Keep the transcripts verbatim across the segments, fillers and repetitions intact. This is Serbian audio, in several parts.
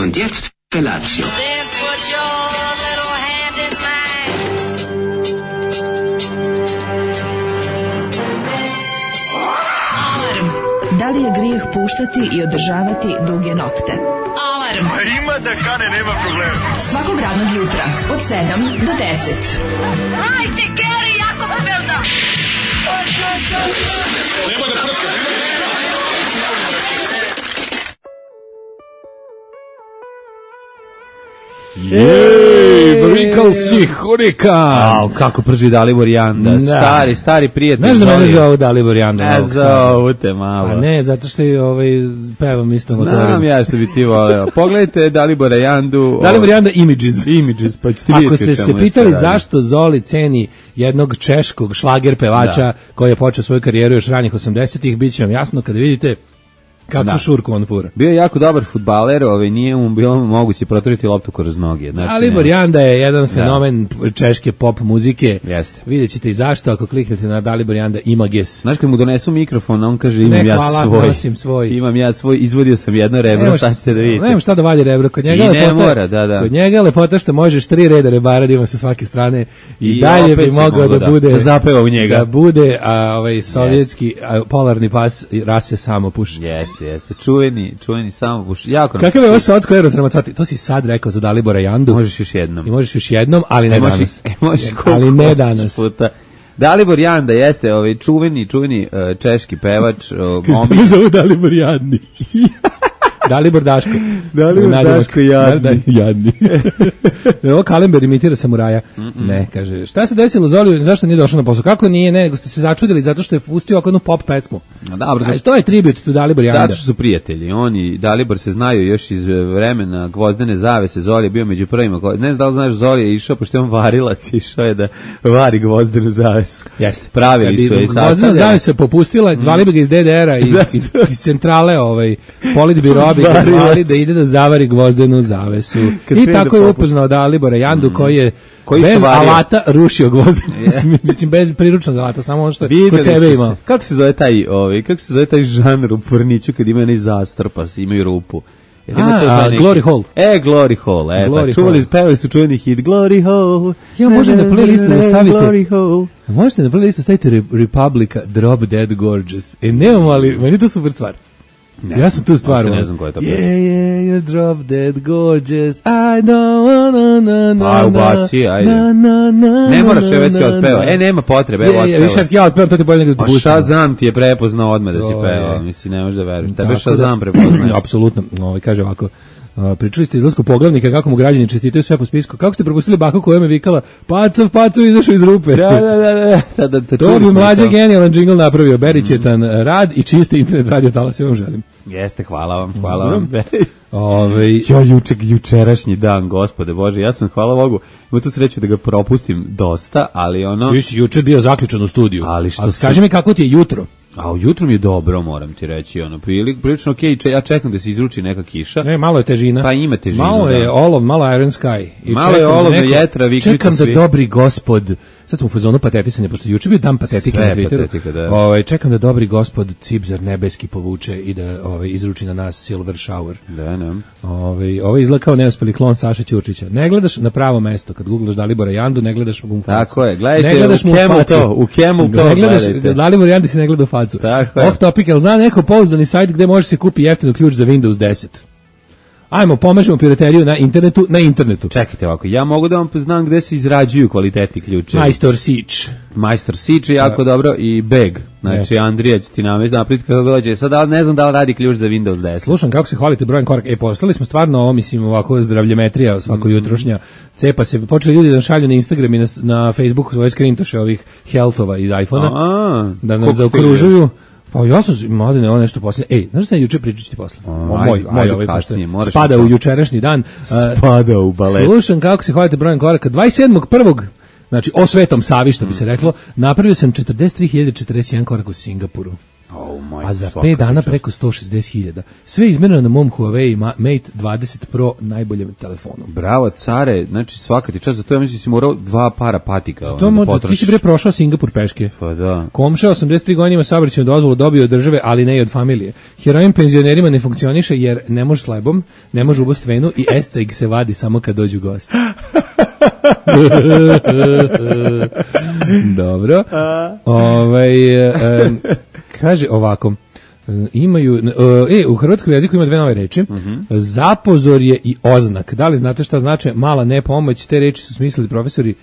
Und jetzt Felatio. Then put your little hand in mine. Alarm. Da li je grijeh puštati i održavati duge nokte? Alarm. A ima da kane, nema problema. Svakog radnog jutra od sedam do deset. Hajde, Geri, jako se velda. Nema da prska, nema da Jej, Vrikal si Hurika. Au, kako prži Dalibor Janda. Da. Stari, stari prijatelj. Znaš da mene zovu Dalibor Janda? Ne zovu te malo. A ne, zato što je ovaj, pevam isto Znam motorom. ja što bi ti voleo. Pogledajte Dalibora Jandu. Dalibor Janda Images. Images, pa ćete vidjeti. Ako ste se pitali zašto Zoli ceni jednog češkog šlager pevača Da. koji je počeo svoju karijeru još ranih osamdesetih, bit će vam jasno kada vidite kakvu Da. šurku on fura. Bio je jako dobar fudbaler, ovaj, nije mu bilo moguće proturiti loptu kroz noge. Znači, Dalibor nema. Janda je jedan fenomen češke pop muzike. Jeste. Vidjet ćete i zašto ako kliknete na Dalibor Janda Images. Znaš, kad mu donesu mikrofon, on kaže imam Ne, ja hvala, svoj. nosim svoj. Imam ja svoj, izvodio sam jedno rebro, Nemaš- sad ćete da vidite. Nemam šta da valje rebro, kod njega I je ne lepota, mora, da, da. Kod njega je lepota što možeš tri reda rebara da ima sa svake strane i, I dalje opet bi će mogao mogao da, da- bude da zapeva u njega. Da bude a, ovaj sovjetski a, polarni pas i rase samo puši. Jeste, jeste. Čuveni, čuveni samo buš. Jako nam Kakav se je ovo sviđa. socko aerodramatvati? To si sad rekao za Dalibora Jandu. Možeš još jednom. I možeš još jednom, ali ne E, možeš- danas. e, možeš koliko ali ne hoćeš danas. puta. Dalibor Janda jeste ovaj čuveni, čuveni uh, češki pevač, uh, Što momik. me zove Dalibor Jadni. Dalibor Daško. Dalibor Nadimak. Daško Jadni. Da, da, Jadni. Ovo Kalember imitira samuraja. Mm-mm. Ne, kaže, šta se desilo Zoli, zašto nije došao na posao? Kako nije, ne, nego ste se začudili zato što je pustio ovako jednu pop pesmu. Dobro, A što je tribut to Dalibor Janda? zato što su prijatelji. Oni i Dalibor se znaju još iz vremena Gvozdene zavese. Zoli je bio među prvima. ko- Ne znam da li znaš, Zoli je išao, pošto je on varilac, išao je da vari Gvozdenu zavesu. Jeste. Pravili su je i Gvozdena sastavljali. zavesa popustila, zvali bi ga iz D D R-a, iz, iz, iz centrale, ovaj, politbiroa bi ga Varilac. zvali da ide da zavari Gvozdenu zavesu. Kad I krene tako da je popusti. upoznao Dalibora Jandu koji je Koji isto bez vario. alata rušio Gvozdenu. Mislim, bez priručnog alata, samo ono što je Videli kod sebe su imao. se- Kako se zove taj, ovaj, kako se zove taj žanr u porniću kad ima onaj zastor pa se imaju rupu? Jer ima A, to taj a, neki- Glory Hole. E, Glory Hole, e, Glory pa čuvali, Hole. pevali su čuveni hit Glory Hole. Ja, može na playlistu da stavite- Glory Hole. Možete na playlistu staviti Re- Republica Drop Dead Gorgeous. E, nemamo, ali meni je to super stvar. Ja sam tu stvar. uopšte ne znam koja je to Yeah, pesma. yeah, you're drop dead gorgeous. I don't wanna, na, na, Pa, na, ubaci, ajde. na, na, na, Ne moraš je na, već na, otpeva. na. E, nema potrebe, Je, evo je, više otpeva. ja otpevam, to ti bolje nego da A ti pustim. Shazam ti je prepoznao odmah da si To pevao. je. Mislim, ne možeš da veruješ. Tebe Tako da- Shazam prepoznaje. Apsolutno. Ovaj kaže ovako. Uh, pričali ste izlasku poglavnika, kako mu građani čestitaju sve po spisku. Kako ste propustili baku koja me vikala Pacov, Pacov izašao iz rupe. Da, da, da, da, da, da, da, To čuli bi smo mlađe to. genijalan džingl napravio. Berićetan rad i čisti internet radio talas, ja vam želim. Jeste, hvala vam, hvala vam. Ove, Ja juče, jučerašnji dan, gospode Bože, ja sam, hvala Bogu, imao tu sreću da ga propustim dosta, ali ono... Vi si juče bio zaključan u studiju. Ali što A se- kaži mi kako ti je jutro? A ujutro mi je dobro, moram ti reći, ono, prilik, prilično okej, če- ja čekam da se izruči neka kiša. Ne, malo je težina. Pa ima težinu, Malo je da. olov, malo je Iron Sky. I Malo je čekam da olov, neko- jetra, viknicu Čekam da svi. dobri gospod, sad smo u fazonu patetisanja, pošto je juče bio dan patetike Sve na Twitteru. patetika, da. Ovaj, čekam da dobri gospod Cipzar nebeski povuče i da ovaj, izruči na nas Silver Shower. Da, ne. Ovaj, ovo izgleda kao neuspeli klon Saše Ćurčića. Ne gledaš na pravo mesto, kad googlaš Dalibora Jandu, ne gledaš mu u facu. Tako je, gledajte, ne gledaš u mu Camel facu. to, u Camel to Ne gledaš, gledajte. Dalibor Jandi si ne gleda u facu. Tako je. Off topic, jel zna neko pouzdani sajt gde može se kupi jeftino ključ za Windows deset? Ajmo, pomažemo pirateriju na internetu, na internetu. Čekajte ovako, ja mogu da vam znam gde se izrađuju kvalitetni ključe. Majstor Sić. Majstor Sič je jako dobro i Beg. Znači, Andrija će ti namest napraviti kako dođe. Sad ali ne znam da li radi ključ za Windows deset. Slušam kako se hvalite brojem koraka. E, poslali smo stvarno ovo, mislim, ovako zdravljemetrija svako Mm. jutrošnja. Cepa se, počeli ljudi da šalju na Instagram i na, na Facebooku svoje skrintoše ovih healthova iz iPhona. A, Da koliko nas ste zaokružuju. Pa ja sam, mladine, ovo nešto poslije. Ej, znaš da sam juče pričat ću ti posle? A, O, ajde, moj, moj ajde ovaj kasnije, pošto moraš spada mi to. u jučerašnji dan. A, Spada u balet. Slušam kako se hvalite brojem koraka. dvadeset sedmog prvog znači o Svetom Savi, što bi se reklo, napravio sam četrdeset tri hiljade četrdeset jedan korak u Singapuru. Oh, majko, a za svaka pet dana čast. preko sto šezdeset hiljada. Sve izmereno na mom Huawei Ma- Mate dvadeset Pro najboljem telefonu. Bravo, care, znači svaka ti čast, za to ja mislim da si morao dva para patika. To ono, mo- da ti si potrošiš. bre prošao Singapur peške. Pa da. Komša osamdeset tri godine ima saobraćajnu dozvolu, dobio od države, ali ne i od familije. Heroin penzionerima ne funkcioniše jer ne može s lebom, ne može ubost venu i esceg se vadi samo kad dođu gosti. Dobro. Ovaj e, kaže ovako. Imaju e u hrvatskom jeziku ima dve nove reči. Uh-huh. Zapozorje i oznak. Da li znate šta znači mala nepomoć? Te reči su smislili profesori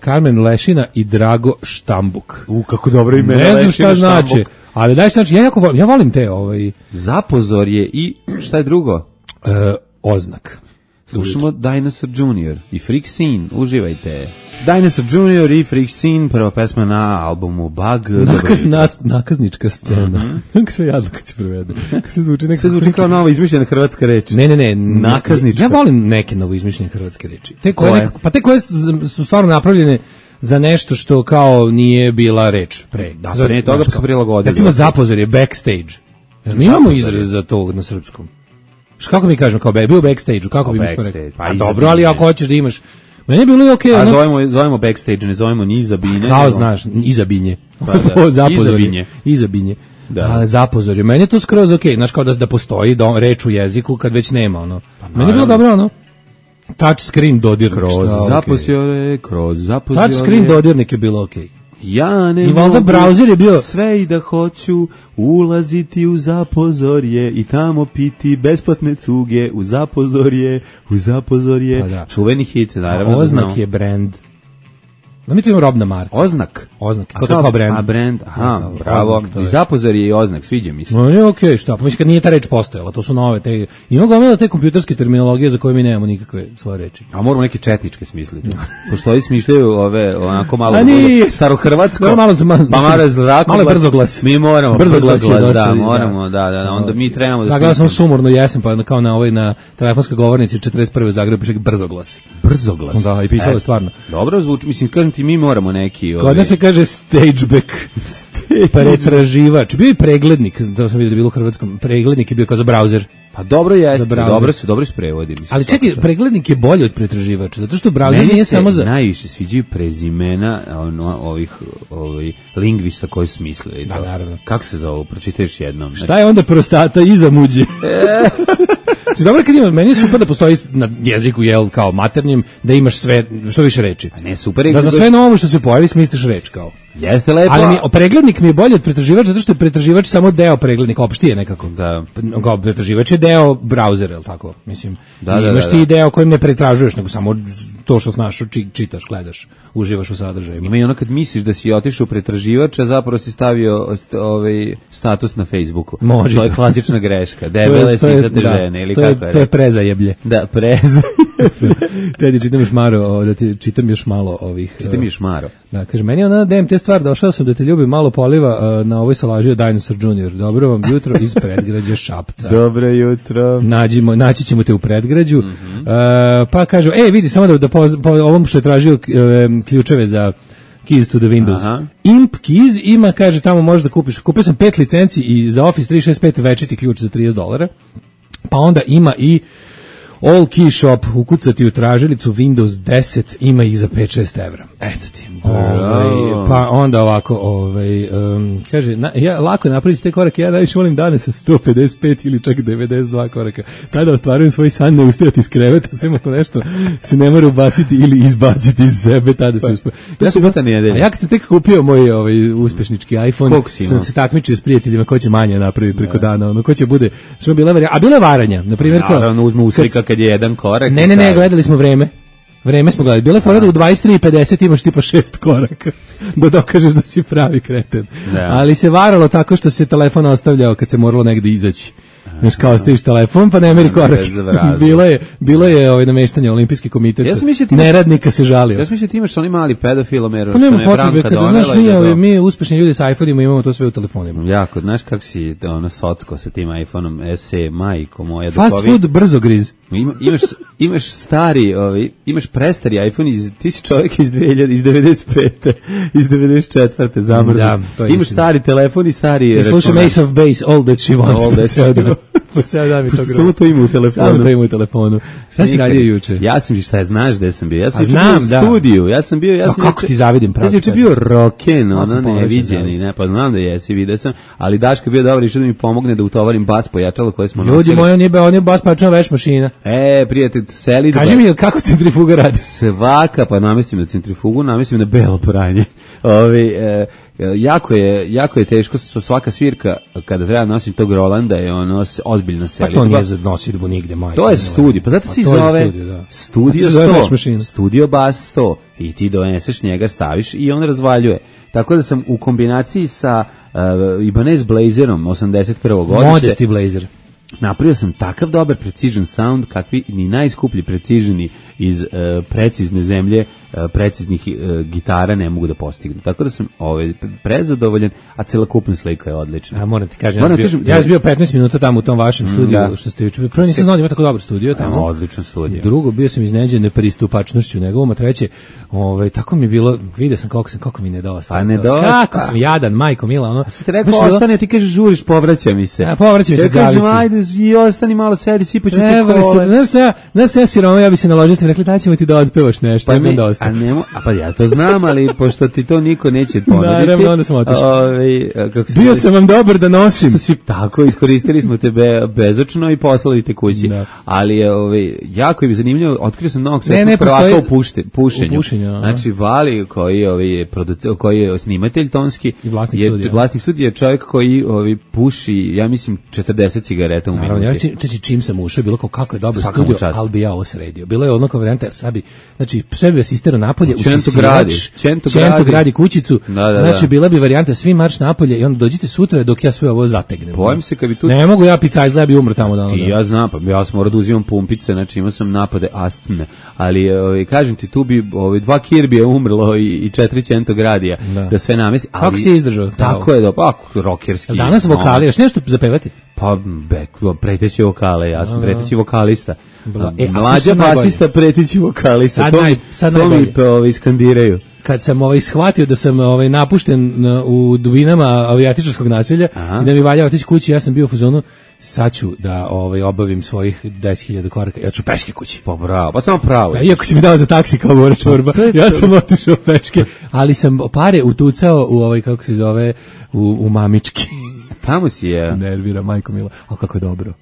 Karmen Lešina i Drago Štambuk. U, kako dobro ime. Ne znam šta znači, ali daj znači, ja jako volim, ja volim te ovaj Zapozorje i šta je drugo? e, oznak. Slušamo Dinosaur Junior i Freak Scene, uživajte. Dinosaur Junior i Freak Scene, prva pesma na albumu Bug. Nakaz, na, nakaznička scena. Kako mm-hmm. se jadno kad se prevede. Kako se zvuči, Sve zvuči kao nova izmišljena hrvatska reč. Ne, ne, ne. Nakaznička. Ja volim neke novo izmišljene hrvatske reči. Te koje, Koje? nekako, pa te koje su su stvarno napravljene za nešto što kao nije bila reč pre. Da, pre toga pa su prilagodili. Recimo zapozor je backstage. Jer mi imamo izraz za to na srpskom. Što kako mi kažemo kao bio backstage, kako bi mi smo rekli? Pa Pa iza dobro, ali bine. ako hoćeš da imaš meni je bilo i okej. A ono- zovemo, zovemo backstage, ne zovemo ni iza bine. Kao nego- znaš, iza binje. Pa da, Zapozorje. iza binje. Iza binje. Da. Da. A zapozorje. Meni je to skroz okej. Znaš, kao da, da postoji do, reč u jeziku kad već nema, ono. Meni je bilo dobro, ono. Touch screen dodirnik. Kroz šta, okej. zapozore, kroz zapozore. Touch screen dodirnik je bilo okej. Ja ne I valjda mogu browser je bio- sve i da hoću ulaziti u zapozorje i tamo piti besplatne cuge u zapozorje, u zapozorje. Pa da. Čuveni hit, naravno. da Oznak znamo. je brand. Da mi to imamo robna marka. Oznak. Oznak, A kao, kao brand. A brand, aha, Kao bravo. oznak, to I je. zapozorje i oznak, sviđa mi se. No, je okej, šta? Pa mislim kad nije ta reč postojala, to su nove te. Ima gomila te kompjuterske terminologije za koje mi nemamo nikakve svoje reči. A moramo neke četničke smisliti. Pošto ovi smišljaju ove onako malo A nije. starohrvatsko. Dobro, malo za malo- pa malo zrakoglas. malo je brzoglas. Mi moramo Brzoglas je dosta, da, da. moramo, da, da, onda mi trebamo da Da, gledao sam smislimo. sumorno jesam, pa kao na ovoj na telefonskoj govornici četrdeset prve u Zagrebu piše brzoglas. Brzoglas. Da, i pisalo je Eto. stvarno. Dobro zvuči, mislim, kažem ti, mi moramo neki... Kod nas se kaže stageback, pretraživač. Bio je preglednik, da sam vidio da je bilo u hrvatskom. Preglednik je bio kao za browser. Pa dobro jeste, Za browser. dobro su, dobro su prevodi. Mislim, Ali čekaj, preglednik je bolji od pretraživača, zato što browser Meni nije se samo za... najviše sviđaju prezimena ono, ovih, ovih lingvista koji su mislili. Da, to. naravno. Kako se zove, pročitaj još jednom. Šta je onda prostata iza muđe? Znači, dobro kad ima, meni je super da postoji na jeziku, jel, kao maternjem, da imaš sve, što više reči. Ne, super je. Da za sve novo što se pojavi smisliš reč, kao. Jeste lepo. Ali mi, preglednik mi je bolji od pretraživača, zato što je pretraživač samo deo preglednika, opšti je nekako. Da. Kao pretraživač je deo brauzera, jel tako? Mislim, Da, i da, imaš da, ti da. deo kojim ne pretražuješ, nego samo to što znaš, či, čitaš, gledaš, uživaš u sadržaju. Ima i ono kad misliš da si otišao u pretraživač, a zapravo si stavio st, ovaj status na Facebooku. Može. To je klasična greška. To je- Debele to je- sisate da, žene ili to je- kako je. To je rekao? prezajeblje. Da, preza. Čekaj, čitam još malo, o, da ti čitam još malo ovih. Ti mi je šmaro. Da, kaže, meni je ona D M T stvar, došao sam da te ljubim, malo poliva uh, na ovoj salaži od Dinosaur Junior. Dobro vam jutro iz predgrađa Šapca. Dobro jutro. Nađimo, naći ćemo te u predgrađu. Mhm. Uh, pa kažu, e, vidi, samo da, da po, po ovom što je tražio uh, ključeve za Keys to the Windows. Aha. Imp Keys ima, kaže, tamo možeš da kupiš. Kupio sam pet licenci i za Office tri šest pet večiti ključ za trideset dolara. Pa onda ima i All Key Shop, ukucati u tražilicu Windows deset, ima ih za pet šest evra. Eto ti. Ovaj, pa onda ovako, ovaj, um, kaže, na, ja lako je napraviti te korake, ja najviše volim dane sa sto pedeset pet ili čak devedeset dva koraka. Tada ostvarujem svoj san ne ustajati iz kreveta, sve ako nešto se ne mora ubaciti ili izbaciti iz sebe, tada se uspio. to je subota nedelja. A ja kad sam tek kupio moj ovaj uspešnički iPhone, Koliko si imao? sam se takmičio s prijateljima ko će manje napraviti preko dana, ono ko će bude, što bila varja, a bila varanja, na primjer kao. Naravno, uzme uslika kad- kad je jedan korak. Ne, i ne, ne, stavi. gledali smo vreme. Vreme smo gledali. Bila je fora da u dvadeset tri i pedeset imaš tipa šest koraka da dokažeš da si pravi kreten. Da. Ali se varalo tako što se telefon ostavljao kad se moralo negde izaći. Znaš, kao ostaviš telefon, pa ne meri korak. bez vraza. bilo je, bilo je ovaj nameštanje Olimpijski komitet. Ja sam mislio ti imaš- Neradnika se žalio. Ja sam mislio ti imaš onaj mali pedofilomer, Pa što nema ne potrebe, Branka kada, donela znaš, i mi, da ovi, to- mi uspešni ljudi sa iPhone-ima imamo to sve u telefonima. Jako, znaš kako si ono socko sa tim iPhone-om S E, majko moja. dok Fast ovi- food brzogriz. Ima, imaš, imaš stari, ovaj, imaš prestari iPhone, iz, ti si čovjek iz, dve hiljade, iz devedeset pete, iz devedeset četvrte zamrznut. Da, imaš stari telefon i stari računar. Slušam Ace of Base, All That She Wants. All That She Wants. Po ceo dan mi to grobo. Samo to ima u telefonu. Samo to ima u telefonu. Šta si radio juče? Ja sam, šta je, znaš gde sam bio? Ja sam znam, bio u da. studiju. Ja sam bio, ja sam kako ti zavidim pravo. Ja sam juče bio roken, ono neviđeni, ne, pa znam da jesi, vidio sam, ali Daško je bio dobar, išao da mi pomogne da utovarim bas pojačalo koje smo nosili. Ljudi moji, on je, on je bas pojačalo veš mašina. E, prijatelj, seli. Kaži mi, kako centrifuga radi? Svaka, pa namestim na centrifugu, namestim na belo pranje. Ovi, e, jako je, jako je teško sa svaka svirka kada treba nositi tog Rolanda je ono ozbiljna selidba. Pa to nije za nosidbu nigde, majke. To je za studij, pa zato se zove Studio sto, Studio Bass sto i ti doneseš njega, staviš i on razvaljuje. Tako da sam u kombinaciji sa uh, Ibanez Blazerom osamdeset prvog godište. Modesti Blazer. Napravio sam takav dobar precision sound kakvi ni najskuplji precizini iz uh, precizne zemlje uh, preciznih uh, gitara ne mogu da postignu. Tako da sam ovaj prezadovoljan, a celokupna slika je odlična. A moram ti kažem, ja sam, bio, kažem, ja sam bio petnaest minuta tamo u tom vašem studiju, da. Što ste juče. Prvo nisam znao da ima tako dobar studio tamo. A, odličan studio. Drugo, bio sam iznenađen nepristupačnošću njegovom, a treće, ovaj tako mi je bilo, vidio sam kako sam kako mi nedostaje. A nedostaje. Kako sam jadan, majko mila, ono. Ti rekao ostane, ti kažeš žuriš, povraća mi se. A povraća mi se, kažem ajde i ostani malo sedi, sipaću ti kole. Znaš se, znaš se, siroma, ja bi se naložio, sam rekli, da ćemo ti da otpevaš nešto, pa mi, dosta. A, nemo, a pa ja to znam, ali pošto ti to niko neće ponuditi. Naravno, onda sam otišao. Ovaj, bio sam vam dobar da nosim. Si, tako, iskoristili smo tebe bezočno i poslali te kući. Da. Ali je ovaj, jako je zanimljivo, otkrio sam novog svetskog prvaka u pušte, pušenju. U pušenju znači, Vali, koji je, ovaj, producer, koji je snimatelj tonski, i vlasnik je, studija. Vlasnik studija je čovjek koji ovaj, puši, ja mislim, četrdeset cigareta u minuti. Naravno, ja či, čim sam ušao, bilo kao kako je dobro studio, ali bi ja ovo sredio. Bilo je ono kao varijanta, sad bi, znači, sve bi asistirao napolje, usisivač, Čento gradi. gradi kućicu, da, da, znači, da. Bila bi varijanta, svi marš napolje i onda dođite sutra dok ja sve ovo zategnem. Bojim se kad bi tu... Ne mogu ja pica izgleda bi umro tamo. Da, ti, ja znam, pa ja sam morao da uzimam pumpice, znači imao sam napade astme, ali ovaj, kažem ti, tu bi ovaj, dva Kirbija umrlo i, i četiri Čento gradija, da, da sve namesti. Ali, kako si ti izdržao? Tako je, da, pa, rokerski. Danas vokali, još nešto zapevati? Pa, bek, preteći vokale, ja sam preteći vokalista. E, mlađa basista, preteći vokalista. Sad, to naj, sad to mi to ovaj, skandiraju. Kad sam ovaj shvatio da sam ovaj napušten u dubinama avijatičarskog naselja, aha, i da mi valja otići kući, ja sam bio u fazonu, sad ću da ovaj obavim svojih deset hiljada koraka, ja ću peške kući. Pa bravo, pa samo pravo. Ja, iako si mi dao za taksi kao Bora Čorba, ja sam otišao peške, ali sam pare utucao u ovaj, kako se zove, u, u mamički. Tamo si je. Nervira, majko mila, ali kako je dobro.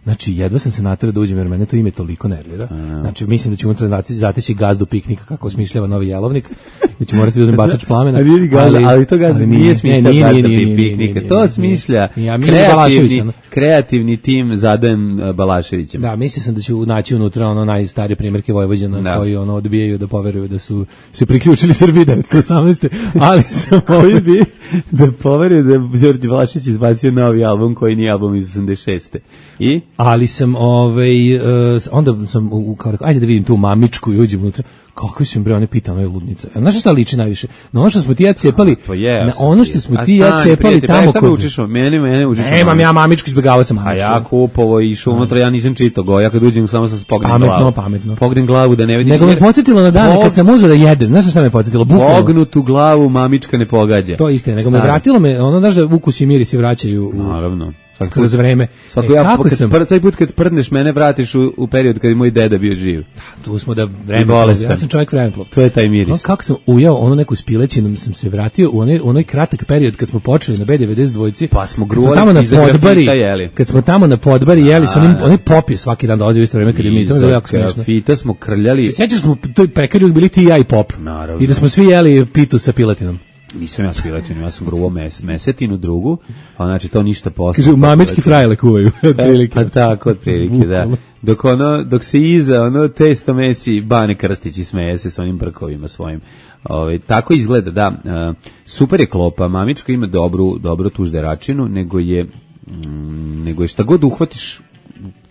Znači, jedva sam se naterao da uđem, jer mene to ime toliko nervira. Znači, mislim da ću unutra zateći gazdu piknika kako osmišljava novi jelovnik. Da ću morati da uzem bacač plamena. Ali, ali, ali to gazda nije smišlja gazda piknika. To smišlja kreativni, kreativni tim Zadojem Balaševićem. Da, mislio sam da ću naći unutra ono najstarije primjerke Vojvođana, da, koji ono odbijaju da poveruju da su se priključili Srbiji devetsto osamnaeste. Ali sam koji bi da poveruju da je Đorđe Balašević izbacio novi album koji nije album iz osamdeset šeste. I? Ali sam, ovaj, uh, onda sam, u, kao rekao, ajde da vidim tu mamičku i uđem unutra, kako su im bre, one pita, ono je ludnica. Znaš šta liči najviše? Na ono što smo ti ja cepali, pa je, na ono što smo ti ja cepali tamo kod... Učiš, meni, mene učiš. Nemam ja mamičku, izbjegavao sam mamičku. A ja kupovo i išao unutra, ja nisam čitao go, ja kad uđem samo sam pognem pametno, glavu. Pametno, pametno. Pognem glavu da ne vidim. Nego me podsjetilo na dane Pog... kad sam uzeo da jedem, znaš šta me podsjetilo? Bukvalno. Pognutu glavu mamička ne pogađa. To isto je, nego me vratilo me, ono znaš da ukus i mirisi vraćaju u... Naravno. Kroz vreme. Svako e, ja, kako sam... Pr, svaki put kad prdneš mene vratiš u, u period kad je moj deda bio živ. Tu smo da vreme, ja sam čovjek vremeplov. To je taj miris. No, kako sam ujao ono neku spilećinu, sam se vratio u onaj, onaj kratak period kad smo počeli na B devedeset dva. Pa smo gruvali tamo na podbari, jeli. Kad smo tamo na podbari jeli, su onim, onaj pop je svaki dan dolazio u isto vreme kad je mi, to je jako smiješno. Fita smo krljali. Sjećaš smo, to je pekari bili ti i ja i pop. Naravno. I da smo svi jeli pitu sa piletinom. Nisam ja spiletinu, ja sam gruvo mes, mesetinu drugu, a znači to ništa posle. Kaže, mamički frajle kuvaju, otprilike. Pa tako, otprilike, da. Dok, ono, dok se iza, ono, testo mesi, Bane Krstić i smeje se s onim brkovima svojim. Ove, tako izgleda, da. Uh, super je klopa, mamička ima dobru, dobru tužderačinu, nego je, mm, nego je šta god uhvatiš,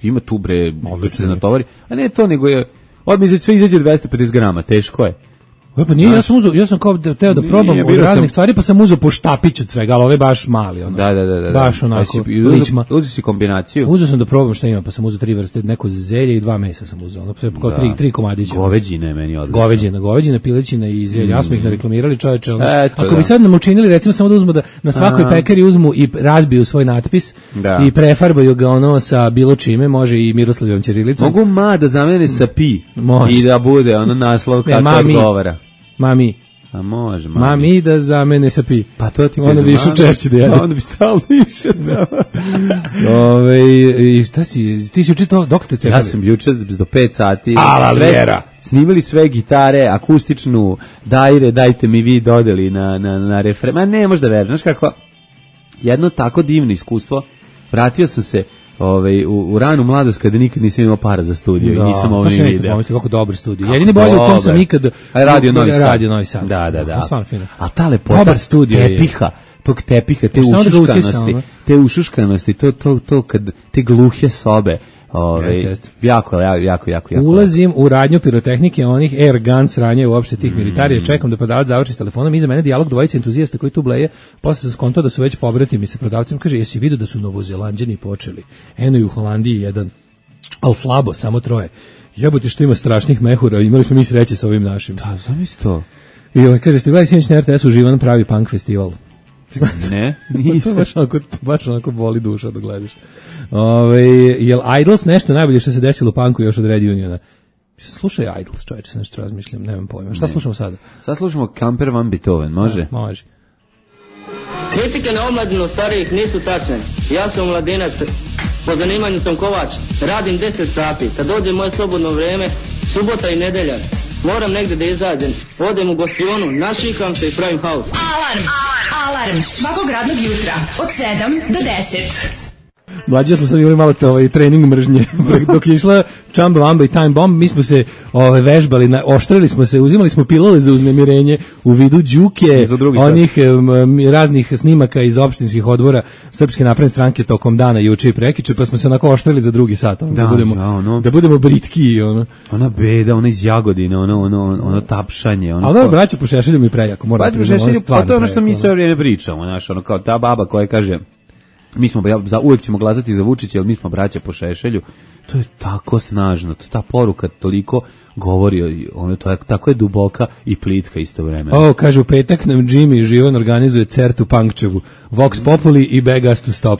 ima tu bre, odlično se natovari, a ne to, nego je, odmah sve izađe dvesta pedeset grama, teško je. E, pa nije, ja sam uzeo, ja sam kao da teo da probam Nije, od birao raznih sam- stvari, pa sam uzeo po štapić od svega, ali ovo je baš mali, ono. Da, da, da, da. Baš Pa onako, si- ličma. Uzeo uzeo si kombinaciju. Uzeo sam da probam šta ima, pa sam uzeo tri vrste, neko zelje i dva mesa sam uzeo, ono, kao tri, tri komadića. Goveđine je meni odlično. Goveđina, goveđina, pilećina i zelje. Ja smo ih nareklamirali, čoveče. ono. Eto, Ako da. bi sad nam učinili, recimo samo da uzmu da na svakoj A. pekari uzmu i razbiju svoj natpis Da. i prefarbaju ga ono sa bilo čime, može i Miroslavljevom ćirilicom. Mogu ma da zamene sa pi Može. i da bude ono naslov Ne, kako mami. odgovara. Mami, A može, mami. mami da zamene sa pi. Pa to ti Onda kažem, bi išao mami. češće da jede. Onda bi stalno išao. Da. Ove, i šta si, ti si učitao, dok ste cepali? Ja sam juče do pet sati. Ala sve- Vjera. Snimali sve gitare, akustičnu, dajre, dajte mi vi dodeli na, na, na refren. Ma ne, možda verujem. Znaš kako, jedno tako divno iskustvo. Vratio sam se ovaj, u, u ranu mladost kada nikad nisam imao para za studio i nisam ovo to ni sam isto video. pomislio, kako dobar studio. Kako Jedini bolje u kom sam dobar. ikad... A radio Novi Sad. Radio Novi Sad. Da, da, da. Stvarno fino. A ta lepota Dobar studio je. tepiha, tog tepiha, te Samo da ga usisa, ušuškanosti, ono. te ušuškanosti, to, to, to kad te gluhe sobe, ove, Jeste, jeste. jako, jako, jako, jako. jako. Ulazim u radnju pirotehnike, onih air guns ranje uopšte tih militarija, čekam da prodavac završi s telefonom, iza mene dijalog dvojice entuzijasta koji tu bleje, posle sam skontao da su već pobratimi sa prodavcem, kaže, jesi vidio da su Novozelanđani počeli, eno i u Holandiji jedan, al slabo, samo troje. Jebote što ima strašnih mehura, imali smo mi sreće sa ovim našim. Da, zamisli to. I ovaj kaže, ste gledali sinoć na er te esu Živan pravi punk festival. Ne, To nisam. baš onako, baš onako boli duša da gledaš. Ove, jel Idols nešto najbolje što se desilo u punku još od Red Uniona? Slušaj Idols, čovječe, se nešto razmišljam, nemam pojma. Šta slušamo sada? Sad slušamo Kamper van Beethoven, može? Može. Kritike na omladinu starijih nisu tačne. Ja sam mladinac, po zanimanju sam kovač, radim deset sati. Kad dođe moje slobodno vrijeme, subota i nedelja, moram negdje da izađem. Odem u gostionu, našikam se i pravim haos. Alarm! Alarm svakog radnog jutra od sedam do deset. Mlađi smo sad imali malo te, ovaj, trening mržnje. Dok je išla Chamba Wamba i Time Bomb, mi smo se ovaj, vežbali, na, oštrili smo se, uzimali smo pilule za uznemirenje u vidu đuke, Za drugi onih um, raznih snimaka iz opštinskih odbora Srpske napredne stranke tokom dana juče i prekjuče, pa smo se onako oštrili za drugi sat, ono, da, Da, budemo, da, ono. da budemo britki. Ono. Ona beda, ona iz Jagodine, ono, ono, ono tapšanje. Ono Ali dobro, braće po Šešelju mi prejako, moram Pa, da priznam, ono pa stvarno to je ono što prejako, mi ono. sve vrijeme pričamo, znaš, ono kao ta baba koja kaže mi smo ja, za uvek ćemo glasati za Vučića, ali mi smo braća po Šešelju. To je tako snažno, to, ta poruka toliko govori, ono to je tako je duboka i plitka istovremeno. O, kaže, u petak nam Jimmy Živan organizuje Certu Punkčevu, Vox Populi i Beg Us to Stop.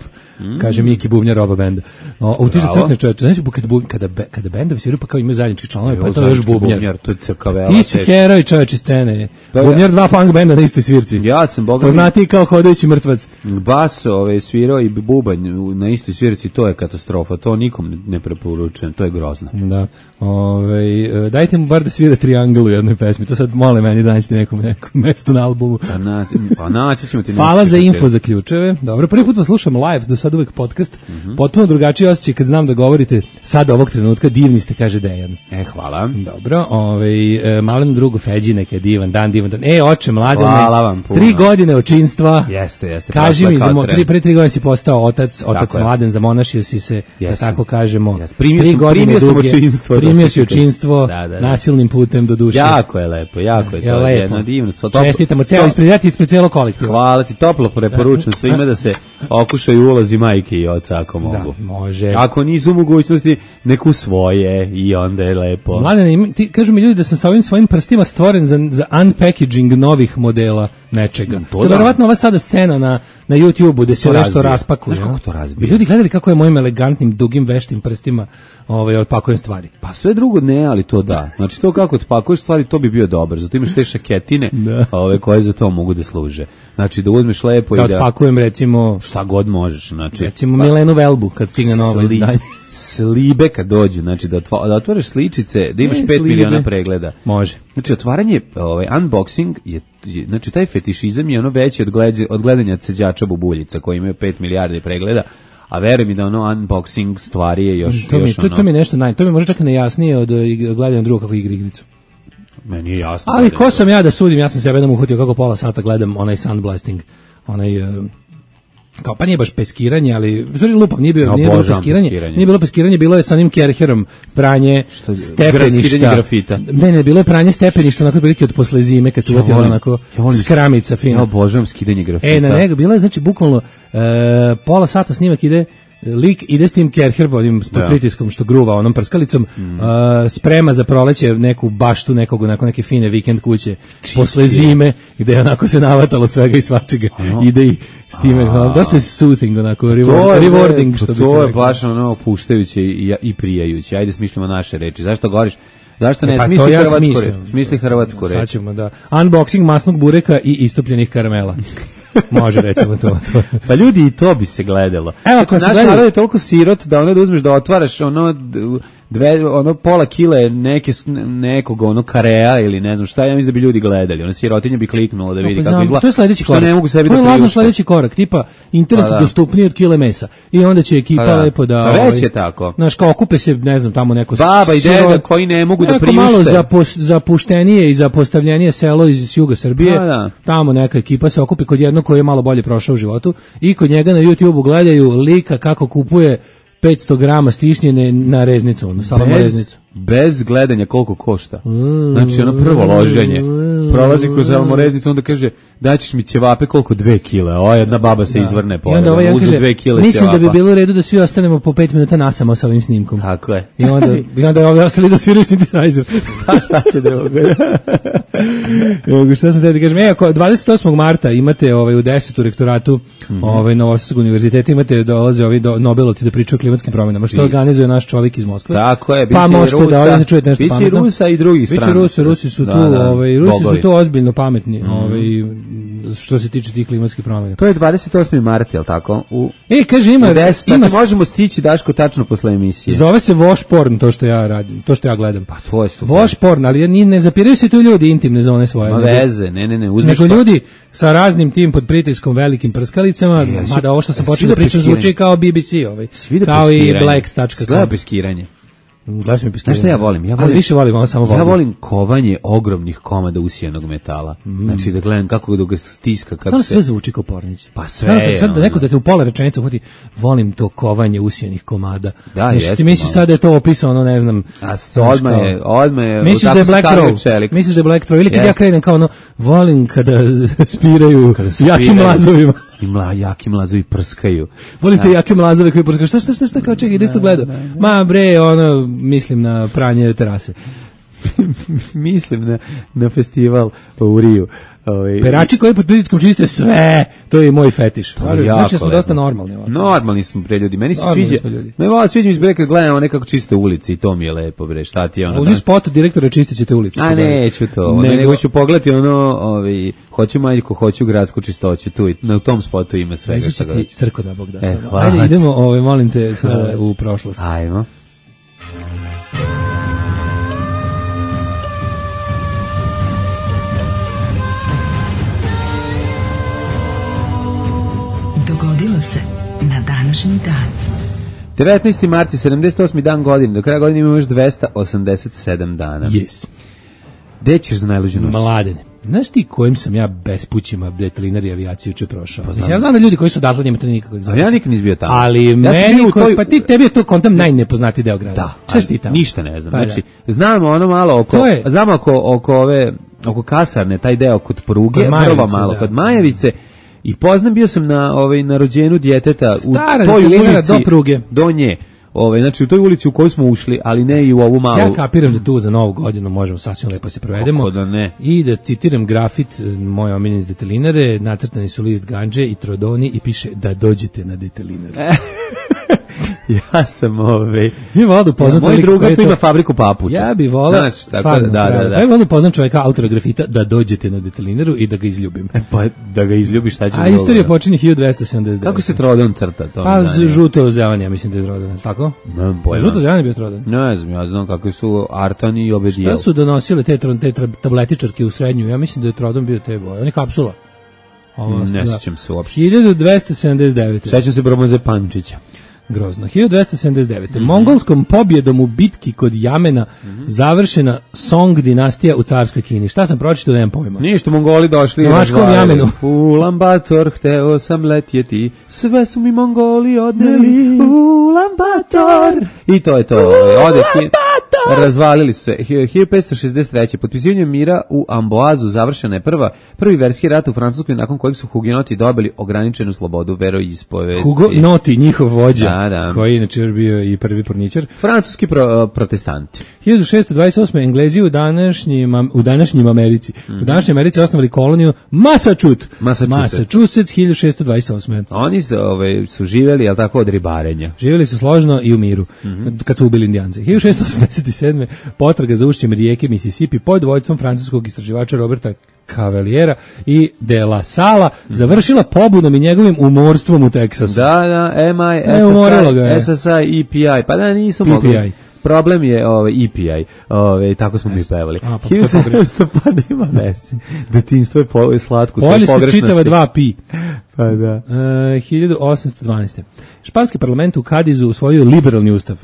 Kaže Miki Bubnjar oba benda. O, u tiže Bravo. crkne čoveče, znaš kada, bu- kada, be- kada bendovi sviraju pa kao imaju zajednički članovi, pa je to Evo, još zajednički Bubnjar. To je crkavela. Ti si heroj čoveče scene. Da, da. Bubnjar dva punk benda na istoj svirci. Ja sam boga Poznati kao hodajući mrtvac. bas ove, svirao i bubanj u- na istoj svirci, to je katastrofa, to nikom ne- ne preporučujem, to je grozno. Da. Ove, e, dajte mu bar da svira triangl u jednoj pesmi. To sad mole meni da naći nekom nekom mesto na albumu. Pa, naći, pa naći ćemo ti Hvala nešto za što info će- za ključeve. Dobro, prvi put vas slušam live, do sad uvek podcast. Mhm. Potpuno drugačiji osjećaj kad znam da govorite sad ovog trenutka, divni ste, kaže Dejan. E, hvala. Dobro, ovaj, e, malen drugo Feđi, neka je divan dan, divan dan. E, oče, mladene, Hvala vam puno. tri godine očinstva. Jeste, jeste. Kaži prošla mi, kao za mo, tren. tri, pre tri godine si postao otac, otac je. mladen, zamonašio si se, da Jesam. tako kažemo. Jesam. Primio Tri sam- godine primio sam duge, očinstvo, Primio to si što si očinstvo Da, da, da. nasilnim putem do duše. Jako je lepo, jako je Je to lepo. jedno divno. To- to- Čestitamo, ceo, to- ispred, ja ti ispred cijelog kolektiva. Hvala ti, toplo preporučujem svima da se okušaju ulozi majke i oca ako mogu. Da, može. Ako nisu u mogućnosti, neku svoje i onda je lepo. Mladene, ima- ti, kažu mi ljudi da sam sa ovim svojim prstima stvoren za, za unpackaging novih modela nečega. To, to je da. verovatno ova sada scena na, na YouTube-u gde se To nešto razbije. raspakuje. Znaš kako a? to razbije? Bi ljudi gledali kako je mojim elegantnim, dugim, veštim prstima ovaj, otpakujem stvari. Pa sve drugo ne, ali to da. Znači to kako otpakuješ stvari, to bi bio dobar. Zato imaš te šaketine Da. ove koje za to mogu da služe. Znači da uzmeš lepo Da i da otpakujem recimo, šta god možeš. Znači, recimo Milenu Velbu kad stigne novo Sli- izdanje. slibe kad dođu, znači da, otva, da otvoriš sličice, da imaš Ne, pet slibe. miliona pregleda. Može. Znači, otvaranje, ovaj, unboxing, je, je, znači, taj fetišizam je ono veći od, gledanja, od gledanja ceđača bubuljica, koji imaju pet milijardi pregleda, a veruj mi da ono unboxing stvari je još, To mi, još to, ono, to mi je nešto naj, to mi je možda čak i nejasnije od eh, gledanja druga kako igra igricu. meni je jasno. Ali da je ko to- sam ja da sudim, ja sam sebe jednom uhvatio kako pola sata gledam onaj Sandblasting, onaj uh, kao pa nije baš peskiranje, ali stvari lupam, nije bilo, Ja nije bilo obožavam peskiranje, peskiranje. nije bilo peskiranje, bilo je sa onim Kerherom pranje Što je- stepeništa. skidanje grafita. Ne, ne, bilo je pranje stepeništa onako prilike od posle zime kad su Ja uvatila volim- onako ja volim- skramica Ja fina. obožavam skidanje grafita. E, na nego, bila je, znači, bukvalno e, pola sata snimak ide, lik ide s tim Kerher, onim s pod Da. pritiskom što gruva onom prskalicom, e, sprema za proleće neku baštu nekog, onako neke fine vikend kuće, posle zime, gde je onako se navatalo svega i svačega, ide i s time, ono, dosta je soothing, onako, reward, je, rewarding, pa što bi to se je reklo. baš ono opuštajuće i, i prijajuće. Ajde smislimo naše reči. Zašto govoriš? Zašto ne E, pa to smisli ja hrvatsku smislim. reč? Smisli hrvatsku Sad reč. ćemo da, unboxing masnog bureka i istopljenih karamela. Može, recimo to. to. Pa ljudi, i to bi se gledalo. Evo, ako Znači, se naš gledaju- narod je toliko sirot da ono da uzmeš da otvaraš ono d- dve, ono pola kile neke, s- nekog ono kareja ili ne znam šta, ja mislim da bi ljudi gledali. Ono sirotinja bi kliknulo da vidi Pa kako znam, izgleda. to je sledeći Što korak. ne mogu sebi to da je ladno priušte. sledeći korak, tipa internet Pa da. dostupniji od kile mesa. I onda će ekipa Pa da. lepo da... Pa već ovaj, je tako. Znaš, kao okupe se, ne znam, tamo neko... Baba i siro- deda koji ne mogu da neko priušte. malo zapos, zapuštenije i zapostavljenije selo iz juga Srbije. Pa da. Tamo neka ekipa se okupi kod jednog koji je malo bolje prošao u životu i kod njega na YouTubeu gledaju lika kako kupuje petsto grama stišnjene na reznicu, ono, salama bez, reznicu. bez gledanja koliko košta. Znači ono prvo loženje. Prolazi kroz salmoreznicu, onda kaže daćeš mi ćevape koliko dve kile. O, jedna baba se izvrne I pored. onda ovaj ono, jedan uzu kaže, dve kile mislim da bi ćevapa. bilo u redu da svi ostanemo po pet minuta nasamo sa ovim snimkom. Tako je. I onda, i onda je ovi ostali da sviraju synthesizer. Pa šta će drugo? Evo, šta sam te da kažem, e, ako dvadeset osmog marta imate ovaj, u deset u rektoratu Mhm. ovaj, Novosadskog univerziteta, imate dolaze ovi do, Nobelovci da pričaju o klimatskim promjenama, što organizuje naš čovjek iz Moskve. Tako je, pa biće i možete da Rusa, ovdje čujete nešto biće i pametno. Rusa i drugih Biće strana. Rusi, Rusi su Da, tu, da, ovaj, Rusi bogovi. su tu ozbiljno pametni, ovaj, što se tiče tih klimatskih promjena. To je dvadeset osmi mart, je li tako? U, E, kaže, ima, u deset, ima, ima možemo stići, Daško, tačno posle emisije. zove se wash porn, to što ja radim, to što ja gledam. Pa tvoje su. wash porn, ali ni, ne zapiraju se tu ljudi intimne zone svoje. Ma nego- veze, ne, ne, ne, uzmeš Nego pa- ljudi sa raznim tim pod pritiskom velikim prskalicama, Jesu- mada ovo što sam jesu počeo da da pričam peskiranje? zvuči kao B B C, ovaj. Svi da kao i peskiranje. black tačka Gleda com. peskiranje. Gledaš mi peskiranje. Znaš šta ja volim? Ja Ali volim više volim, ovo samo volim. Ja volim kovanje ogromnih komada usijanog metala. Znači da gledam kako da ga stiska kako Samo se sve zvuči kao pornić. Pa sve Sad, je, sad da ono. neko da te u pola rečenice uhvati, volim to kovanje usijanih komada. Da, Znači, jeste ti misliš malo. sad da je to opisano, ne znam. A s- znaš, odmah kao- je, odmah je, Misliš tako da je se Black stavio Throw? čelik. Misliš da je Black Throw? Ili kad ja Jeste. krenem kao ono, volim kada spiraju jakim Spiraju. mlazovima. I mla, jaki mlazovi prskaju. Volim te jake mlazove koji prskaju. Šta, šta, šta, šta, kao čekaj, gde si to gledao? Ma bre, ono, mislim na pranje terase. Mislim na, na festival u Riju. Ovaj, Perači koji pod pritiskom čiste sve, to je i moj fetiš. To je jako Znači da smo lepo. dosta normalni ovako. Normalni smo bre ljudi. Meni se Normalni sviđa. smo ljudi. Me vola sviđa mi se bre kad gledamo nekako čiste ulice i to mi je lepo bre. Šta ti je ono? Uzmi spot direktora čistit ćete ulicu. A neću to, nego, Nego- nego ću pogledati ono, ovaj, hoću maljku, hoću gradsku čistoću, tu, i- na tom spotu ima svega Reći šta će god. ti crko da Bog da. E, Samo. hvala Ajde, ti. idemo, ovaj, molim te, sada u prošlost. Ajmo. Dogodilo se na današnji dan. devetnaesti marta, sedamdeset osmi dan godine, do kraja godine imamo još dvesta osamdeset sedam dana. Yes. Gde ćeš za najluđu noć? Mladene. Znaš ti kojim sam ja bespućima detlinari avijaciju juče prošao? Mislim, ja znam da ljudi koji su odatle njima to nikakvog A znači. ja nikad nisam bio tamo. Ali Ja sam meni, bio u koji- toj- pa ti, tebi je to kontam najnepoznatiji deo grada. Da, Šta si ti tamo? ništa ne znam. Pa Znači, da. znamo ono malo oko, To je- znamo oko, oko ove, oko kasarne, taj deo kod pruge, Kod Majevice, vrlo malo, da. kod Majevice, i poznam, bio sam na, ovaj, na rođenju djeteta Stara u toj detelinara ulici, do pruge. do nje. Ovaj, znači, u toj ulici u kojoj smo ušli, ali ne i u ovu malu. Ja kapiram da tu za novu godinu možemo sasvim lepo se provedemo. Kako da ne. I da citiram grafit e, moje omiljene iz detelinare, nacrtani su list ganđe i trodoni i piše da dođete na detelinare. Ja sam, ovaj, Mi volao da upoznam moj toliko koji druga je tu to- ima fabriku papuča. Ja bih volao, Znaš, tako stvarno, da, da, bravo. da. Ja bih volao da upoznam čoveka autora grafita da dođete na detelinaru i da ga izljubim. Pa da ga izljubiš, šta ćeš A drugo, istorija da? počinje hiljadu dvesta sedamdeset devet. Kako se Trodon crta? To Pa mi z- zanima. žuto zelan, ja mislim da je trodan, tako? Nemam pojma. Žuto zelan je bio trodan. Ne znam, ja znam kakvi su Artan i Obedijel. Šta su donosile te, tron- te tra- tabletičarke u srednju? Ja mislim da je trodan bio te boje. On je kapsula. Ovo, Ne da. sjećam se uopšte. hiljadu dvesta sedamdeset devet. Sećam se Bromoze Pančića. Grozno. hiljadu dvesta sedamdeset devete. Mhm. Mongolskom pobjedom u bitki kod Jamena završena Song dinastija u carskoj Kini. Šta sam pročitao, nemam pojma. Ništa, Mongoli došli i Novačkom razvalili. Jamenu. Ulan Bator, hteo sam letjeti, sve su mi Mongoli odneli. Ulan Bator. I to je to. Ode ki- razvalili su se. hiljadu petsto šezdeset treće. Potpisivanjem mira u Amboazu završena je prva, prvi verski rat u Francuskoj nakon kojeg su hugenoti dobili ograničenu slobodu veroispovesti. Hugo Noti, njihov vođa, Da, da. koji je inače još bio i prvi porničar. Francuski pro, protestanti. hiljadu šessto dvadeset osme. Englezi u današnjim, u današnjim Americi. U današnjoj Americi osnovali koloniju Massachusetts. Massachusetts. Massachusetts, hiljadu šessto dvadeset osme. Oni su, ove, su živjeli, jel tako, od ribarenja. Živjeli su složno i u miru, kad su ubili Indijance. hiljadu šessto osamdeset sedme. potraga za ušćem rijeke Mississippi pod vodstvom francuskog istraživača Roberta Cavaliera i de la Sala završila pobunom i njegovim umorstvom u Teksasu. Da, da, M I, E, umorilo ga je. S S I, E P I, pa da nisu P P I. mogli. Problem je ovaj E P I, ovaj tako smo mi pevali. A, pa hiljadu to je sedamsto pa nema veze. Detinjstvo je po, slatko, sve Pojeli ste pogrešnosti. čitava dva pi. Pa da. E, hiljadu osamsto dvanaeste. Španski parlament u Kadizu usvojio liberalni ustav,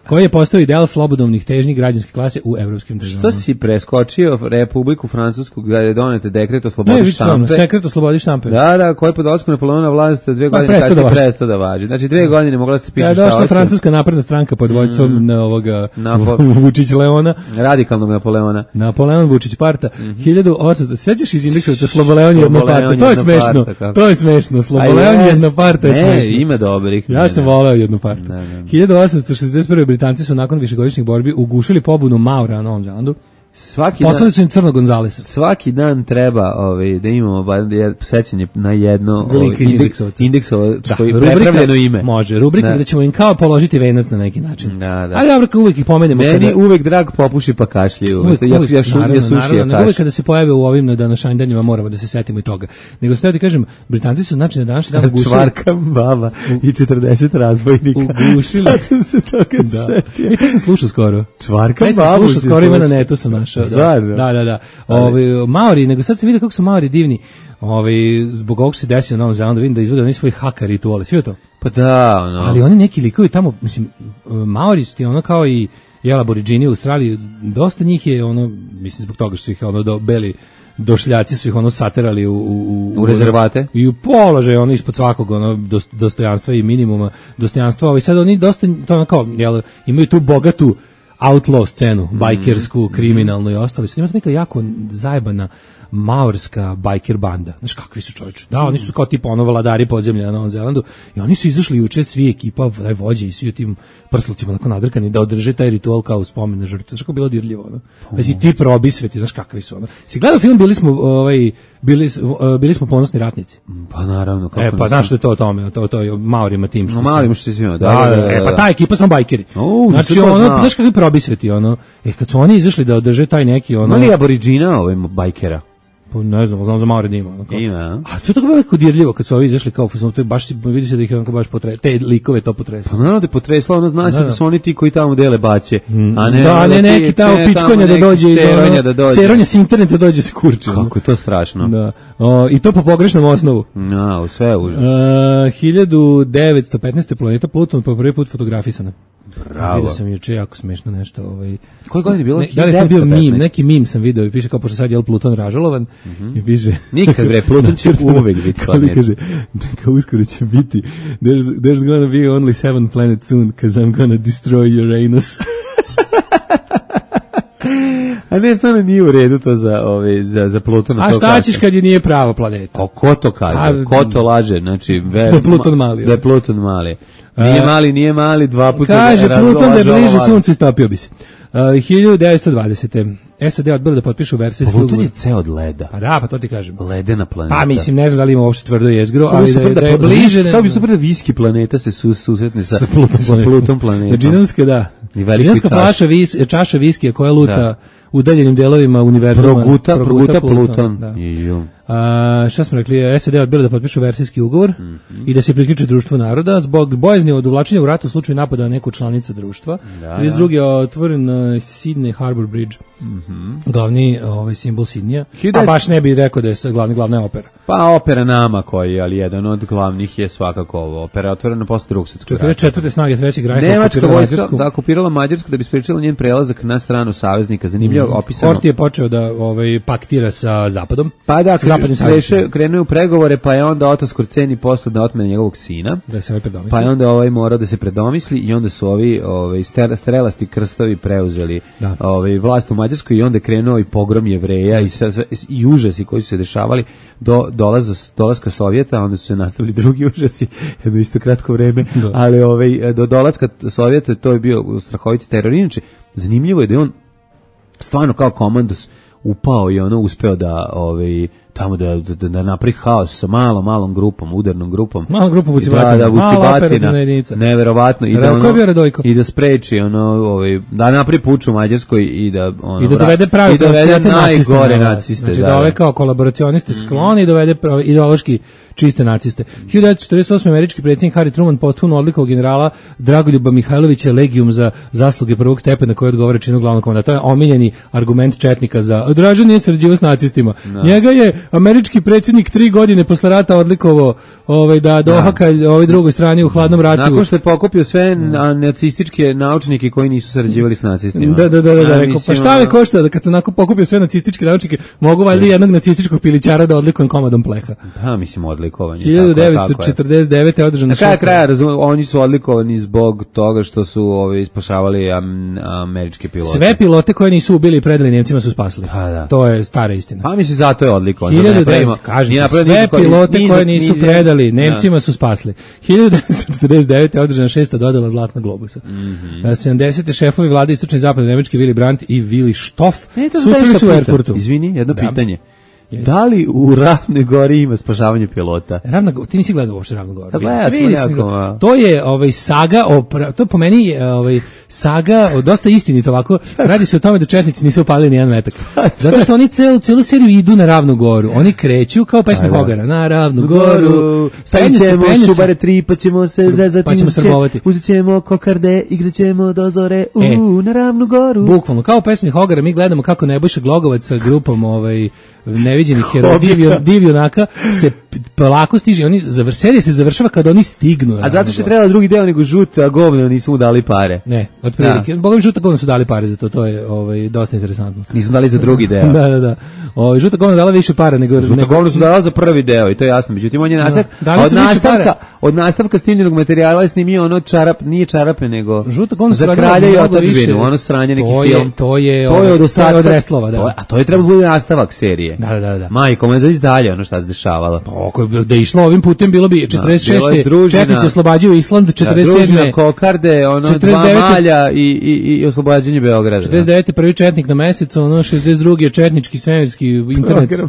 koji je postao ideal slobodovnih težnji građanske klase u evropskim državama. Što si preskočio Republiku Francusku gdje je donete dekret o Ne, slobodi više stvarno, štampe? sekret o slobodi štampe. Da, da, koji je pod dolaskom Napoleona vlast dve Pa, godine prestao da kasnije važi. prestao da važi. Znači dve godine mogla se piše Kada je šta došla hoće. francuska napredna stranka pod vodstvom mm. ovoga Napo- Vučić Leona, Radikalnog Napoleona. Napoleon Vučić Parta, hiljadu osamsto. Sećaš iz indeksa Sloboleon jedna Sloboleon parta? To je jedna smešno. parta, kako? To je smešno. Sloboleon A jest. jedna parta je Ne, smešno. ima dobrih. Ja sam Ne, ne. voleo jednu partu. Da, da. hiljadu osamsto šezdeset prve. Britanci su nakon višegodišnjih borbi ugušili pobunu Maura na Novom Zelandu. Svaki dan, Poslali su im Crnog Gonzalesa. svaki dan treba ovaj, da imamo bar je sećanje na jedno Lika iz Indeksovca. indeksovac koji rubrika- prepravljeno ime. Može, rubrika Da. gde ćemo im kao položiti venac na neki način. Da, da. Ali dobro, kao uvijek ih pomenemo. Meni kada- uvek drag popuši pa kašlji. Uvijek, Ja, uvijek, ja, šu, naravno, ja suši naravno, ja nego uvijek kaš. kada se pojave u ovim na današnjim danima moramo da se setimo i toga. Nego ste da kažem, Britanci su znači na današnji dan ugušili. Čvarka baba i četrdeset razbojnika. Ugušili. Sad sam se toga Da. setio. I to sam slušao skoro. Čvarka Taj sam babu slušao si skoro, ima na slušao. netu sam našao. Da, Stvarno? da, da. da. Ovi, Maori, nego sad se vidi kako su Maori divni. Ovi, zbog ovog se desio na Novom Zelandu, vidim da izvode oni svoj haka rituale. Svi to? Pa da, ono. Ali oni neki likovi tamo, mislim, Maori su ti ono kao i jel, aboriđini u Australiji, dosta njih je ono, mislim zbog toga što su ih ono do, beli došljaci su ih ono saterali u, u, U rezervate? i u položaj ono ispod svakog ono dos- dostojanstva i minimuma dostojanstva. Ovaj sad oni dosta to ono kao jel, imaju tu bogatu outlaw scenu, bajkersku, kriminalnu i ostalo. Sad ima to neka jako zajebana maorska bajker banda. Znaš kakvi su čovječe? Da, oni su kao tipa ono vladari podzemlja na Novom Zelandu i oni su izašli juče svi ekipa, taj vođe i svi u tim prslucima onako nadrkani da održe taj ritual kao u spomen na žrtve. Znaš kako je bilo dirljivo, ono? Pa si ti probisveti, znaš kakvi su, ono? Si gledao film, bili smo, ovaj, bili, uh, bili smo ponosni ratnici. Pa naravno. Kako E, pa nisam- znaš što je to o tome, to, to je o Maorima tim što No, su- Maorima što si imao, da, da, da, da, da, e, da, pa da. ta ekipa sam bajkeri. O, znači, nisam to ono, znao. znaš kakvi probisveti, ono, e, kad su oni izašli da održe taj neki, ono, Ima li aboriđina ovaj bajkera? pa ne znam, znam za Maore da ima. Ono, kao- Ima, a? A to je tako veliko dirljivo kad su ovi izašli kao, to je baš, vidi se da ih je onako baš potre, te likove to potresa. Pa naravno da je potresla, ono zna se Da, da da. su oni ti koji tamo dele baće. A ne, da, ne ti- neki tamo ne, pičkonja da neki dođe iz seronja ono, da dođe. seronja s interneta dođe se kurči. ono. Kako je to strašno. Da. O, I to po pogrešnom osnovu. No, sve je užas. Uh, hiljadu devetsto petnaeste. planeta Pluton po prvi put fotografisana. Bravo. Vidio sam juče jako smešno nešto. Ovaj, Koje godine je bilo? ne, da li je to bio devetsto petnaeste? mim, neki mim sam video i piše kao pošto sad je Pluton ražalovan i piše... Nikad, bre, Pluton će uvek biti Kako li planet. kaže, kao uskoro će biti there's, there's gonna be only seven planets soon because I'm gonna destroy Uranus. A ne, stvarno nije u redu to za, ove, za, za Plutona. A to šta kaže. ćeš kad je nije prava planeta? A ko to kaže? A, ko to laže? Znači, ver, Da je Pluton mali. Da je Pluton mali. Nije A, mali, nije mali, dva puta Kaže ga Pluton da je razlaže bliže ovaj. suncu i stopio bi se. Uh, hiljadu devetsto dvadesete. S A D odbila da potpišu versijski Pluton ugovor. je ceo od leda. Pa da, pa to ti kažem. Ledena planeta. Pa mislim, ne znam da li ima uopšte tvrdo jezgro, Kako bi ali da, je- super da je pla- bliže... Kako bi super da viski planeta se su, susretne sa, sa Pluton sa planetom. Pluton planetom. Džinovska, da. I veliki Džinovska čaš. flaša vis, čaša viskija koja luta Da. udaljenim delovima univerzuma. Proguta, proguta Pluton, Pluton. da. Ju. A, šta smo rekli, S A D odbila da potpišu versijski ugovor mm-hmm. i da se priključe društvu naroda zbog bojazni od uvlačenja u rat u slučaju napada na neku članicu društva. Da, trideset druge je otvoren uh, Sydney Harbour Bridge, mm-hmm. glavni ovaj, simbol Sidneja. A baš ne bi rekao da je glavni, glavna opera. Pa opera Nama koji, ali jedan od glavnih je svakako ovo. Opera je otvorena posle drugog svjetskog rata. četrdeset četvrte snage trećeg rajha Nemačka vojska da okupirala Mađarsku da bi sprečila njen prelazak na stranu saveznika. Zanimljivo mm. opisano. Horthy je počeo da ovaj, paktira sa Zapadom. Pa da, kreše, krenuo u pregovore, pa je onda Oto Skorceni poslao da otmene njegovog sina. Da se ovaj predomisli. Pa je onda ovaj morao da se predomisli i onda su ovi ovaj, strelasti krstovi preuzeli da. ovaj, vlast u Mađarskoj i onda je krenuo i pogrom Jevreja i, sa, i užasi koji su se dešavali do dolaza, dolaska Sovjeta, onda su se nastavili drugi užasi, jedno isto kratko vreme, da. ali ovaj, do dolaska Sovjeta to je bio strahoviti teror. Inače, zanimljivo je da je on stvarno kao komandos upao i ono uspeo da ovaj tamo da da, da napravi haos sa malom malom grupom, udarnom grupom. Malom grupom Vucibatina. Da, da, Vucibatina. Neverovatno i da ono, i da spreči ono ovaj da napravi puč u Mađarskoj i da ono i da dovede pravi i dovede najgore naciste. Znači da, da ove kao kolaboracioniste mm. skloni i dovede pravi, ideološki čiste naciste. hiljadu devetsto četrdeset osme američki predsjednik Harry Truman posthumno odlikovao generala Dragoljuba Mihajlovića legijum za zasluge prvog stepena koji odgovara činu glavnog komandanta. To je omiljeni argument četnika za Draža nije sarađivao s nacistima. No. Njega je američki predsjednik tri godine posle rata odlikovao ovaj, da dohaka ovoj drugoj strani u hladnom ratu. Nakon što je pokupio sve na, nacističke naučnike koji nisu sarađivali s nacistima. Da, da, da, da, da rekao, pa šta me košta da kad sam nakon pokupio sve nacističke naučnike mogu valjda jednog nacističkog pilićara da odlikujem komadom pleha. Pa, mislim, odlikovanje. hiljadu devetsto četrdeset devete je održano šest. Na kraja razumem, oni su odlikovani zbog toga što su ovaj, spašavali am, američke pilote. Sve pilote koje nisu ubili i predali Nemcima su spasili. Pa, da. To je stara istina. Pa mislim, zato je odlikovan. Kažete, sve pilote niz, koje nisu niz, predali Nemcima ja. su spasli. hiljadu devetsto četrdeset devete je održana šesta dodala Zlatna globusa. Mm-hmm. sedamdesete šefovi vlade istočne i zapadne Nemačke Willy Brandt i Willy Stoff susreli su u Erfurtu. Izvini, jedno da. pitanje. Yes. Da li u Ravnoj gori ima spašavanje pilota? Ravna gora, ti nisi gledao uopšte Ravnu goru. Da, ja, to je ovaj saga o to po meni je ovaj saga o dosta istinito ovako. Radi se o tome da četnici nisu upalili ni jedan metak. Zato što oni celu celu seriju idu na Ravnu goru. Oni kreću kao pesma Hogara na Ravnu goru. Stavićemo Subare tri pa ćemo se zezati. Pa ćemo srbovati. Uzećemo kokarde, igraćemo do zore u e, na Ravnu goru. Bukvalno kao pesmi Hogara mi gledamo kako Nebojša Glogovac sa grupom ovaj neviđenih heroja divio divjunaka se polako stiže, oni zavr, serija se završava kad oni stignu. A zato što je trebalo drugi deo nego žuta govno nisu mu dali pare. Ne, otprilike. Bogom žuta govno su dali pare za to, to je ovaj dosta interesantno. Nisu dali za drugi deo. da, da, da. Ovaj žuta govno dala više para nego žuta nego... govno su dala za prvi deo i to je jasno. Međutim on je nastavak da, od nastavka od nastavka snimljenog materijala je snimio ono čarap, nije čarape nego žuta govno za kralja i otadžbinu, ono sranje neki film. To je to je od ostatka od Reslova, da. A to je trebalo biti nastavak serije. Da, da, da. Majko, me zavis dalje ono šta se dešavalo. Ako da išlo ovim putem bilo bi četrdeset šeste četnici oslobađaju Island, četrdeset sedme kokarde, ono dva malja i i i oslobađanje Beograda. četrdeset devete prvi četnik na mesec, ono šezdeset drugi je četnički svemirski internet. Program.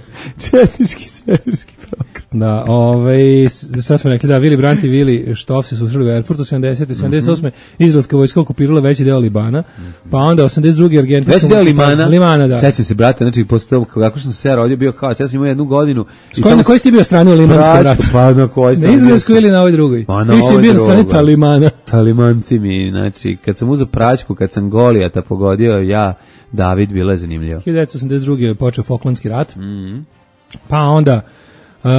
Četnički svemirski program. Da, ovaj sad smo rekli da Willy Brandt i Willy Stoff se susreli u Erfurtu sedamdesete sedamdeset osme izraelska vojska okupirala veći deo Libana, pa onda osamdeset druge Argentina. Veći deo Limana. Limana, da. Sećam se brate, znači posle toga kako što sam se rodio bio kao, ja sam imao jednu godinu i tamo na kojoj ste bio strani u Limanskom ratu? Pa na kojoj ste? Na izraelskoj ili na ovoj drugoj? Pa na ovoj drugoj. Ti si bio na strani Talimana. Talimanci mi, znači kad sam uzeo praćku, kad sam Golijata pogodio, ja David, bilo je zanimljivo. hiljadu devetsto osamdeset druge je počeo Falklandski rat. Mhm. Pa onda Uh,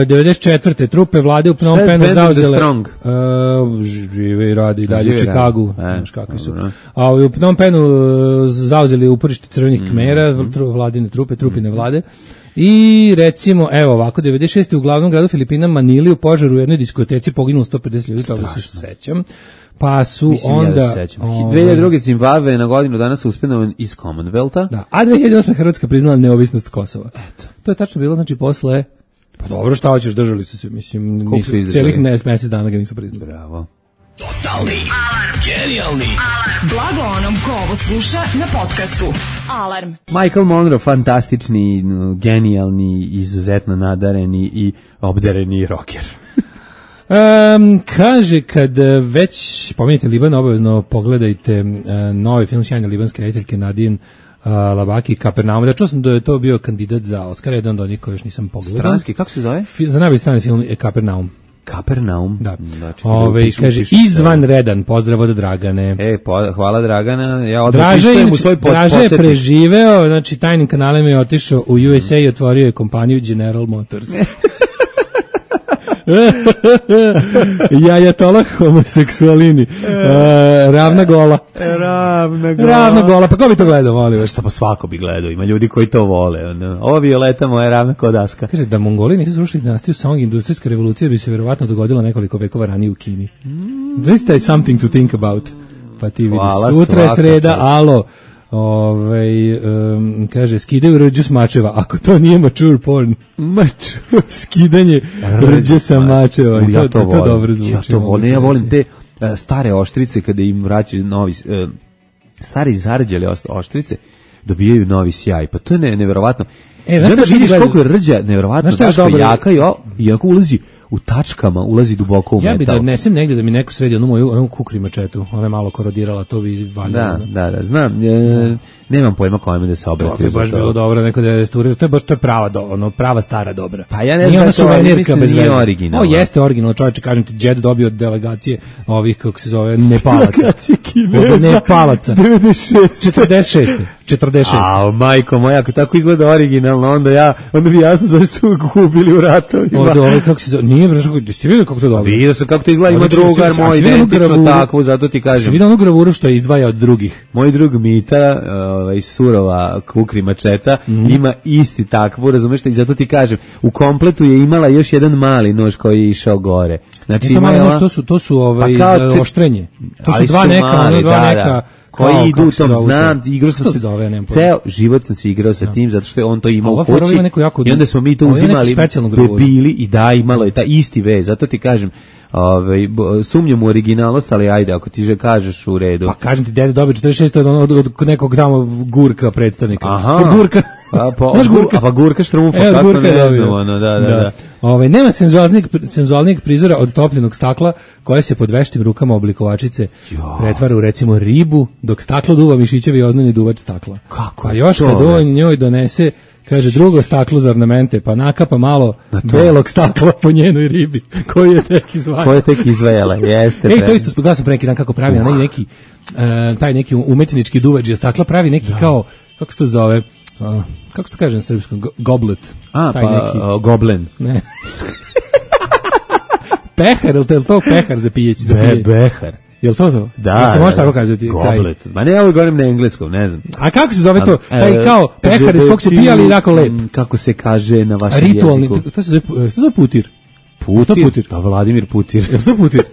devedeset četvrte trupe vlade u Phnom Penhu zauzele uh, žive i radi dalje u Čikagu, znaš kakvi su. A u Phnom Penhu uh, zauzeli uporište crvenih Kmera, mm, tru, vladine trupe, trupine mm, vlade. I recimo, evo ovako, devedeset šeste u glavnom gradu Filipina Manili u požaru u jednoj diskoteci poginulo sto pedeset ljudi, toga se sećam. Pa su mislim, onda... Ja ovaj, dve hiljade druge Zimbabwe na godinu danas uspjenovan iz Commonwealtha. Da, a dve hiljade osme Hrvatska priznala neovisnost Kosova. Eto. To je tačno bilo, znači, posle... Pa dobro, šta hoćeš, držali su se, mislim, nisu, cijelih mjesec dana ga nisu priznali. Bravo. Totalni alarm. Genijalni alarm. Blago onom ko ovo sluša na podcastu. Alarm. Michael Monroe, fantastični, genijalni, izuzetno nadareni i obdareni rocker. Um, kaže, kad već pomenite Liban, obavezno pogledajte uh, novi film sjajne libanske rediteljke Nadine uh, Labaki i Kapernaum. Da čuo sam da je to bio kandidat za Oscara, jedan od onih koji još nisam pogledao. Stranski, kako se zove? Fi, za najbolji strani film je Kapernaum. Kapernaum. Da. Znači, Ove, pišu, kaže, pišu, izvanredan, pozdrav od Dragane. E, po, hvala Dragana, ja odmah Draža, pisujem u inače, svoj pod, Draža je podsjetnik. preživeo, znači tajnim kanalima je otišao u U S A i otvorio je kompaniju General Motors. Jajatolah homoseksualini. Uh, ravna gola. Ravna gola. Ravna gola, pa ko bi to gledao, molim vas? Šta pa svako bi gledao, ima ljudi koji to vole. Ono. Ovo Violeta moja ravna kodaska. Kaže da Mongoli nisu srušili dinastiju Song, industrijska revolucija bi se verovatno dogodila nekoliko vekova ranije u Kini. Mm. This is something to think about. Pa ti vidi, Hvala, sutra je sreda, čast. alo. Ovaj um, kaže skidaju rđu s mačeva, ako to nije mature porn. Maču skidanje rđe sa mačeva. U, ja to, to, to, volim. to dobro zvuči. Ja to volim. Ja volim te uh, stare oštrice kada im vraćaju novi uh, stari zarđale oštrice dobijaju novi sjaj. Pa to je ne, neverovatno. E, znaš da šta vidiš gledaju? koliko je rđa neverovatno, Znaš šta je daško dobro? jaka i, o, i ako ulazi u tačkama, ulazi duboko u Ja bi metal. da odnesem negde da mi neko sredi onu moju onu kukri mačetu. Ona je malo korodirala, to bi valjalo. Da, da, da, znam. E, nemam pojma kome da se To obratio. bi za baš to. bilo dobro neko da je restaurirao. To je baš to je prava do, ono prava stara dobra. Pa ja ne Nije znam ona da je to, suvenirka mislim da bez nije veze. originalno. O, jeste originalno, čovječe, kažem ti, Džed dobio od delegacije ovih, kako se zove, Nepalaca. Delegacije Kineza. Od Nepalaca. devedeset šeste. četrdeset šeste. četrdeset šeste. A, majko moja, ako tako izgleda originalno, onda ja, onda bi jasno zašto ga kupili u ratovima. Od ovaj, kako se zove, nije baš, jeste vidio kako to dobro? Vidio sam kako to izgleda, ima Odlično, drugar si- moj, si vidio onu identično gravuru? takvu, zato ti Si kažem. vidio onu gravuru što je izdvaja od drugih? Moj drug Mita, ovaj, surova kukri mačeta, Mhm. ima isti takvu, razumeš, i zato ti kažem, u kompletu je imala još jedan mali nož koji je išao gore. Znači, Znači, ima malo je nož, ova- to su, to su ovaj, Pa kao za te- oštrenje. To su ali dva neka, mali, ono dva da, neka. da. koji kao, idu kako u se tom, zovu znam, to? igrao Kako sam se se, zove, ja nemam pojma. ceo život sam se igrao sa tim, zato što je on to imao Ova u fora kući, ima neku jako i onda smo mi to ovo ima neku uzimali, specijalnu gravuru. debili, i da, imalo je ta isti vez, zato ti kažem, ovaj, bo- sumnjam u originalnost, ali ajde, ako ti že kažeš u redu. Pa kažem ti, dede dobio četrdeset šeste od, od, od nekog tamo Gurka predstavnika. Aha. Od Gurka. A pa, Znaš Gurka? a pa Gurka Štrumfa, E, od kako Gurka je ne dobio. znam, ono, da, da, da. Ovaj, nema senzualnijeg, senzualnijeg prizora od topljenog stakla koja se pod veštim rukama oblikovačice pretvara u recimo ribu, dok staklo duva mišićevi i oznojni duvač stakla. Kako Pa je još to, kad bre? on njoj donese, kaže, drugo staklo za ornamente, pa nakapa malo belog stakla po njenoj ribi, koji je tek izvajao. Ko je tek izvejala, jeste. Ej, to pre- isto smo gledali pre neki dan kako pravi, onaj neki, e, taj neki umetnički duvač stakla pravi neki kao, kako se to zove, Uh, kako se to kaže na srpskom? Go- Goblet. A, Taj pa, neki. uh, Goblen. Ne. Pehar, je li to, je li to pehar za pijeći? Za Be, pijenje? behar. Je li to to? Da. Jel se može da, tako da. kazati? Taj- Goblet. Ma ne, ja ovo govorim na engleskom, ne znam. A kako se zove to? A, Taj e, kao pehar iz kog se pije, ali jako lep. mm, Kako se kaže na vašem Ritualni, jeziku? to se zove, to se zove putir. Putir? to Putir? Da, Vladimir Putir. Je li to putir?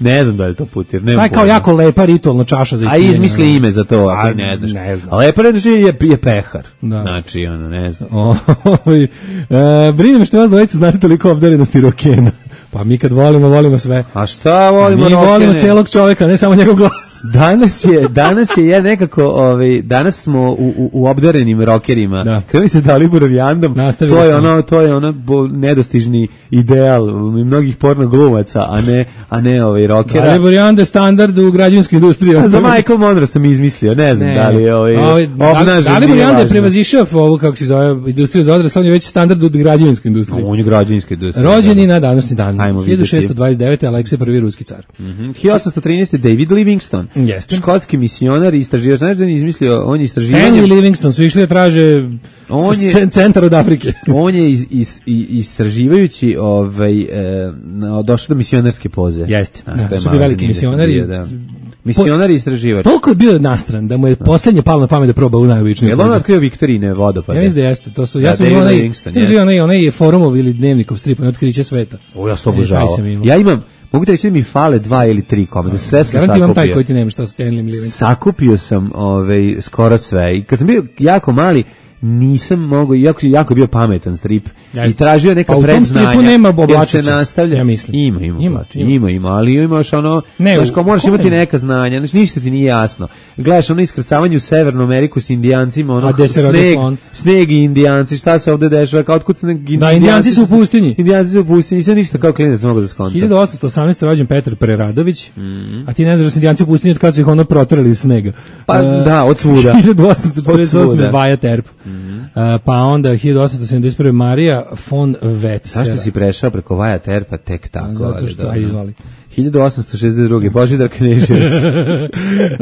Ne znam da li je to Putir. Nemam Taj kao pojma. jako lepa ritualna čaša za A ispijenje. izmisli ime za to, ako A, i ne znaš. ne znam. A lepo reći je, je pehar. Da. Znači, ono, ne znam. Ovaj, e, brine me što vas dvojica znate toliko obdarenosti rokena. Pa mi kad volimo, volimo sve. A šta volimo Mi rokene? volimo celog čovjeka, ne samo njegov glas. Danas je, danas je ja nekako, ovaj, danas smo u, u, u obdarenim rokerima. Da. Kada mi se Daliborom Jandom, Nastavili to je smo. ono, to je ono bo, nedostižni ideal mnogih porno glumaca, a ne, a ne ovaj rokera. Dalibor Janda je standard u građevinskoj industriji. A za Michael Monroe sam izmislio, ne znam da li je ovaj, Ovaj, obnažen, Dalibor nije Janda je važno. prevazišao ovu, kako se zove, industriju za odrasle, on je već standard u građevinskoj industriji. On je građevinski industrija. Rođeni na današnji dan. Ajmo vidjeti. hiljadu šessto dvadeset devete. Aleksej prvi ruski car. Mhm. hiljadu osamsto trinaeste. David Livingstone. Jeste. Škotski misionar i istraživač. Znaš da je izmislio, on je istraživanje... Henry Livingston su išli da traže On je- c- centar od Afrike. On je iz, iz, i- istraživajući ovaj, e, na- došao do misionarske poze. Jeste. A, Da, to je su malo bili veliki zanimljivo misionari. bio, da. Misionar i istraživač. Toliko je bio nastran da mu je posljednje palo na pamet da proba u najobičniju Jel on pozu. otkrio Viktorine vodopade? Ja mislim da jeste. To su, Da, ja sam David imao onaj, Livingstone, ja sam jeste. imao onaj, onaj forumov ili dnevnikov strip, onaj otkriće sveta. O, ja sam to E, taj obožavao. sam imao. Ja imam, mogu ti reći da mi fale dva ili tri komada, sve sam Garant imam taj sakupio. koji ti nema šta su Stanley Livingstone. Sakupio sam ovaj, skoro sve. I kad sam bio jako mali, nisam mogao, jako, jako je bio pametan strip. Jeste. Istražio neka Pa u tom predznanja. stripu nema jer oblačića, se nastavlja. ja mislim. Ima, ima, Ima, oblačića, ima. ima, ima, ali imaš ono, Ne, znaš, u- kao moraš ko imati nema? neka znanja, znači ništa ti nije jasno. Gledaš ono iskrcavanje u Severnu Ameriku s Indijancima, ono, A gde se rodi sneg, slon? sneg i Indijanci, šta se ovde dešava, kao otkud sneg, Da, Indijanci su u pustinji. Indijanci su u pustinji, sve ništa kao klinac mogu da skontam. hiljadu osamsto osamnaeste. rođen Petar Preradović, Mhm. a ti ne znaš da su Indijanci u pustinji od kada su ih ono proterali iz snega. Pa E, da, od svuda. hiljadu osamsto četrdeset osme. Od svuda. Vaja Terp. E, pa onda hiljadu osamsto sedamdeset prve. Marija von Wetzera. Zašto si prešao preko Vaja Terpa tek tako? Zato ali što, dobro. aj, izvali. hiljadu osamsto šezdeset druge. Božidar Knežević. E,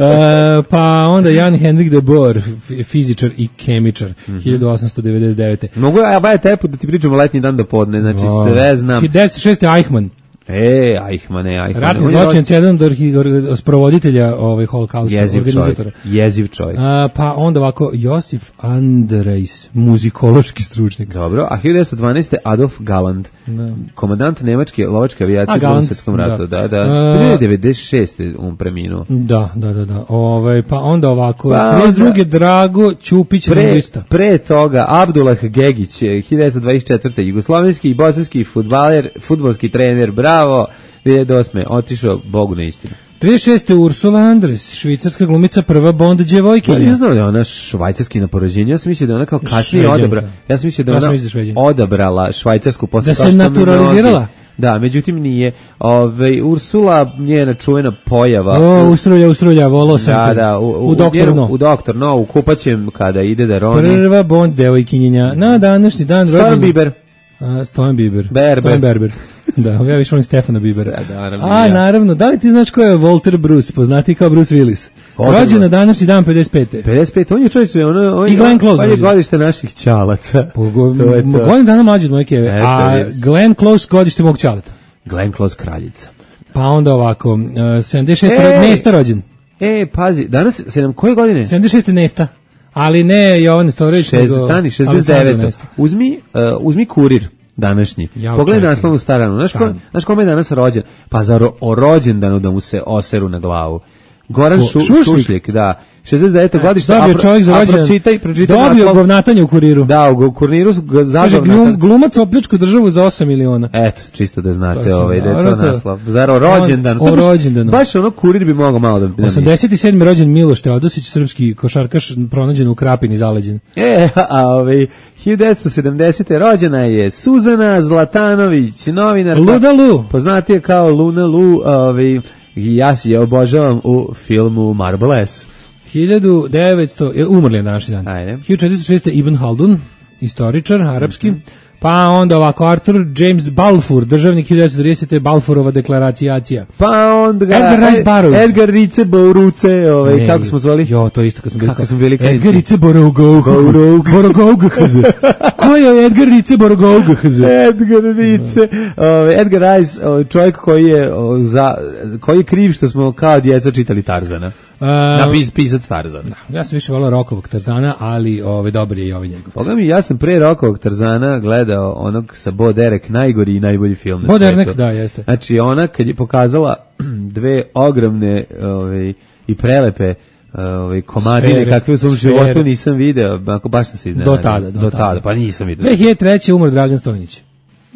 pa onda Jan Henrik de Boer, f- fizičar i kemičar, hiljadu osamsto devedeset devete. Mogu ja Vaja Terpu da ti pričamo letnji dan do podne, znači sve znam. hiljadu devetsto šeste. Eichmann, E, Eichmann, Eichmann. ratni On je zločinac, jedan od orhi- or- sprovoditelja ovaj holokausta, Jeziv čovjek. organizatora. Jeziv čovjek. A, pa onda ovako, Josif Andrejs, muzikološki stručnjak. Dobro, a hiljadu devetsto dvanaeste. Adolf Galland, Da. komandant nemačke lovačke avijacije A, u Drugom Galland, svjetskom ratu. da. Da, da. E, devedeset šeste. on preminuo. Da, da, da, da. Ovaj, pa onda ovako, Pa trideset druge. onda- Drago Ćupić, Pre, lingvista. pre toga Abdullah Gegić, hiljadu devetsto dvadeset četvrte. jugoslovenski i bosanski fudbaler, fudbalski trener, bravo. dvije hiljade osme. otišao Bogu na istinu. trideset šeste. Ursula Andres, švicarska glumica, prva Bond Ja djevojkinja. ne znam da je ona švajcarski na poređenju. Ja sam mislio da je ona kao kasnije Šveđanka. odabrala. Ja sam mislio da je Ja sam ona mislio da je Šveđanka. odabrala švajcarsku posle Da kao se što naturalizirala? mnogi- Da, međutim nije. Ove, Ursula, njena čuvena pojava. O, ustrulja, ustrulja, volao sam da, te. da, u, u, u Doktor njenu- No. U Doktor No, u kupaćem kada ide da roni. Prva Bond devojkinjenja. Na današnji dan Stojan rođen- Biber. A, Stojan Biber. Berber. Stojan Berber. Da, ja više volim Stefana Bibera. Sve, naravno, A, ja. naravno, da li ti znaš ko je Walter Bruce, poznati kao Bruce Willis? Odmah. Rođen na današnji dan pedeset pete. pedeset pet, on je čovječ, ono, on, I Glenn Close on je rođen. godište naših ćalaca. Pogo- To je to. Godin dana mlađi od moje keve. Eto, A vidiš. Glenn Close godište mog ćaleta. Glenn Close kraljica. Pa onda ovako, uh, sedamdeset šeste. Ej! Nesta rođen. E, pazi, danas, sedam, koje godine? sedamdeset šeste. Nesta. Ali ne Jovan Nestorović, nego šezdeset, stani, šezdeset Aleksandar devet. Nesta. Uzmi, uh, uzmi kurir današnji. Ja Pogledaj očekujem. naslovnu staranu. Znaš, ko, Stani. znaš kome je danas rođen? Pa za ro, o rođendanu da mu se oseru na glavu. Goran Ko, Šu, Šušlik? Šušljek, da. šezdeset deveto godište. Dobio a pro- čovjek za a rođendan. pročitaj, pročitaj Dobio naslov. govnatanje u kuriru. Da, u kurniru su ga Kaže, zažao glum, glumac opljačku državu za osam miliona. Eto, čisto da To znate sam ovaj, da je to dobro, to- naslov. Zar o rođendanu? O To baš- rođendanu. Baš ono kurir bi mogao malo da... da mi- osamdeset sedmi. rođen Miloš Teodosić, srpski košarkaš, pronađen u Krapini, zaleđen. E, a ovaj, hiljadu devetsto sedamdesete. rođena je Suzana Zlatanović, novinarka. Luda Lu. Poznatija kao Luna Lu, ovaj, i ja si je obožavam u filmu Marble S. hiljadu devetsto. je, Umrli je današnji dan. Ajde. hiljadu četiristo šeste. Ibn Haldun, istoričar, arapski. Pa onda ovako, Arthur James Balfour, državnik hiljadu devetsto tridesete. Balfourova deklaracijacija. Pa onda ga... Edgar Rice Burroughs. Edgar Rice Boruce, ovaj, Ne, kako smo zvali? Jo, to je isto kad smo bili. Kako smo bili klinici. Edgar Rice Borogoug. Borogoug. Borogoug. Ko je Edgar Rice Borogoug? Edgar Rice, ovaj, Edgar Rice, ovaj, čovjek koji je, o, za, koji je kriv što smo kao djeca čitali Tarzana. Napis, pisac Tarzana. Ja sam više volao Rokovog Tarzana, ali ove, dobar je i ovaj njegov. Boga mi, ja sam pre Rokovog Tarzana gledao onog sa Bo Derek, najgori i najbolji film na Bo svetu. Derek, da, jeste. Znači, ona kad je pokazala dve ogromne ovaj, i prelepe ovaj, komadine, Sfere, kakve u svom sfere. životu nisam video, ako baš sam se iznenadio. Do tada, do tada. pa nisam video. dve hiljade treće. umro Dragan Stojnić.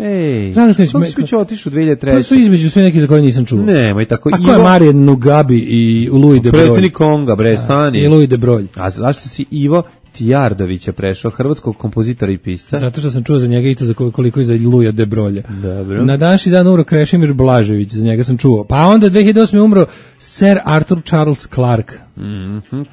Ej, Dragan Stojnić, kako me- si će otišu dve hiljade Pa su treće? između sve neki za koje nisam čuo. Nemoj tako. A ko je Marijan Nugabi i Louis de Broglie? Predsjednik Konga, bre, stani. I Louis de Broglie. A zašto si Ivo Tijardovića prešao, hrvatskog kompozitora i pisca? Zato što sam čuo za njega isto za kol- koliko i za Louisa de Broglie. Dobro. Na današnji dan umro Krešimir Blažević, za njega sam čuo. Pa onda dve hiljade osme. umro Sir Arthur Charles Clarke.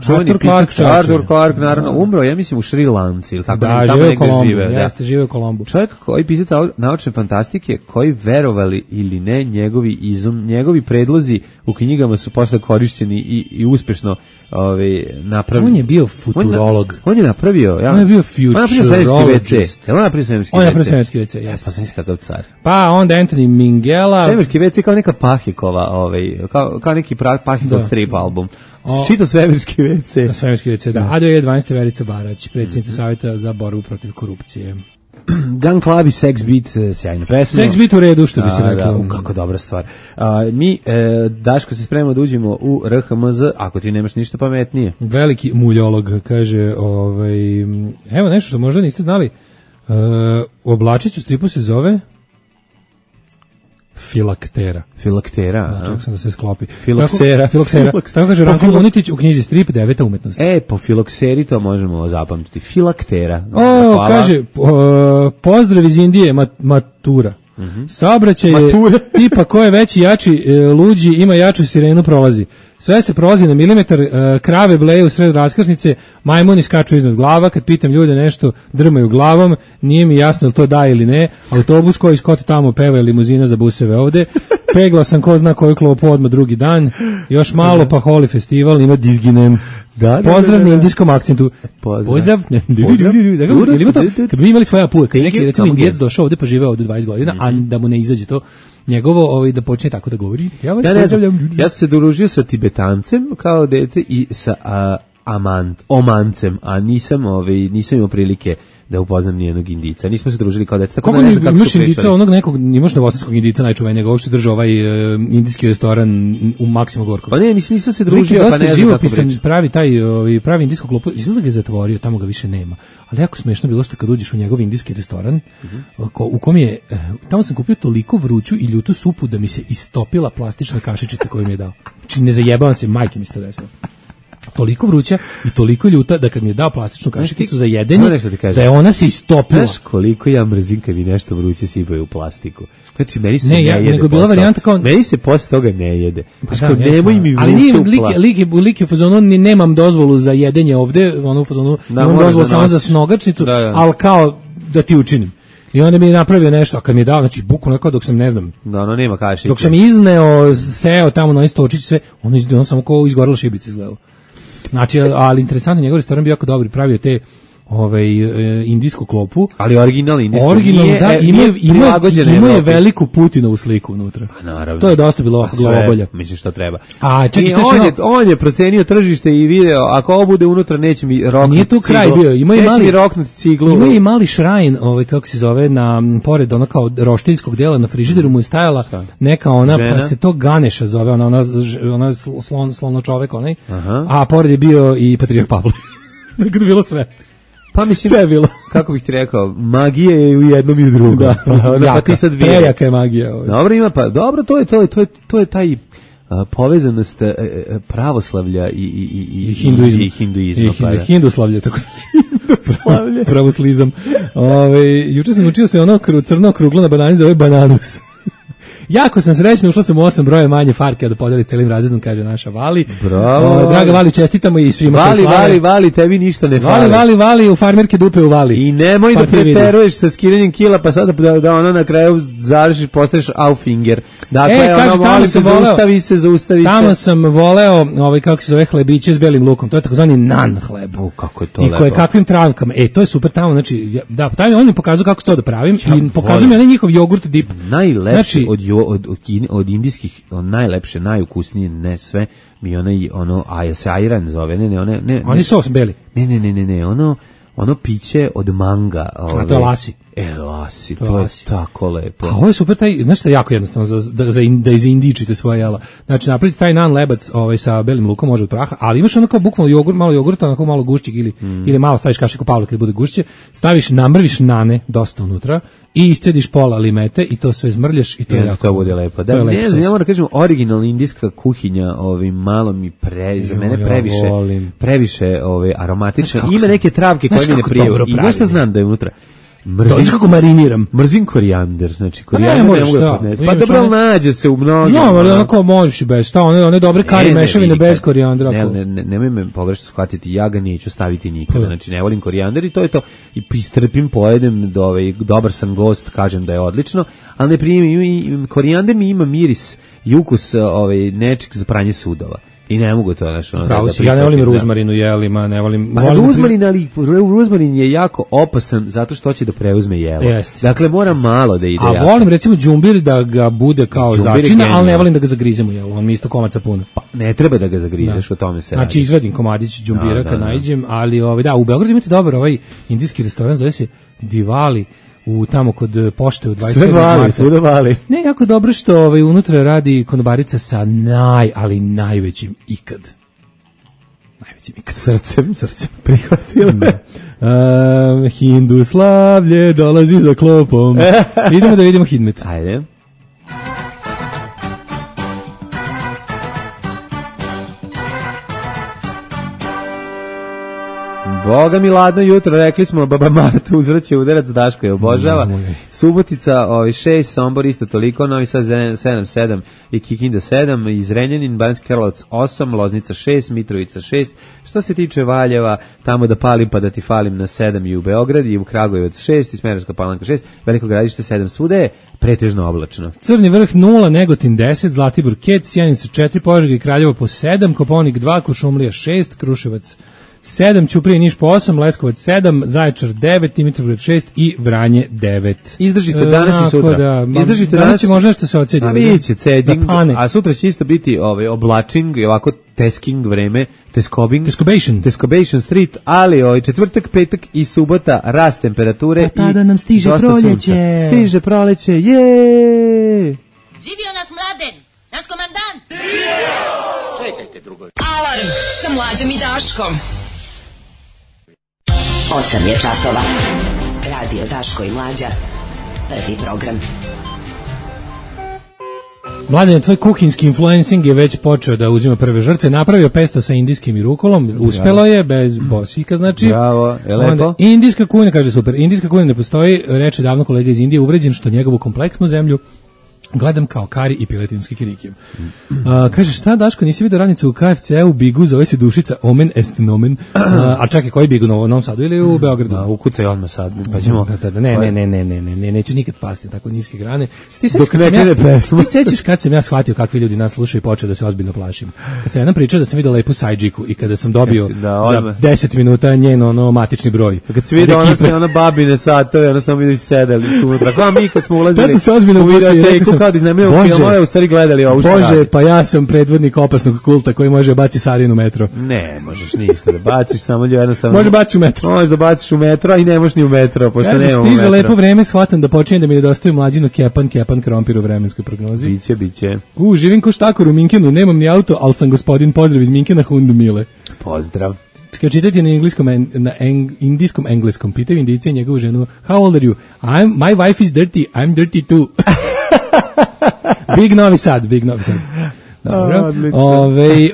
Čuveni Arthur Clarke, pisac čovječe. Arthur Clarke, naravno, umro, ja mislim, u Šri Lanci, ili tako, Da, tamo žive u negde Kolombu. žive, da. Jeste, žive u Kolombu. Čovjek koji pisac au- naučne fantastike, koji verovali ili ne, njegovi izum, njegovi predlozi u knjigama su posle korišćeni i, i uspešno ovaj, napravili. On je bio futurolog. On, on je napravio, ja. On je bio On je napravio svemirski ve ce. futurologist. Jel on napravio svemirski On je ve ce? napravio svemirski ve ce, jeste. Pa sam iskad od car. Pa onda Anthony Minghella. Svemirski ve ce kao neka Pahikova, ovaj, kao, kao neki pra, Pahikov Da. strip album. O- Čito svemirski ve ce. Svemirski ve ce, da. A dve hiljade dvanaeste. Verica Barać, predsjednica savjeta za borbu protiv korupcije. Gun Club i Sex Beat, sjajna pesma. Sex Beat u redu, što bi se da, reklo. da, u, kako dobra stvar. A, mi, e, Daško, se spremamo da uđemo u R H M Z, ako ti nemaš ništa pametnije. Veliki muljolog, kaže, ovaj, evo nešto što možda niste znali, uh, oblačić u stripu se zove Filaktera. Filaktera, da, čak sam da se sklopi. Filoksera. Filoksera. Tako kaže Ranko Munitić u knjizi Strip, deveta umetnost. E, po filokseri to možemo zapamtiti. Filaktera. O, hvala. Kaže, uh, pozdrav iz Indije, mat, matura. Mm-hmm. Saobraćaj je tipa ko je veći, jači, e, luđi, ima jaču sirenu, prolazi. Sve se prolazi na milimetar, e, krave bleju u sred raskrsnice, majmuni skaču iznad glava, kad pitam ljude nešto, drmaju glavom, nije mi jasno je li to da ili ne, autobus koji skoti tamo peva limuzina za buseve ovde, peglao sam ko zna koju klopu odmah drugi dan, još malo pa Holi festival, ima dizginem. Da, da, pozdrav na indijskom akcentu. Pozdrav. Pozdrav. Jel ima to? Kad bi imali svoja puka, kad neki recimo Indijac došao ovde pa živeo ovde dvadeset godina, mm-hmm. a da mu ne izađe to njegovo, ovaj, da počne tako da govori. Ja vas ja pozdravljam. Ja sam se družio sa Tibetancem kao dete i sa a, amant, omancem, a nisam, ovaj, nisam imao prilike da upoznam nijednog Indica. Nismo se družili kao deca. Tako kako da ne znam kako su Indica, onog nekog, imaš novosadskog Indica najčuvenijeg, ovo što držao ovaj uh, indijski restoran u Maksimo Gorkog. Pa ne, nisam, nisam se družio, pa ne znam kako priča. Pravi taj, ovaj, pravi indijsko klopu, izgleda ga je zatvorio, tamo ga više nema. Ali jako smešno bilo što kad uđeš u njegov indijski restoran, uh-huh. ko, u kom je, tamo sam kupio toliko vruću i ljutu supu da mi se istopila plastična kašičica koju mi je dao. Znači ne zajebavam se, majke mi se to desilo. Toliko vruća i toliko ljuta da kad mi je dao plastičnu kašičicu za jedenje, da je ona se istopila. Znaš koliko ja mrzim kad mi nešto vruće sipaju u plastiku. Znači, meni se ne, ne ja, jede. Nego bila varijanta kao... Meni se posle toga ne jede. Pa da, nemoj mi vruće ali nije, u plastiku. Ali nije, lik je u fazonu, nemam dozvolu za jedenje ovde, ono u fazonu, da, nemam dozvolu samo za snogačnicu, da, da. Ali kao da ti učinim. I onda mi je napravio nešto, a kad mi je dao, znači bukvalno kao dok sam, ne znam, da, ono nema kašića. Dok sam izneo, seo tamo na istočić sve, ono, ono samo kao izgorela šibica izgledalo. Znači, ali interesantno, njegov restoran bio jako dobri, pravio te ovaj indijsku klopu, ali original indijsko original, nije, da, ima ima ima je Evropi. Veliku Putinovu sliku unutra. Pa naravno. To je dosta bilo glavobolja. Mislim što treba. A čekaj, šta on je on je procenio tržište i video, ako ovo bude unutra neće mi roknuti. Nije tu kraj bio, ima i mali roknuti ciglu. Ima i mali šrajn, ovaj kako se zove, na pored ona kao roštiljskog dela na frižideru mu je stajala neka ona, žena? Pa se to Ganeša zove, ona ona ona slon slono čovek onaj. Aha. A pored je bio i Patrijarh Pavle. Dakle bilo sve. Pa mislim, sve je bilo. Kako bih ti rekao, magija je u jednom i u drugom. Da, pa, onda, jaka, pa ti sad prejaka je magija. Ovaj. Dobro ima, pa dobro, to je to je to je to je taj a, povezanost a, a, pravoslavlja i i i i hinduizma i hinduizma. I hindu, pa, hinduslavlje tako se hinduslavlje. Pravoslizam. Ovaj juče sam učio se ono kru, crno kruglo na banani zove bananus. Jako sam srećna, ušla sam u osam broje manje farke da podeli celim razredom, kaže naša Vali. Bravo. O, draga Vali, čestitamo i svima Vali, koji slave. Vali, Vali, tebi ništa ne fali. Vali, Vali, Vali, u farmerke dupe u Vali. I nemoj pa da preteruješ sa skidanjem kila, pa sada da, da ono na kraju završiš, postaješ Auffinger. Dakle, e, kaže, ono, molim se, voleo, zaustavi se, zaustavi tamo se. Tamo sam voleo, ovaj, kako se zove, hlebiće s belim lukom. To je takozvani nan hleb. U, kako je to I koje kakvim travkama. E, to je super tamo, znači, da, taj on mi pokazao kako to da pravim ja, i pokazao mi onaj njihov jogurt dip. Najlepši znači, od, od, od, od indijskih, on najlepše, najukusnije, ne sve, mi onaj, ono, a se ajran zove, ne, ne, one, ne. Oni sos beli. Ne, ne, ne, ne, ne, ono, ono piće od manga. Ove, a to je lasi. E, lasi, to, to je tako lepo. A ovo je super, taj, znaš što je jako jednostavno, za, da, za in, da izindičite svoje jela. Znači, napraviti taj nan lebac ovaj, sa belim lukom, može od praha, ali imaš ono kao bukvalno jogurt, malo jogurta, onako malo gušćeg ili, mm. ili malo staviš kašiku Pavla kad bude gušće, staviš, namrviš nane dosta unutra i iscediš pola limete i to sve zmrljaš i to I je jako. To bude lepo. Da, lepo ne znam, ja moram da kažem, originalna indijska kuhinja, ovaj, malo mi pre, za mene previše, ja previše ovaj, aromatična. Ima neke travke koje mi ne prijevaju. I nešto znam da je unutra. Mrzim, to kako mariniram. Mrzim korijander, znači korijander ne, ne mogu da podnesem. Pa dobro, nađe se u mnogim. No, ali onako možeš i bez, šta, one, one dobre kari mešavine bez korijandera. Ne, ne, ne, nemoj me pogrešno shvatiti, ja ga neću staviti nikada, znači ne volim korijander i to je to. I pristrpim, pojedem, do ovaj, dobar sam gost, kažem da je odlično, ali ne primim, korijander mi ima miris i ukus ovaj, nečeg za pranje sudova. I ne mogu to, znači, ono, pravo da, si, ja ne volim ruzmarinu jelima, ne volim... Pa volim ruzmarin, ali ruzmarin je jako opasan zato što će da preuzme jelo. Jeste. Dakle, mora malo da ide. A jako. volim, recimo, džumbir da ga bude kao džumbir začina, ali ne volim da ga zagrizem u jelo, on mi isto komaca puno. Pa, ne treba da ga zagrizeš, da. O tome se radi. Znači, izvadim komadić džumbira da, kad da, naiđem, ali, ovaj, da, u Beogradu imate dobar ovaj indijski restoran, zove se Divali, u tamo kod e, pošte u dvadeset Sve sedmog vali, marta. svuda vali. Ne, jako dobro što ovaj, unutra radi konobarica sa naj, ali najvećim ikad. Najvećim ikad. Srcem, Srcem. prihvatila. Uh, Hinduslavlje dolazi za klopom. Idemo da vidimo Hidmet. Ajde. Boga mi ladno jutro, rekli smo, baba Marta uzvraća udarac, Daško je obožava. Subotica ovaj, šest, Sombor isto toliko, Novi Sad sedam sedam i Kikinda sedam, iz Renjanin, Banjski Karlovac osam, Loznica šest, Mitrovica šest. Što se tiče Valjeva, tamo da palim pa da ti falim na sedam i u Beograd i u Kragujevac šest, i Smederevska Palanka šest, Veliko Gradište sedam, svuda je pretežno oblačno. Crni vrh nula, Negotin deset, Zlatibor Kec, Sjenica četiri, Požega i Kraljevo po sedam, Koponik dva, Kuršumlija šest, Kruševac sedam, Ćuprija i Niš po osam, Leskovac sedam, Zaječar devet, Dimitrovgrad šest i Vranje devet. Izdržite danas i sutra. Da, Izdržite danas danas će možda što se ocedi. A vidjet će ceding, da pane. a sutra će isto biti ovaj, oblačing i ovako tesking vreme, teskobing. Tescobation. Tescobation street, ali ovaj, četvrtak, petak i subota rast temperature. Pa tada i nam stiže dosta proljeće. sunca. Stiže proljeće, je! Živio naš Mladen, naš komandant. Alarm sa Mlađom i Daškom. osam je časova. Radio Daško i Mlađa. Prvi program. Mladen, tvoj kuhinski influencing je već počeo da uzima prve žrtve. Napravio pesto sa indijskim i rukolom. Uspelo je, bez bosika, znači. Bravo, je lepo. Onda, indijska kuhinja, kaže super. Indijska kuhinja ne postoji, reče davno kolega iz Indije, uvređen što njegovu kompleksnu zemlju gledam kao kari i piletinski kirikijem. Uh, kaže, šta Daško, nisi vidio radnicu u K F C-u, Bigu, zove se dušica Omen est nomen. Uh, a čekaj, koji Bigu, u Novom Sadu ili u Beogradu? Da, ukucaj odmah sad, pa ćemo. Da, da, da, ne, ne, ne, ne, ne, ne, ne, neću nikad pasti tako niske grane. Ti sećaš Dok kad ne sam ja, krene pesma. ti sećaš kad sam ja shvatio kakvi ljudi nas slušaju i počeo da se ozbiljno plašim. Kad sam jednom pričao da sam vidio lepu sajđiku i kada sam dobio Da, za odmah. deset minuta njen ono matični broj. Kad se vidi Od ona ekipe. se ona babine satove, ona samo vidiš sedeli su unutra. Kao mi kad smo ulazili. Tad sam se ozbiljno u uplašio i rekao videoteku sam, kao da iznajmljujemo Bože, filmove, u stvari gledali ovo što Bože, radi. pa ja sam predvodnik opasnog kulta koji može baci Sarin u metro. Ne, možeš ništa da baciš, samo jednostavno. Može baciš u metro. Možeš da baciš u metro, a i ne možeš ni u metro, pošto Kaže, nemamo stiže metro. lepo vreme, shvatam da počinje da mi nedostaju Mlađino kepan, kepan krompir u vremenskoj prognozi. Biće, biće. U, živim ko štakor u Minkenu, nemam ni auto, ali sam gospodin, pozdrav iz Minkena, Hundu Mile. Pozdrav. Kad čitate na engleskom, na eng, indijskom engleskom, pitaju Indijce i njegovu ženu, how old are you? I'm, my wife is dirty, I'm dirty too. Big Novi Sad, Big Novi Sad. Dobro. Ove,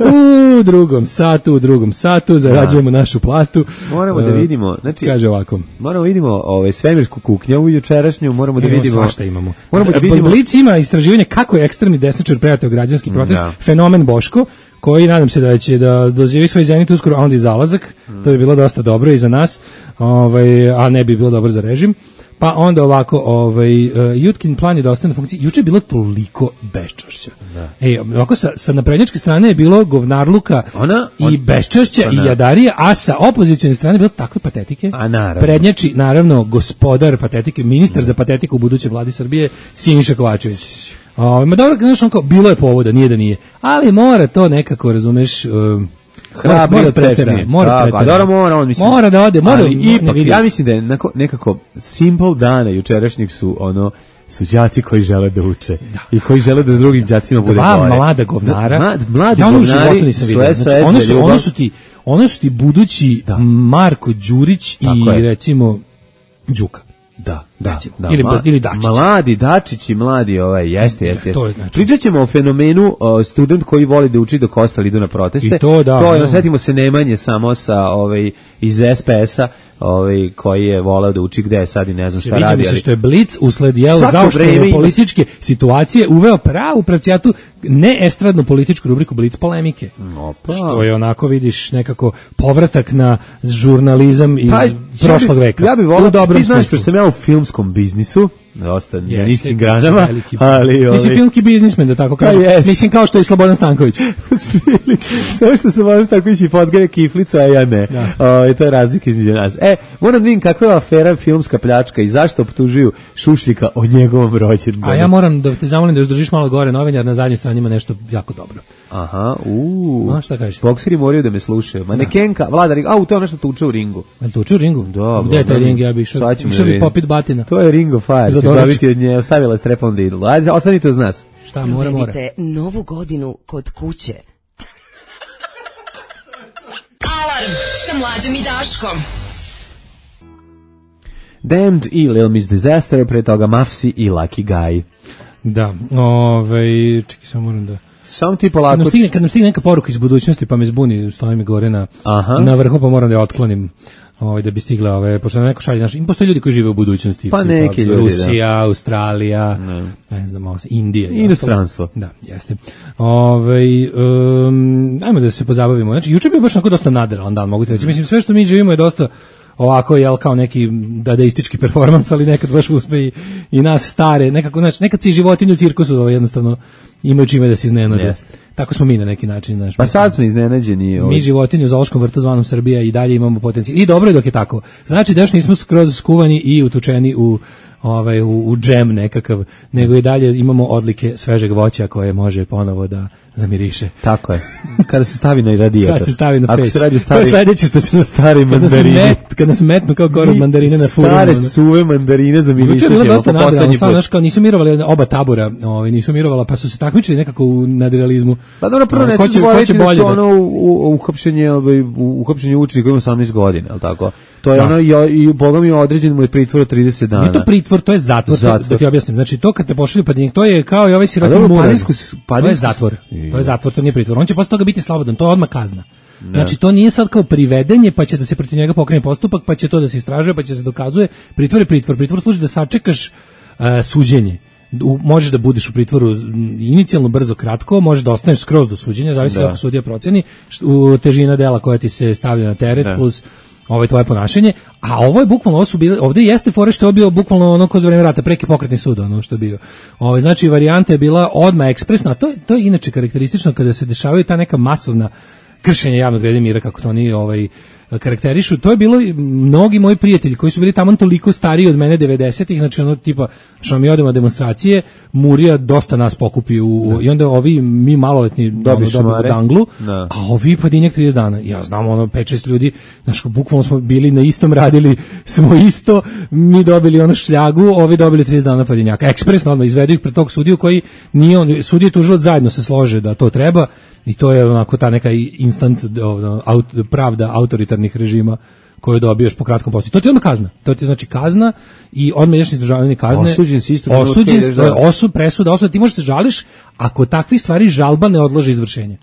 u drugom satu, u drugom satu zarađujemo našu platu. Moramo da vidimo, znači, kaže ovako. Moramo da vidimo ove svemirsku kuknjavu jučerašnju, moramo da Imamo vidimo svašta imamo. Moramo da vidimo. Blic ima istraživanje kako je ekstremni desničar pratio građanski protest, Da. fenomen Boško, koji nadam se da će da doživi svoj zenit uskoro, a onda i zalazak. Mm. To bi bilo dosta dobro i za nas, ovaj, a ne bi bilo dobro za režim. Pa onda ovako, ovaj, uh, Jutkin plan je da ostane na funkciji. Juče je bilo toliko beščašća. Da. Ej, ovako sa, sa naprednjačke strane je bilo govnarluka Ona, i on, beščašća pa i da. jadarije, a sa opozicijne strane je bilo takve patetike. A naravno. Prednjači, naravno, gospodar patetike, ministar za patetiku u budućoj vladi Srbije, Siniša Kovačević. O, ma dobro, znaš, on kao, bilo je povoda, nije da nije. Ali mora to nekako, razumeš, um, Hrabri mora od pretera, sečnije. mora Tako, pretera. a dobro mora, on mislim. Mora da ode, mora, ali ne ipak, vidi. ja mislim da je nekako, nekako simple dana jučerašnjih su ono su đaci koji žele da uče i koji žele da drugim đacima bude Dva bolje. mlada govnara. Da, mlad, mladi ja ono u govnari životu nisam su vidio. S O S Znači, ono za su, ljubav. ono su ti, ono su ti budući Da. Marko Đurić i Tako je. recimo Đuka. Da, da, Recimo. da. Ili- Ma- ili Dačić. Mladi Dačići, mladi ovaj, jeste, jeste, to je jeste. znači. Pričat ćemo o fenomenu o, student koji voli da uči dok ostali idu na proteste. I to, da, To je, da. setimo se Nemanje samo sa, ovaj, iz S P S-a, ovaj, koji je voleo da uči gde je sad i ne znam šta Sviđa radi. mi se ali- što je Blic usled jel Svako zaoštrene vreme ima- političke situacije uveo pravu pravcijatu ne estradnu političku rubriku Blic polemike. Opa. Što je onako vidiš nekako povratak na žurnalizam iz Pa, prošlog ja bi, veka. Ja bih U volao, dobrom ti znaš smislu. što sam ja u filmskom biznisu, dosta na Jeste, niskim granama, veliki- ali... ovi- Mislim, filmski biznismen, da tako kažem. jest. Mislim, kao što je i Slobodan Stanković. Sve što se može tako ići podgare kiflicu, a ja ne. Da. O, to je razlika između nas. E, moram da vidim kakva je afera filmska pljačka i zašto optužuju Šušljika o njegovom rođendanu. A ja moram da te zamolim da još držiš malo gore novinar, na zadnjoj strani ima nešto jako dobro. Aha, uuu. A, šta kažeš? Bokseri moraju da me slušaju. Manekenka, vlada ringa, au, to je nešto tuče u ringu. Jel tuče u ringu? Da, Gde je taj Boga mi. ring? Ja bih išao, Sad ćemo išao da bi vidimo. popit batina. To je Ring of Fire, Za ćeš doručak. dobiti od nje, ostavila strepon da idu. Ajde, ostanite uz nas. Šta, mora, mora. Provedite novu godinu kod kuće. Alarm sa Mlađom i Daškom. Damned i Lil Miss Disaster, pre toga Mafsi i Lucky Guy. Da, ovaj, čekaj, samo moram da... Samo ti Kad polako... nam, stigne, kad nam stigne neka poruka iz budućnosti, pa me zbuni, stoji mi gore na, Aha. na vrhu, pa moram da je otklonim. Ovaj, da bi stigla, ove, pošto nam neko šalje, znaš, im postoje ljudi koji žive u budućnosti. Pa tipa neki ljudi, Rusija, Australija, ne, znam, ovo, Indija. i Inostranstvo. ostalo. Da, jeste. Ovaj, um, ajmo da se pozabavimo. Znači, juče je bio baš onako dosta nadrealan dan, mogu ti reći. Mislim, sve što mi živimo je dosta ovako, jel, kao neki dadaistički performans, ali nekad baš uspe i, i nas stare, nekako, znači, nekad si životinju u cirkusu, ovaj, jednostavno, imaju čime da se iznenade. Jeste. Tako smo mi na neki način, znaš. Pa sad smo iznenađeni. Ovaj. Mi životinje u zoološkom vrtu zvanom Srbija i dalje imamo potencijal. I dobro je dok je tako. Znači da još nismo skroz skuvani i utučeni u ovaj u, u džem nekakav, nego i dalje imamo odlike svežeg voća koje može ponovo da zamiriše. Tako je. Kada se stavi na radijator. Kad se stavi na Ako peć. se radi o To stari, je sledeće što će stari kad nas mandarini. met, kad nas metnu kao korov mandarine na furu. Stare suve mandarine za Juče mirišu je bilo ćemo dosta po nadrealno, poslednji stvarno, put. znaš, kao nisu mirovali oba tabora, ovaj, nisu mirovala, pa su se takmičili nekako u nadrealizmu. Pa dobro, prvo ne Ko se će- ko zaboraviti će da bolje su da- ono u, u, uhapšenje, ovaj, u, uhapšenje učenika koji ima osamnaest godina, je li tako? To je Da. ono, i, i boga mi određen mu je pritvor od trideset dana. Nije to pritvor, to je zatvor, to- Zatvor. da ti objasnim. Znači to kad te pošalju pa to je kao i ovaj A sirotin dobro, murar. Padinsko s- To je Padinsko- zatvor. I- To je zatvor, to nije pritvor. On će posle toga biti slobodan, to je odmah kazna. Znači to nije sad kao privedenje, pa će da se protiv njega pokrene postupak, pa će to da se istražuje, pa će se dokazuje. Pritvor je pritvor. Pritvor služi da sačekaš uh, suđenje. U, možeš da budeš u pritvoru m, inicijalno brzo kratko, možeš da ostaneš skroz do suđenja, zavisi Da. kako sudija proceni, št- u težina dela koja ti se stavlja na teret Da. plus ovo je tvoje ponašanje, a ovo je bukvalno, ovo su bile, ovde jeste fore što je bio bukvalno ono ko za vreme rata, preki pokretni sud, ono što je bio. Ovo, znači, varijanta je bila odmah ekspresna, a to, je- to je inače karakteristično kada se dešavaju ta neka masovna kršenja javnog reda i mira, kako to oni ovaj, karakterišu. To je bilo i mnogi moji prijatelji koji su bili tamo toliko stariji od mene devedesetih, znači ono tipa što mi odemo na demonstracije, Murija dosta nas pokupi u, u- i onda ovi mi maloletni ono, Dobiš dobiju šamare. danglu, Da. a ovi padinjak trideset dana. Ja znam ono pet šest ljudi, znači bukvalno smo bili na istom, radili smo isto, mi dobili ono šljagu, ovi dobili trideset dana padinjaka. Ekspresno odmah izvedu ih pred tog sudiju koji nije on, sudija i tužilac zajedno se slože da to treba i to je onako ta neka instant ono, aut, pravda autoritarnih režima koju dobiješ po kratkom postupku. To ti je odmah kazna. To ti je znači kazna i odmah ideš na izdržavanje kazne. Osuđen si isto trenutka Osuđen, ideš to je da- osud, presuda, osuda, ti možeš se žališ ako takvih stvari žalba ne odloži izvršenje.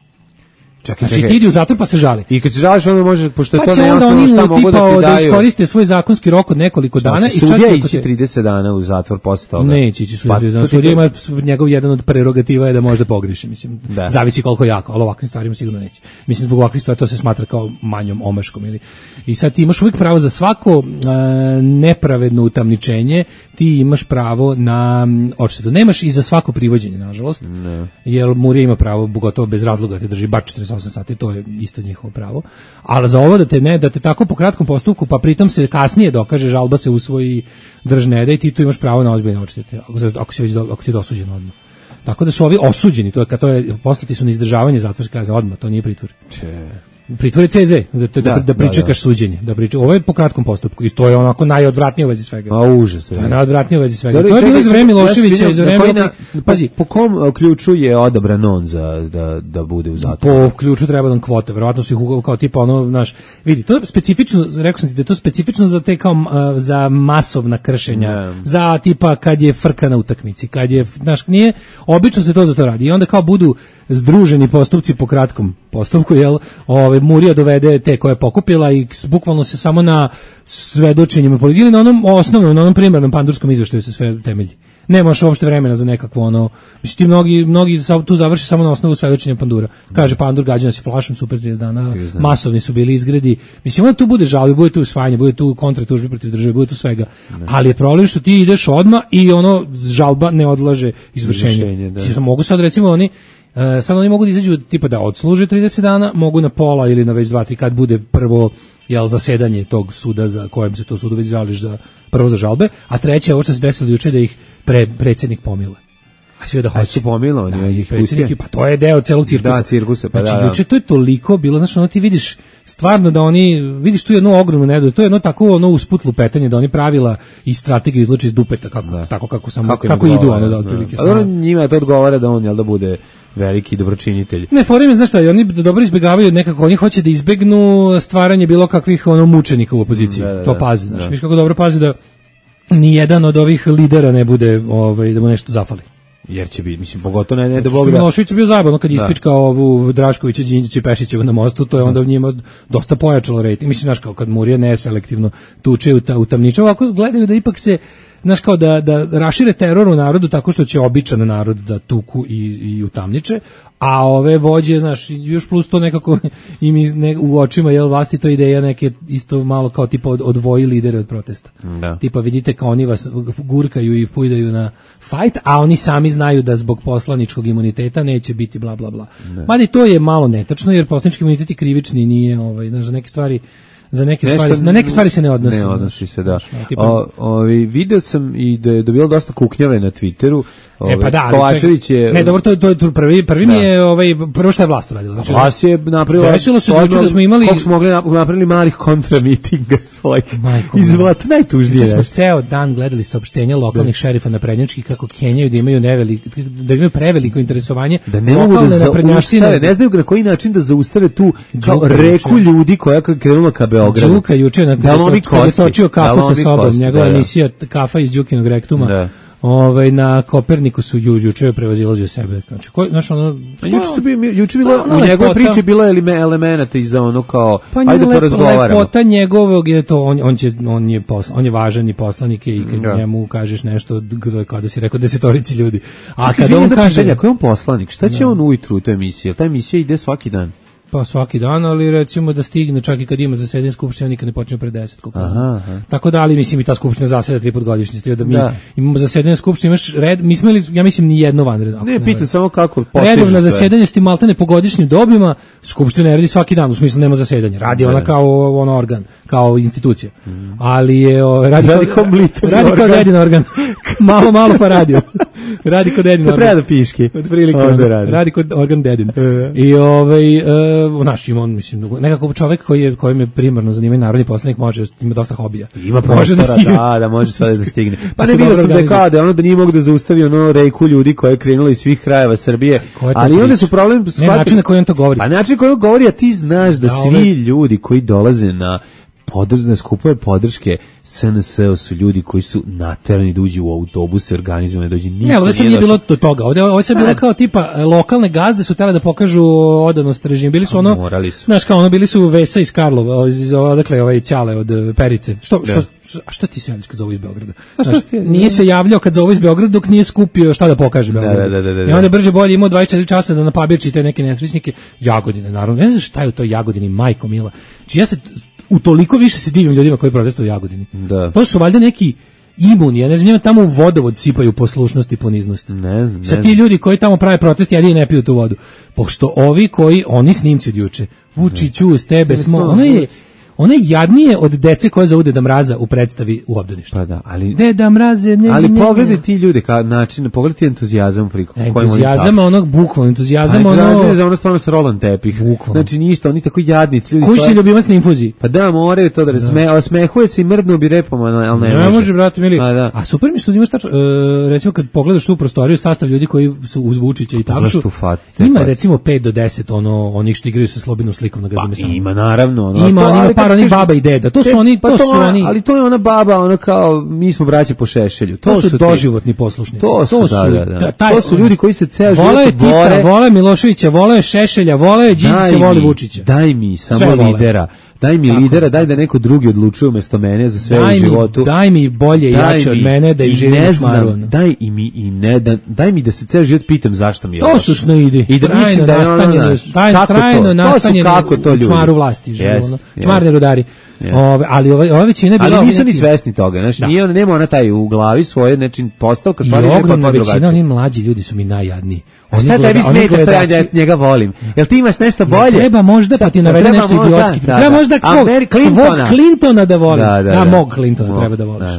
Čekaj, Znači čekaj. ti idi u zatvor pa se žali. I kad se žališ, onda može, pošto je Pa to će onda nejasno, oni šta mogu tipa da ti da daju. iskoriste svoj zakonski rok od nekoliko dana Znači, i čak sudija ako ići te- trideset dana u zatvor posle toga. Neće ići sudija. Pa, Pa, to ti sudija kažem. ima njegov jedan od prerogativa je da može da pogreši, mislim. Da. Zavisi koliko jako, ali ovakvim stvarima sigurno neće. Mislim zbog ovakvih stvari to se smatra kao manjom omaškom ili. I sad ti imaš uvijek pravo za svako e, nepravedno utamničenje, ti imaš pravo na m, odštetu. Nemaš i za svako privođenje, nažalost. Ne. Jer Murija ima pravo, pogotovo bez razloga da te drži bar četrdeset osam sati, to je isto njihovo pravo. Ali za ovo da te ne, da te tako po kratkom postupku, pa pritom se kasnije dokaže, žalba se usvoji, drž ne da i ti tu imaš pravo na ozbiljne odštete, ako, se- ako, si već, do- ako ti je dosuđen odmah. Tako da su ovi osuđeni, to je kad to je poslati su na izdržavanje zatvorske kazne odmah, to nije pritvor. Pritvor je C Z, da, da, da, Da, da pričekaš da, da. suđenje, da priča. Ovo je po kratkom postupku i to je onako najodvratnije u vezi svega. A užas. To je najodvratnije u vezi svega. Dobro, To je bilo čekaj, za vreme čekaj, Miloševića ja i za se vreme... vidim, na koji na- Pazi, po kom uh, ključu je odabran on za da da bude u zatvoru? po ključu treba nam kvota, verovatno su ih ugao kao tipa ono, znaš, vidi, to je specifično, rekao sam ti da je to specifično za te kao a, za masovna kršenja, Ne. za tipa kad je frka na utakmici, kad je, znaš, nije, obično se to za to radi i onda kao budu združeni postupci po kratkom postupku, jel, ovaj, Murija dovede te koje je pokupila i s- bukvalno se samo na svedočenjima policije, na onom osnovnom, na onom primarnom pandurskom izveštaju se sve temelji. nemaš uopšte vremena za nekakvo ono, mislim ti mnogi, mnogi tu završi samo na osnovu svedočenja Pandura. Kaže Pandur, gađa se flašom, super trideset dana, masovni su bili izgredi. Mislim, onda tu bude žalbe, bude tu usvajanje, bude tu kontratužbe protiv države, bude tu svega. Ne. Ali je problem što ti ideš odmah i ono, žalba ne odlaže izvršenje. izvršenje da. Mogu sad recimo oni, uh, sad oni mogu da izađu tipa da odsluže trideset dana, mogu na pola ili na već dva tri kad bude prvo jel zasedanje tog suda za kojem se to sudu već žališ za prvo za žalbe, a treće ovo što se desilo juče da ih pre, predsjednik pomile. A sve da hoće. su pomilovani, da, ih predsjednik, pa to je deo celog cirkusa. Da, cirkusa, pa znači, da, da. juče to je toliko bilo, znači ono ti vidiš stvarno da oni, vidiš tu jednu ogromnu nedu, to je jedno tako ono usput lupetanje, da oni pravila i strategiju izluči iz dupeta, kako, da. tako kako, samo, kako, kako idu, ono da otprilike. Da. A njima to odgovara da on, jel da bude veliki dobročinitelj. Ne, forum je, znaš šta, oni dobro izbjegavaju nekako, oni hoće da izbegnu stvaranje bilo kakvih ono mučenika u opoziciji, da, da, to pazi, znaš, da. Viš kako dobro pazi da ni jedan od ovih lidera ne bude, ovaj, da mu nešto zafali. Jer će biti, mislim, pogotovo ne, ne da Bog da... Milošević je bio zabavno kad ispičkao ovu Draškovića, Đinđića i Pešićevu na mostu, to je onda njima dosta pojačalo rejting. Mislim, znaš, kao kad Murija neselektivno tuče u, ta, u tamniče, ovako gledaju da ipak se, znaš, kao da, da rašire teror u narodu tako što će običan narod da tuku i, i utamniče, a ove vođe, znaš, još plus to nekako im iz, ne, u očima, jel, vlasti to ideja neke isto malo kao tipa od, odvoji lidere od protesta. Da. Tipa vidite kao oni vas gurkaju i pujdaju na fajt, a oni sami znaju da zbog poslaničkog imuniteta neće biti bla bla bla. Mada i to je malo netačno, jer poslanički imunitet je krivični, nije, ovaj, znaš, za neke stvari za neke Nešto, stvari, na neke stvari se ne odnosi. Ne odnosi se, da. O, ovi, video sam i da je dobilo dosta kuknjave na Twitteru. Ove, e pa da, Kovačević je... Ne, dobro, to, to, to prvi, prvi da. mi je, ovaj, prvo što je vlast uradila. Znači, vlast je napravila... Desilo se dođe da smo imali... Koliko smo mogli napravili malih kontramitinga svojih. Izvlat, najtužnije. Smo ceo dan gledali saopštenja lokalnih da. šerifa naprednjačkih kako kenjaju da imaju neveliko, da imaju preveliko interesovanje. Da ne mogu da zaustave, ne znaju na koji način da zaustave tu kao reku ljudi koja krenula ka Beogradu. Đuka juče na kada je točio kafu sa sobom, njegova emisija Kafa iz Đukinog rektuma. Ovaj na Kopernikusu juče prevazilazio sebe. Znači ko znaš ono juče su bili juče bilo u njegovoj priči bilo elemenata iz ono kao pa ajde to razgovaramo. Lepota njegovog je to on on će on je posl, on je važan i poslanik i kad ja. njemu kažeš nešto kada si rekao desetorici ljudi. A kada on kaže ko je on poslanik, šta će ja. on ujutru u toj emisiji? Ta emisija ide svaki dan. Pa svaki dan, ali recimo da stigne čak i kad ima zasedanje skupštine, nikad ne počne pre deset. Aha, aha. Tako da, ali mislim i ta skupština zaseda tri put godišnje, da mi da. imamo zasedanje skupštine, imaš red, mi smo imali, ja mislim, ni jedno vanredno. Ne, pitam samo kako postižu redovna zasedanje s tim maltene po godišnjim dobima, skupština ne radi svaki dan, u smislu nema zasedanja, radi ona kao on organ, kao institucija. Mm. Ali je, o, radi, radi kao mlitor, radi kao dedin organ, malo, malo pa radio. Radi kod dedin organ. Treba da piški. Od prilike, radi. radi kod organ dedin. I ovaj, uh, naš ima on, mislim, nekako čovjek koji je, kojem je primarno zanimanje narodni poslanik može, ima dosta hobija. Ima prostora, da, da, da može sve da stigne. Pa ne bilo sam dekade, ono da nije mogu da zaustavi ono rejku ljudi koja je krenula iz svih krajeva Srbije, ali onda su problem... Ne, način na koji on to govori. A način na koji on govori, a ti znaš da, da svi ove... ljudi koji dolaze na podržne skupove podrške S N S su ljudi koji su naterani da uđu u autobuse, organizovane, dođe niko. Ne, ali ovo sam nije bilo do toga. Ovdje ovo sam bilo kao tipa lokalne gazde su htjeli da pokažu odanost režimu. Bili su ono, morali su. Znaš kao ono, bili su Vesa iz Karlova, iz odakle ovaj Ćale od Perice. Što, što, a što ti se javljaš kad zovu iz Beograda? Znaš, nije se javljao kad zovu iz Beograda dok nije skupio šta da pokaže Beogradu. Da, da, da, da, da. I onda brže bolje imao dvadeset četiri časa da napabirči te neke nesrećnike. Jagodine, naravno. Ne znam šta je u toj Jagodini, majko mila. Či ja se u toliko više se divim ljudima koji protestuju u Jagodini. Da. To su valjda neki imuni, ja ne znam, njima tamo u vodovod sipaju poslušnost i poniznost. Ne znam, ne Sad ti ljudi koji tamo prave protest, jedini ne piju tu vodu. Pošto ovi koji, oni snimci od juče, Vučiću, s tebe smo, ono je, ono je jadnije od dece koje zovu Deda Mraza u predstavi u obdaništu. Pa da, ali Deda Mraze, ne, ali ne, pogledaj ti ljude kao način, pogledaj ti entuzijazam priko kojim oni entuzijazam onog bukvalno, entuzijazam ono. Entuzijazam za ono stvarno sa rolan tepih. Bukvalno. Znači ništa, oni tako jadnici ljudi. Koji si ljubimac na infuziji? Pa da, moraju to da razme, a smehuje se i mrdnu bi repom, al ne može. Ne može, brate mili. A, da. A super mi što imaš tačno, e, recimo kad pogledaš tu prostoriju, sastav ljudi koji su uz Vučića i Tavšu. Ima recimo pet do deset ono onih što igraju sa slobodnom slikom na Gazemestanu. Ima naravno, ono. Ima, ima par onih baba i deda. To su e, oni, pa to, to su ona, oni. Ali to je ona baba, ona kao mi smo braće po Šešelju. To, to su, su doživotni poslušnici. To su, to su, da, da, da. Taj, to su ljudi koji se ceo život vole bore. Tita, vole Miloševića, vole Šešelja, vole Đinđića, vole Vučića. Daj mi samo lidera. daj mi Tako, lidera, daj da neko drugi odlučuje umjesto mene za sve daj u životu. Mi, daj mi bolje i jače od mene da im živim u čmaru. Daj i mi i ne da, daj mi da se ceo život pitam zašto mi je. To su snoidi. I da mislim da je ono, trajno nastanjeni u čmaru vlasti žive, yes, ono. Yes. Čmarni rudari. Yeah. Ove, ali ova, ova većina je bila... Ali nisu ni svesni toga, znači, nije on, nema ona taj u glavi svoje, znači, postavka stvari... I ogromna većina, oni mlađi ljudi su mi najjadniji. A šta tebi smeta što ja njega volim? Jel ti imaš nešto bolje? Ja, treba možda, pa ti navede nešto idiotski. Treba možda tvog Clintona da volim. Ja, mog Clintona treba da voliš.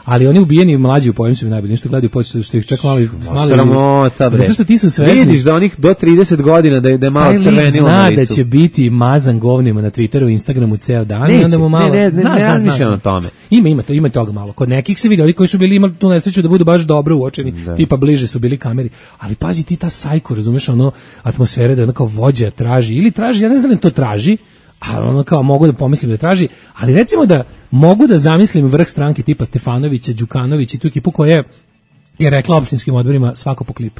Ali oni ubijeni mlađi u pojem su mi najbolji, nešto gledaju početi što ih čak mali smali. Sramota bre. Zato što ti su svesni. Vidiš da onih do trideset godina da je da malo crvenilo na licu. Zna da će biti mazan govnima na Twitteru i Instagramu ceo dan Neće, i onda mu malo. Ne, ne, zna, ne, ne razmišljam o tome. Ima, ima to, ima toga malo. Kod nekih se vidi, oni koji su bili imali tu nesreću da budu baš dobro uočeni, da. Tipa bliže su bili kameri. Ali pazi ti ta sajko, razumeš, ono atmosfere da onako vođa traži ili traži, ja ne znam da li to traži. A ono kao mogu da pomislim da traži, ali recimo da mogu da zamislim vrh stranke tipa Stefanovića, Đukanović i tu ekipu koja je, je rekla opštinskim odborima svako po klip.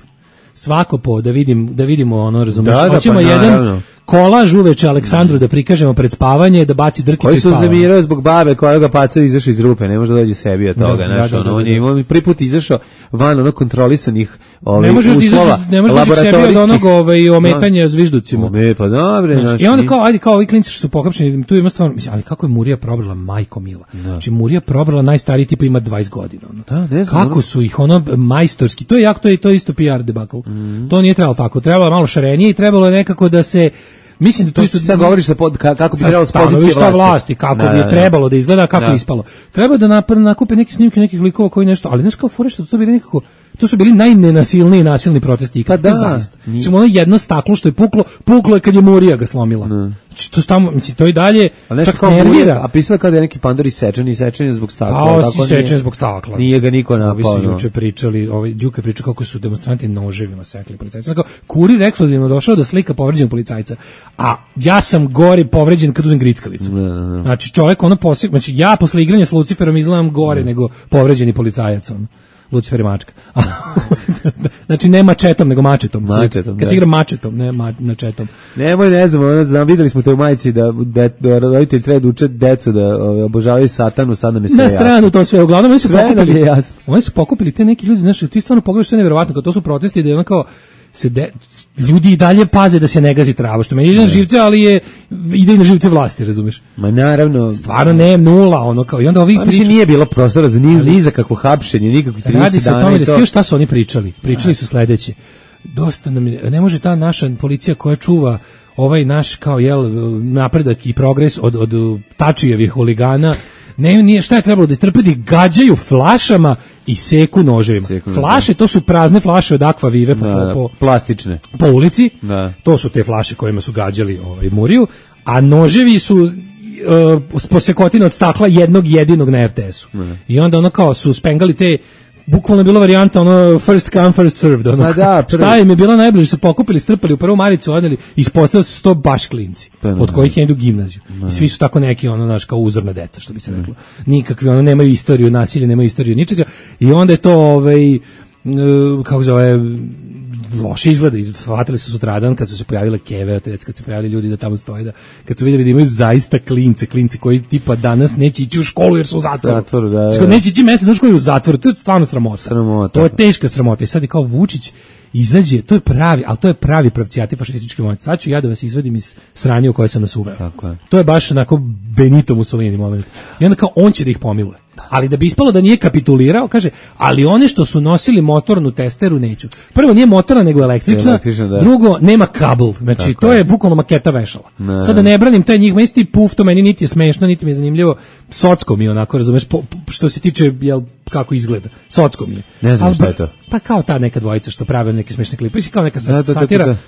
Svako po, da vidim, da vidimo ono, razumiješ, da, da, hoćemo pa, jedan naravno. Kolaž uveče Aleksandru da prikažemo pred spavanje, da baci drkicu koji i spava. Koji su uznemirao zbog babe koja ga pacao izašao iz rupe, ne može da dođe sebi od toga, da, znaš, da, da, ono, da, da, on je imao prvi put izašao van ono kontrolisanih ovaj, ne možeš uslova, ne možeš da sebi od onog ovaj, ometanja no. zvižducima. Ome, pa dobre, znaš, znaš, i onda kao, ajde, kao ovi klinci što su pohapšeni, tu ima stvarno, mislim, ali kako je Murija probrala, majko mila. Da. Znači, Murija probrala najstariji tipa ima dvadeset godina. Ono. Da, ne znam, kako ono... su ih, ono, majstorski, to je jako, to je, to je isto P R debakl. Mm. To nije trebalo tako, trebalo je malo šarenije i trebalo je nekako da se mislim da to, to isto sad govoriš sa pod, kako bi trebalo s pozicije vlasti. vlasti, kako da, bi je da, trebalo da izgleda, kako da. je ispalo. Treba da naprave nakupe neke snimke nekih likova koji nešto, ali znaš kao fore što to bili nekako, to su bili najnenasilniji nasilni protesti ikad. Pa da, zaista. Mislim, ono jedno staklo što je puklo, puklo je kad je Murija ga slomila. Ne. Znači, to tamo, mislim, to i dalje čak nervira. Murija, a pisala kao da je neki pandor isečen, isečen zbog stakla. A osi isečen zbog stakla. Nije ga niko napao. Ovi su juče pričali, ovaj Đuka priča kako su demonstranti noževima sekli policajca. Znači, kurir ekskluzivno došao da slika povređenog policajca. A ja sam gore povređen kad uzem grickavicu. Ne, ne, ne. Znači, čovjek ono posjek, znači ja posle igranja s Luciferom izgledam gore ne. nego povređeni policajac. On. Lucifer je mačka. Znači ne mačetom, nego mačetom. mačetom Kad se igra mačetom, ne ma, mačetom. Nemoj, ne znam, znam, videli smo te u majici da, da, da roditelji treba da uče decu da ove, obožavaju satanu, sad nam je sve jasno. Na stranu to sve, uglavnom oni su sve pokupili, jasno. Oni su pokupili te neki ljudi, znači ti stvarno pogledaš što je nevjerovatno, kad to su protesti da je ono kao se de, ljudi i dalje paze da se ne gazi trava, što meni ide na živce, ali je ide i na živce vlasti, razumeš? Ma naravno. Stvarno ne, nula, ono kao, i onda ovih priča... nije bilo prostora za niz, ni za kako hapšenje, nikakvih trideset dana. Radi se o tome da stio šta su oni pričali. Pričali su sledeće. Dosta nam je, ne može ta naša policija koja čuva ovaj naš, kao, jel, napredak i progres od, od Tačijevih huligana, ne, nije, šta je trebalo da trpedi, gađaju flašama i seku noževima. Seku, flaše, to su prazne flaše od Aqua Vive po, da, po, plastične. Po ulici, da. To su te flaše kojima su gađali ovaj, Muriju, a noževi su uh, posekotine od stakla jednog jedinog na R T S-u. Da. I onda ono kao su spengali te, bukvalno je bila varijanta ono first come first served, ono, da, šta im je bilo najbliže, su pokupili, strpali u prvu maricu, odneli, ispostavili su to baš klinci, pa, od kojih je idu gimnaziju. I svi su tako neki, ono, naš, kao uzorna deca, što bi se reklo. Nikakvi, ono, nemaju istoriju nasilja, nemaju istoriju ničega. I onda je to, ovaj, kako zove, loše izgleda, shvatili su sutradan kad su se pojavile keve, kad se pojavili ljudi da tamo stoje, da, kad su vidjeli da imaju zaista klince, klinci koji tipa danas neće ići u školu jer su u zatvoru. Zatvoru, da, da. Neće ići mesec, znaš koji je u zatvoru, to je stvarno sramota. Sramota. To je teška sramota. I sad je kao Vučić izađe, to je pravi, ali to je pravi pravcijati fašistički moment. Sad ću ja da vas izvadim iz sranja u koje sam nas uveo. Tako je. To je baš onako Benito Mussolini moment. I onda kao on će da ih pomiluje. Ali da bi ispalo da nije kapitulirao, kaže, ali one što su nosili motornu testeru neću. Prvo, nije motorna, nego električna. električna da. Drugo, nema kabel. Znači, tako to je bukvalno maketa vešala. Ne. Sada ne branim taj njih, isti puf, to meni niti je smešno, niti mi je zanimljivo. Socko mi je onako, razumeš, po, što se tiče, jel, kako izgleda. Socko mi je. Ne znam šta je to. Pa kao ta neka dvojica što prave neke smešne klipe. Kao neka da, da, satira. Da, da, da.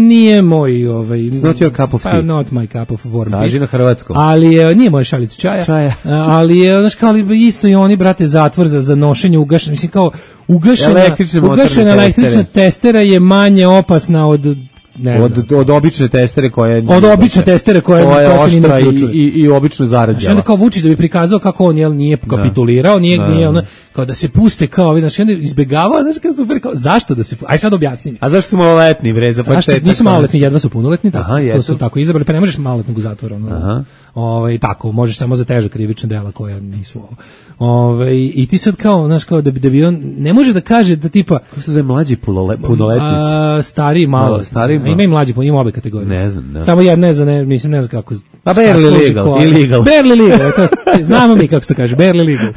Nije moj, ovaj... It's not your cup of tea. Pa, not my cup of warm peace. Kaži na hrvatskom. Ali je, nije moj šalic čaja. Čaja. Ali je, znaš, kao li isto i oni, brate, zatvor za, za nošenje ugašena. Mislim, kao, ugašena, električne ugašena električna testera je manje opasna od ne od, znam. od obične testere koje Od obične testere koje, koja koja se ni ne oštra i, uključuje. i, i obično zarađava. Znači onda kao Vučić da bi prikazao kako on jel nije kapitulirao, nije, Da. nije ono, kao da se puste kao, znači onda izbegavao, znači kao super, kao, zašto da se, aj sad objasni mi. A zašto su maloletni, bre, za Zašto početak? nisu maloletni, jedva su punoletni, tako, Aha, to jesu. su tako izabrali, pa ne možeš maloletnog u zatvor, ono. Aha. Ovaj tako, možeš samo za teže krivična dela koja nisu ovo. Ovaj i ti sad kao, znaš, kao da bi da bi on ne može da kaže da tipa Kako se zove mlađi punole- punoletnici? a, stariji malo, Malo, stariji malo. ima i mlađi, ima obe kategorije. Ne znam, da. Samo jedna je za ne, mislim ne znam kako. Pa šta barely služi legal, ko- illegal. Barely legal, to je- znamo mi kako se to kaže, barely legal.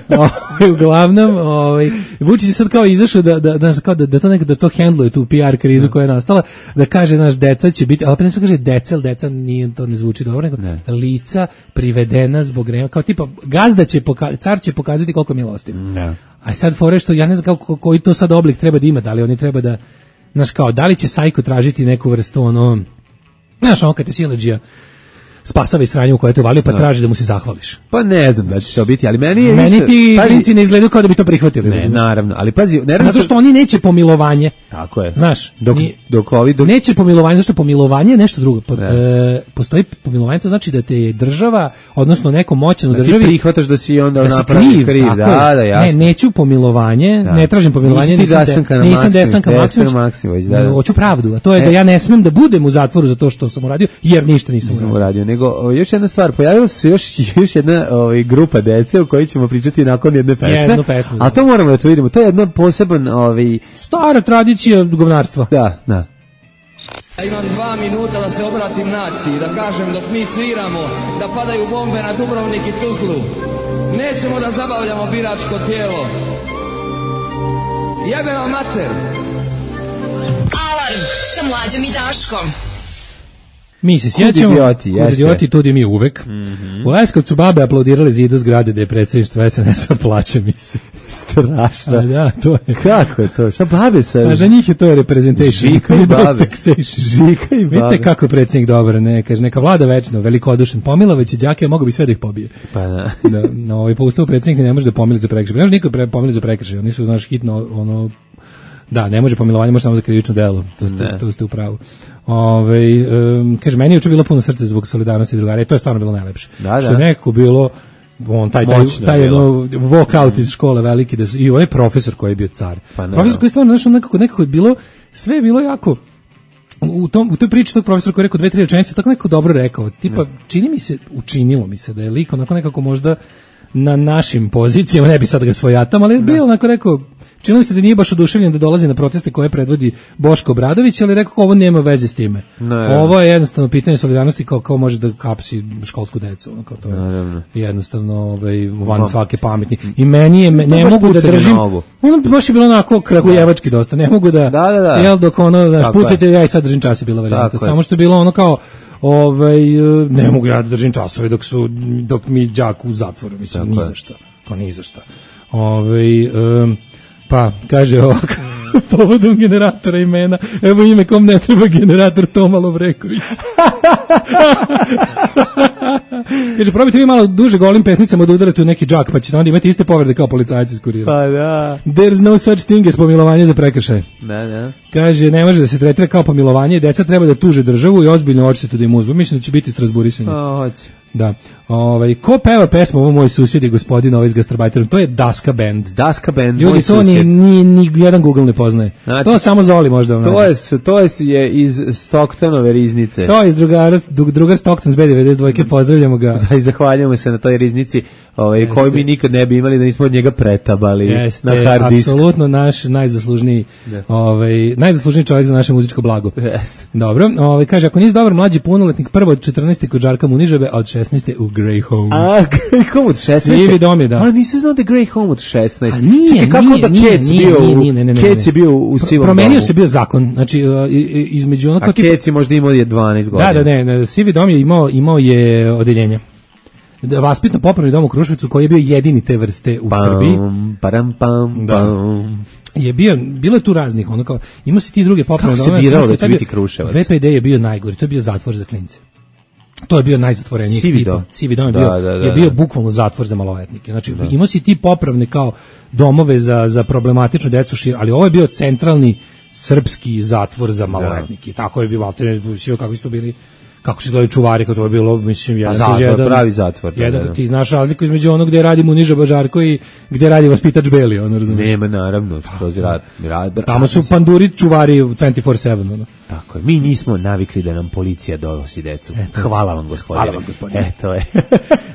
Ovaj, uglavnom, ovaj Vučić je sad kao izašao da da da kao da, da to nekako da to hendluje tu P R krizu koja je nastala, da kaže naš deca će biti, ali pa ne smije kaže deca, ali deca nije to ne zvuči dobro, nego Ne. lica privedena zbog greva, kao tipa gazda će poka, car će pokazati koliko je milostiv. Da. A sad fore što ja ne znam kako koji to sad oblik treba da ima, da li oni treba da, znaš kao, da li će Sajko tražiti neku vrstu ono, znaš ono kad te siledžija spasava iz sranja u koje te uvalio pa traži da mu se zahvališ. Pa ne znam da će to biti, ali meni je Meni više- ti pazi- klinci ne izgledaju kao da bi to prihvatili. Ne, razumeš? naravno, ali pazi, ne Zato što oni neće pomilovanje. Tako je. Znaš, dok, ni- dok ovi... Dok, Neće pomilovanje, zašto pomilovanje je nešto drugo. Po, Ne. e, postoji pomilovanje, to znači da te je država, odnosno neko moćan u da ti državi, prihvataš da si onda da si napravi kriv, kriv, tako da, je. da, jasno. Ne, neću pomilovanje, Da. ne tražim pomilovanje, Nisi ti nisam, Dasanka de, na nisam Maksimović, Desanka Vesna Maksimović, Maksimović, da, da. nego hoću pravdu, a to je da E. ja ne smem da budem u zatvoru za to što sam uradio, jer ništa nisam Nisam uradio. uradio, nego o, još jedna stvar, pojavila se još, još jedna ovaj, grupa dece o kojoj ćemo pričati nakon jedne pesme, Jednu pesmu, da. a to moramo da to vidimo, to je jedna poseban, ovaj, Stara tradicija govnarstva. da, da, Ja imam dva minuta da se obratim naciji, da kažem dok mi sviramo, da padaju bombe na Dubrovnik i Tuzlu. Nećemo da zabavljamo biračko tijelo. Jebe vam mater! Alarm sa Mlađom i Daškom. Mi se Kud sjećamo, idioti, kud jeste. idioti, tudi mi uvek. U Leskovcu babe aplaudirale zidu zgrade da je predsjedništvo S N S-a, plaće mi se. strašno. A da, to je. Kako je to? Šta babe sa... A za njih je to representation. Žika i babe. Taxation. Žika i babe. Vidite kako je predsjednik dobar, ne, kaže, neka vlada večno, velikodušan, Pomilović i đake, mogu bi sve da ih pobije. Pa da. Da, na ovaj po ustavu predsjednik ne može da pomili za prekršaj. Ne može niko pre, pomili za prekršaj, oni su, znaš, hitno, ono, da, ne može pomilovanje, može samo za krivično delo, to ste, Ne. to ste u pravu. Ove, um, kaže, meni je juče bilo puno srce zbog solidarnosti drugara i to je stvarno bilo najlepše. Da, Što da. je nekako bilo, on, taj, taj, Moćno taj je bilo. ono, walkout iz škole veliki, da su, i ovaj profesor koji je bio car. Pa ne, profesor da. koji je stvarno, znaš, on nekako, nekako je bilo, sve je bilo jako, u tom u toj priči tog profesora koji je rekao dve tri rečenice tako neko dobro rekao, tipa čini mi se, učinilo mi se da je lik onako nekako možda na našim pozicijama, ne bi sad ga svojatam, ali je bio onako rekao, čini mi se da nije baš oduševljen da dolazi na proteste koje predvodi Boško Obradović, ali je rekao ovo nema veze s time. Naravno. Ovo je jednostavno pitanje solidarnosti kao kao može da kapsi školsku decu, ono, kao to je Naravno. jednostavno ovaj van Vam. svake pameti. I meni je ne baš mogu da pucanje držim. na nogu. Ono baš je bilo onako kragujevački dosta. Ne mogu da, Da, da, da. jel dok ono znaš, Tako je. pucajte, ja i sad držim čas je bila varijanta. Tako je. Samo što je bilo ono kao ovaj ne mogu ja da držim časove dok su dok mi đak u zatvoru, mislim Tako ni je. za šta. Pa ni za šta. Ovaj em, pa kaže ovako povodom generatora imena, evo ime kom ne treba generator Toma Lovreković. Kaže, probajte vi malo duže golim pesnicama da udarate u neki džak, pa ćete onda imati iste povrede kao policajci iz kurira. Pa da. There's no such thing as pomilovanje za prekršaj. Da, da. Kaže, ne može da se tretira kao pomilovanje, deca treba da tuže državu i ozbiljno odštetu da im uzmu. Mislim da će biti strasburisanje. Pa, hoće. Da. Ovaj, ko peva pesmu ovo moj susjed i gospodin ovaj s gastarbajterom? To je Daska band. Daska band, Ljudi, moj to ni, susjed. ni, ni jedan Google ne poznaje. Znači, to samo Zoli možda vam To nađe. je, s- to je, s- je iz Stocktonove riznice. To je iz drugara, dru- drugar Stockton s B devedeset dva, pozdravljamo ga. Da, i zahvaljujemo se na toj riznici ovaj, Jeste. koju mi nikad ne bi imali da nismo od njega pretabali Jeste, na hard disk. apsolutno naš najzaslužniji, Da. ovaj, najzaslužniji čovjek za naše muzičko blago. Jeste. Dobro, ovaj, kaže, ako nisi dobar mlađi punoletnik, prvo od četrnaeste kod Žarka Munižebe, a od šesnaeste u Grey Home. A, Grey Home od šesnaeste? Sivi dom je, da. A, nisam znao da je Grey Home od šesnaeste. A nije, Čekaj, kako nije, da nije, Kec nije, bio, nije, u- nije, ne, ne, ne, Kec ne. je bio u sivom Promenio domu. se bio zakon, znači uh, i- i- između ono A kao tipa- Kec je možda imao je dvanaest godina. Da, da, ne, ne, Sivi dom je imao, imao je odeljenje. Da, vaspitno popravni dom u Kruševicu koji je bio jedini te vrste u Srbiji. Pam, param, pam, Da. pam. Je bio, bilo je tu raznih, ono kao, imao si ti druge popravne Kako se domove, biralo samo što da će je taj biti bio- Kruševac? V P D je bio najgori, to je bio zatvor za klince. To je bio najzatvoreniji Sivi tipa. dom. Sivi dom je Da, bio, da, da, je bio da. bukvalno zatvor za maloletnike. Znači, imao si ti popravne kao domove za, za problematičnu decu, šir, ali ovo je bio centralni srpski zatvor za maloletnike. Tako je bio Valter, kako su to bili, kako su gledali čuvari, kako to je bilo, mislim, jedan zatvor, jedan, pravi zatvor. Da, jedan, da, da. Ti znaš razliku između onog gde radi Muniža Bažarko i gde radi vaspitač Beli, ono razumiješ. Nema, naravno, to je rad. rad Tamo su panduri čuvari dvadesete četiri sedam, ono. Tako je, mi nismo navikli da nam policija donosi decu. E, hvala vam, gospodine. Hvala vam, gospodine. E, to je.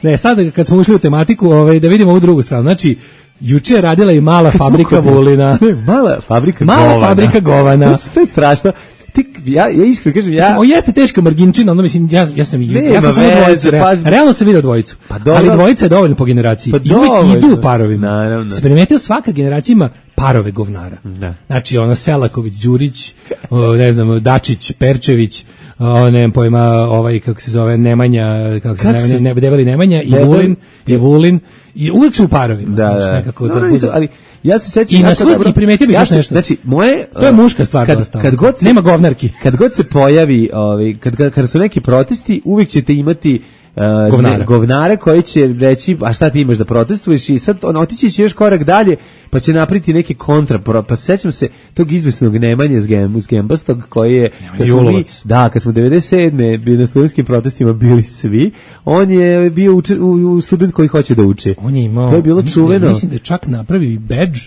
Ne, sad kad smo ušli u tematiku, ovaj, da vidimo ovu drugu stranu. Znači, juče je radila i mala fabrika vulina. Mala fabrika mala govana. Mala fabrika govana. To je strašno. Ti, ja, ja iskreno kažem, ja... Mislim, o jeste teška marginčina, ono mislim, ja, ja sam, Nema ja sam samo dvojicu, pa... realno sam vidio dvojicu, pa ali dvojica je dovoljno po generaciji, pa i uvijek idu u parovima. Naravno. Se primetio, svaka generacija ima parove govnara. Da. Znači, ono, Selaković, Đurić, o, ne znam, Dačić, Perčević, o, ne znam pojma, ovaj, kako se zove, Nemanja, kako se, kako se... Ne, debeli Nemanja, i debeli... Vulin, i Vulin, i uvijek su u parovima. Da, znači, da. nekako No, da no, bude... ali ja se sećam i na svoj i primetio bih ja još se, nešto. Znači, moje to je muška stvar kad, dosta. Kad god se, nema govnarki. Kad god se pojavi, ovaj kad, kad kad su neki protesti, uvijek ćete imati Uh, govnare. Ne, govnare koji će reći, a šta ti imaš da protestuješ, i sad on otići će još korak dalje, pa će napriti neki kontra, pa sećam se tog izvesnog Nemanje s Gembastog koji je, kad smo mi, da, kad smo devedeset sedme bili na studentskim protestima bili svi, on je bio uči, u, u student koji hoće da uči. On je imao, to je bilo mislim, čuveno. Mislim da je čak napravio i badge.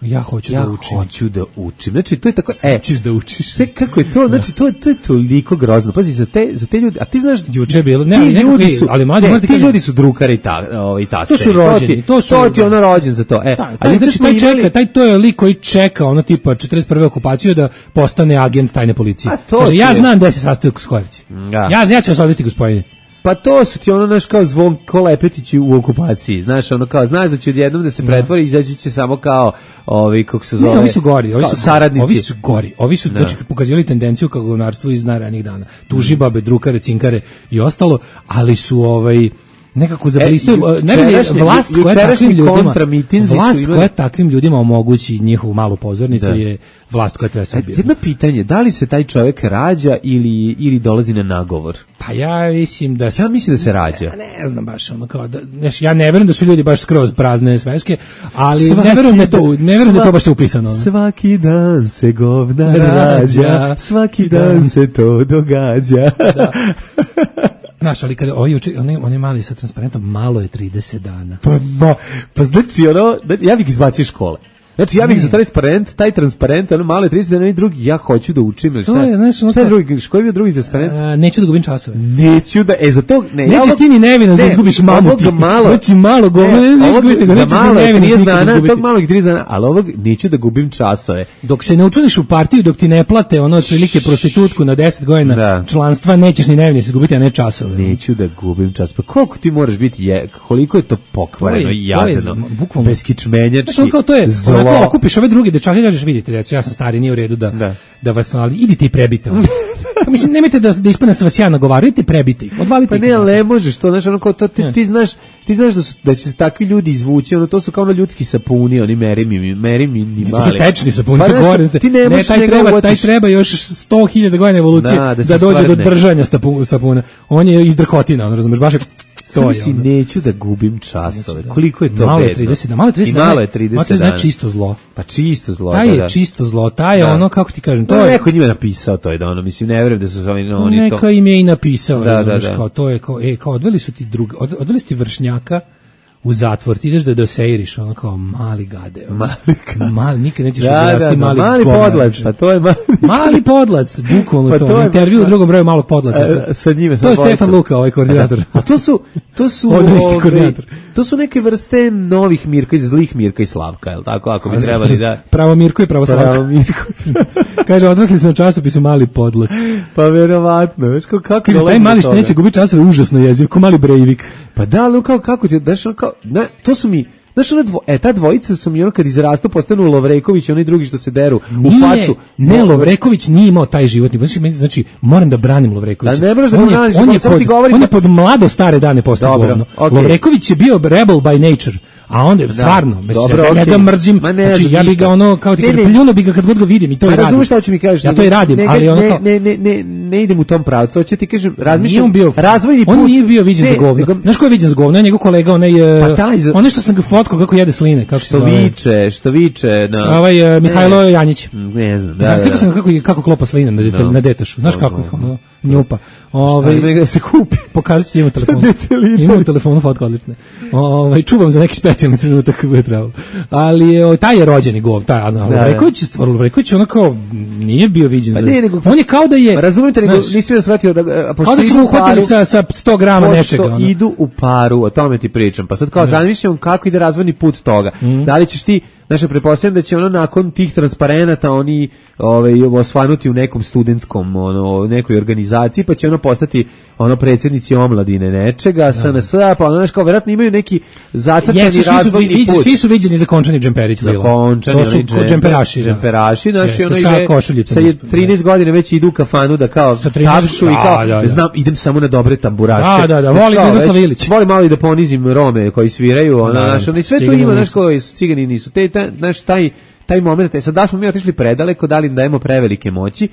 Ja hoću ja da učim. Ja hoću da učim. Znači to je tako, e, ćeš da učiš. Sve kako je to, znači to to je toliko grozno. Pazi, za te za te ljudi, a ti znaš juče je bilo, ne, ali ljudi su, ali mlađi ne, ti kažem, ljudi su drukari i ta, ovaj taste. To su rođeni, to su to ti ono rođen za to. E, da, ali znači taj čeka, taj to je lik koji čeka ono tipa četrdeset prve okupaciju da postane agent tajne policije. Kaže ja znam da se sastoji u Skojevci. Ja ja ću vas odvesti gospodine. Pa to su ti ono, znaš, kao Zvon Kolepetići u okupaciji, znaš, ono kao, znaš da će odjednom da se pretvori i izaći će samo kao, ovi, kako se zove, ne, ovi su gori, ovi su saradnici. Ovi su gori, ovi su, znači, pokazivali tendenciju kao govnarstvo iz najranijih dana. Tužibabe, drukare, cinkare i ostalo, ali su, ovaj, nekako zablistaju, e, najbolje vlast koja takvim ljudima, vlast imali... koja takvim ljudima omogući njihovu malu pozornicu da. Je vlast koja treba se ubijati. Jedno pitanje, da li se taj čovjek rađa ili, ili dolazi na nagovor? Pa ja mislim da... Ja mislim da se rađa. Ne, ne znam baš, ono kao da, neš, ja ne verujem da su ljudi baš skroz prazne sveske, ali svaki ne verujem da to, ne verujem da to baš se upisano. Ono. Svaki dan se govna rađa, svaki dan se to događa. Da. Znaš, ali kada ovi uči, oni, oni mali sa transparentom, malo je trideset dana. Pa, ma, pa znači, ono, ja bih izbacio škole. Znači, ja bih za transparent, taj transparent, ono malo je trideset dana i drugi, ja hoću da učim. Šta je, znaš, šta je drugi, koji je bio drugi transparent? A, neću da gubim časove. Neću da, e, za to, ne. Nećeš ja, ti ni nevino da izgubiš mamu ti. Malo, znači, malo govore, ne, ne, izgubiš, nego nećeš ni nevino da izgubiti. Tog malog trideset dana, ali ovog neću da gubim časove. Dok se ne učlaniš u partiju, dok ti ne plate ono otprilike prostitutku na deset godina da. Članstva, nećeš ni nevino izgubiti, a ne časove. Neću da gubim čas. Pa koliko ti moraš biti, je, koliko je to pokvareno i jadno, beskičmenjački, zlo. Okupiš ove druge dečake, kažeš, vidite, deco, ja sam stari, nije u redu da, da. da vas, ali idite i prebite. Mislim, nemojte da, da ispadne se vas ja nagovaru, idite prebite ih, odvalite pa ih. Pa ne, ali ne možeš to, znaš, ono, kao to, ti, ti znaš, ti znaš da, su, da će se takvi ljudi izvući, ono, to su kao ono ljudski sapuni, oni meri mi, meri mi, ni mali. To su tečni sapuni, pa, to gore. Ti ne, ne taj, treba, taj treba još sto hiljada godina evolucije da, da, da dođe stvarne. Do držanja sapuna. On je iz drhotina, on razumeš, baš je... Samo si neću da gubim časove. Da. Koliko je to malo bedno? trideset, malo je trideset, malo je trideset dana. Malo je čisto zlo. Pa čisto zlo. Taj je da. čisto zlo, taj je da. Ono, kako ti kažem, to no, je... Neko njima napisao to je da ono, mislim, ne verujem da su oni... No, oni neka to... im je i napisao, da, razumiješ, da, da. kao to je, kao, e, kao odveli su ti drug, od, odveli su ti vršnjaka u zatvor, ti ideš da doseiriš, ono kao mali gade. Ono. Mali, mali, nikad nećeš da, odrasti da, da, mali mali podlac, pa to je mali... mali podlac, bukvalno pa to, to intervju u drugom broju malog podlaca. Sa, sa njime, to je Stefan Luka, ovaj koordinator. A to su, to su, ove, to su neke vrste novih Mirka, zlih Mirka i Slavka, je li tako, ako bi trebali da... Pravo Mirko i pravo Slavka. Pravo Mirko. Kaže, odrasli su na časopisu mali podlac. Pa verovatno, veš kako kako kaže, taj mali što neće gubi časove, užasno jeziv, ko mali Breivik. Pa da, ali kao, kako će, daš, kao, ne, to su mi, znaš, ono dvo, e, ta dvojica su mi ono kad izrastu postanu Lovreković, oni drugi što se deru u nije, facu. Ne, Lovreković nije imao taj životni, znači, znači moram da branim Lovrekovića. Da ne moraš da on, braniš, on, je samo pod, ti govorim. On je pod mlado stare dane postao govno. Okay. Lovreković je bio rebel by nature, A onda stvarno, da, dobro, ja, okay. ja ga mrzim, Ma ne, znači ja bih ga ono kao ti kažem, pljuno bi ga kad god ga vidim i to i radim. Razumeš šta hoćeš mi kažeš? Ja to i radim, ne, ali ono ne, kao, ne, ne, ne, ne idem u tom pravcu. Hoće ti kažem, razmišljam, on bio, razvojni put. On nije bio viđen ne, za govno. Nego, znaš ko je viđen za govno? Njegov kolega, onaj, pa taj, onaj što sam ga fotkao kako jede sline, kako što viče, što viče na ovaj uh, Mihajlo ne, Janjić. Ne znam, da. Ja, da, slikao sam kako kako klopa sline na dete, no. na detašu. Znaš no, kako ih ono njupa. Ovaj da se kupi. Pokazat ću im telefon. Imam telefon fotko odlične. Ovaj čuvam za neki specijalni trenutak kako je trebalo. Ali je taj je rođeni gov, taj Lovreković je stvarno Lovreković onako nije bio viđen pa za. Ne, nego, on je kao da je. Razumete, nego nisi da shvatio da kao da su uhvatili sa sa sto grama nečega. Ono. Idu u paru, o tome ti pričam. Pa sad kao zamišljam kako ide razvojni put toga. Mm. Da li ćeš ti Znači, pretpostavljam da će ono nakon tih transparenata oni ovaj, osvanuti u nekom studentskom, ono, nekoj organizaciji, pa će ono postati ono predsjednici omladine nečega, S N S-a, pa ono, znaš, kao, vjerojatno imaju neki zacrtani yes, razvojni viđi, put. Svi su viđeni za Končani Džemperić. Za Končani, to su džemper, džemperaši. Džemperaši, da. naši, Jeste, ono, sa, ide, sa trinaest godina već idu u kafanu da kao tapšu i kao, da, da. znam, idem samo na dobre tamburaše. Da, da, da, volim Miroslav Ilić. Volim malo i da ponizim Rome koji sviraju, ono, znaš, ono, i sve to ima, znaš, koji su cigani nisu. Te, znaš, taj taj moment, e sad da smo mi otišli predaleko, da li im dajemo prevelike moći,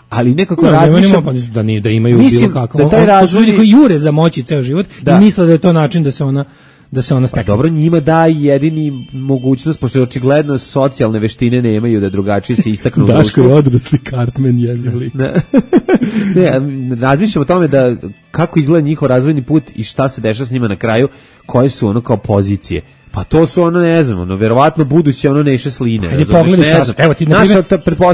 ali nekako no, razmišljam da, ni, da imaju mislim, bilo kako. Da taj razvoj... To su ljudi koji jure za moći ceo život da. I misle da je to način da se ona da se ona stekne. Pa dobro, njima da jedini mogućnost, pošto očigledno socijalne veštine nemaju da drugačije se istaknu. Daško je odrasli Cartman jezivli. ne, ne razmišljam o tome da kako izgleda njihov razvojni put i šta se dešava s njima na kraju, koje su ono kao pozicije. Pa to su ono, ne znam, ono, verovatno buduće ono Neše Sline. Ajde pogledaj šta su. Evo ti, na primjer,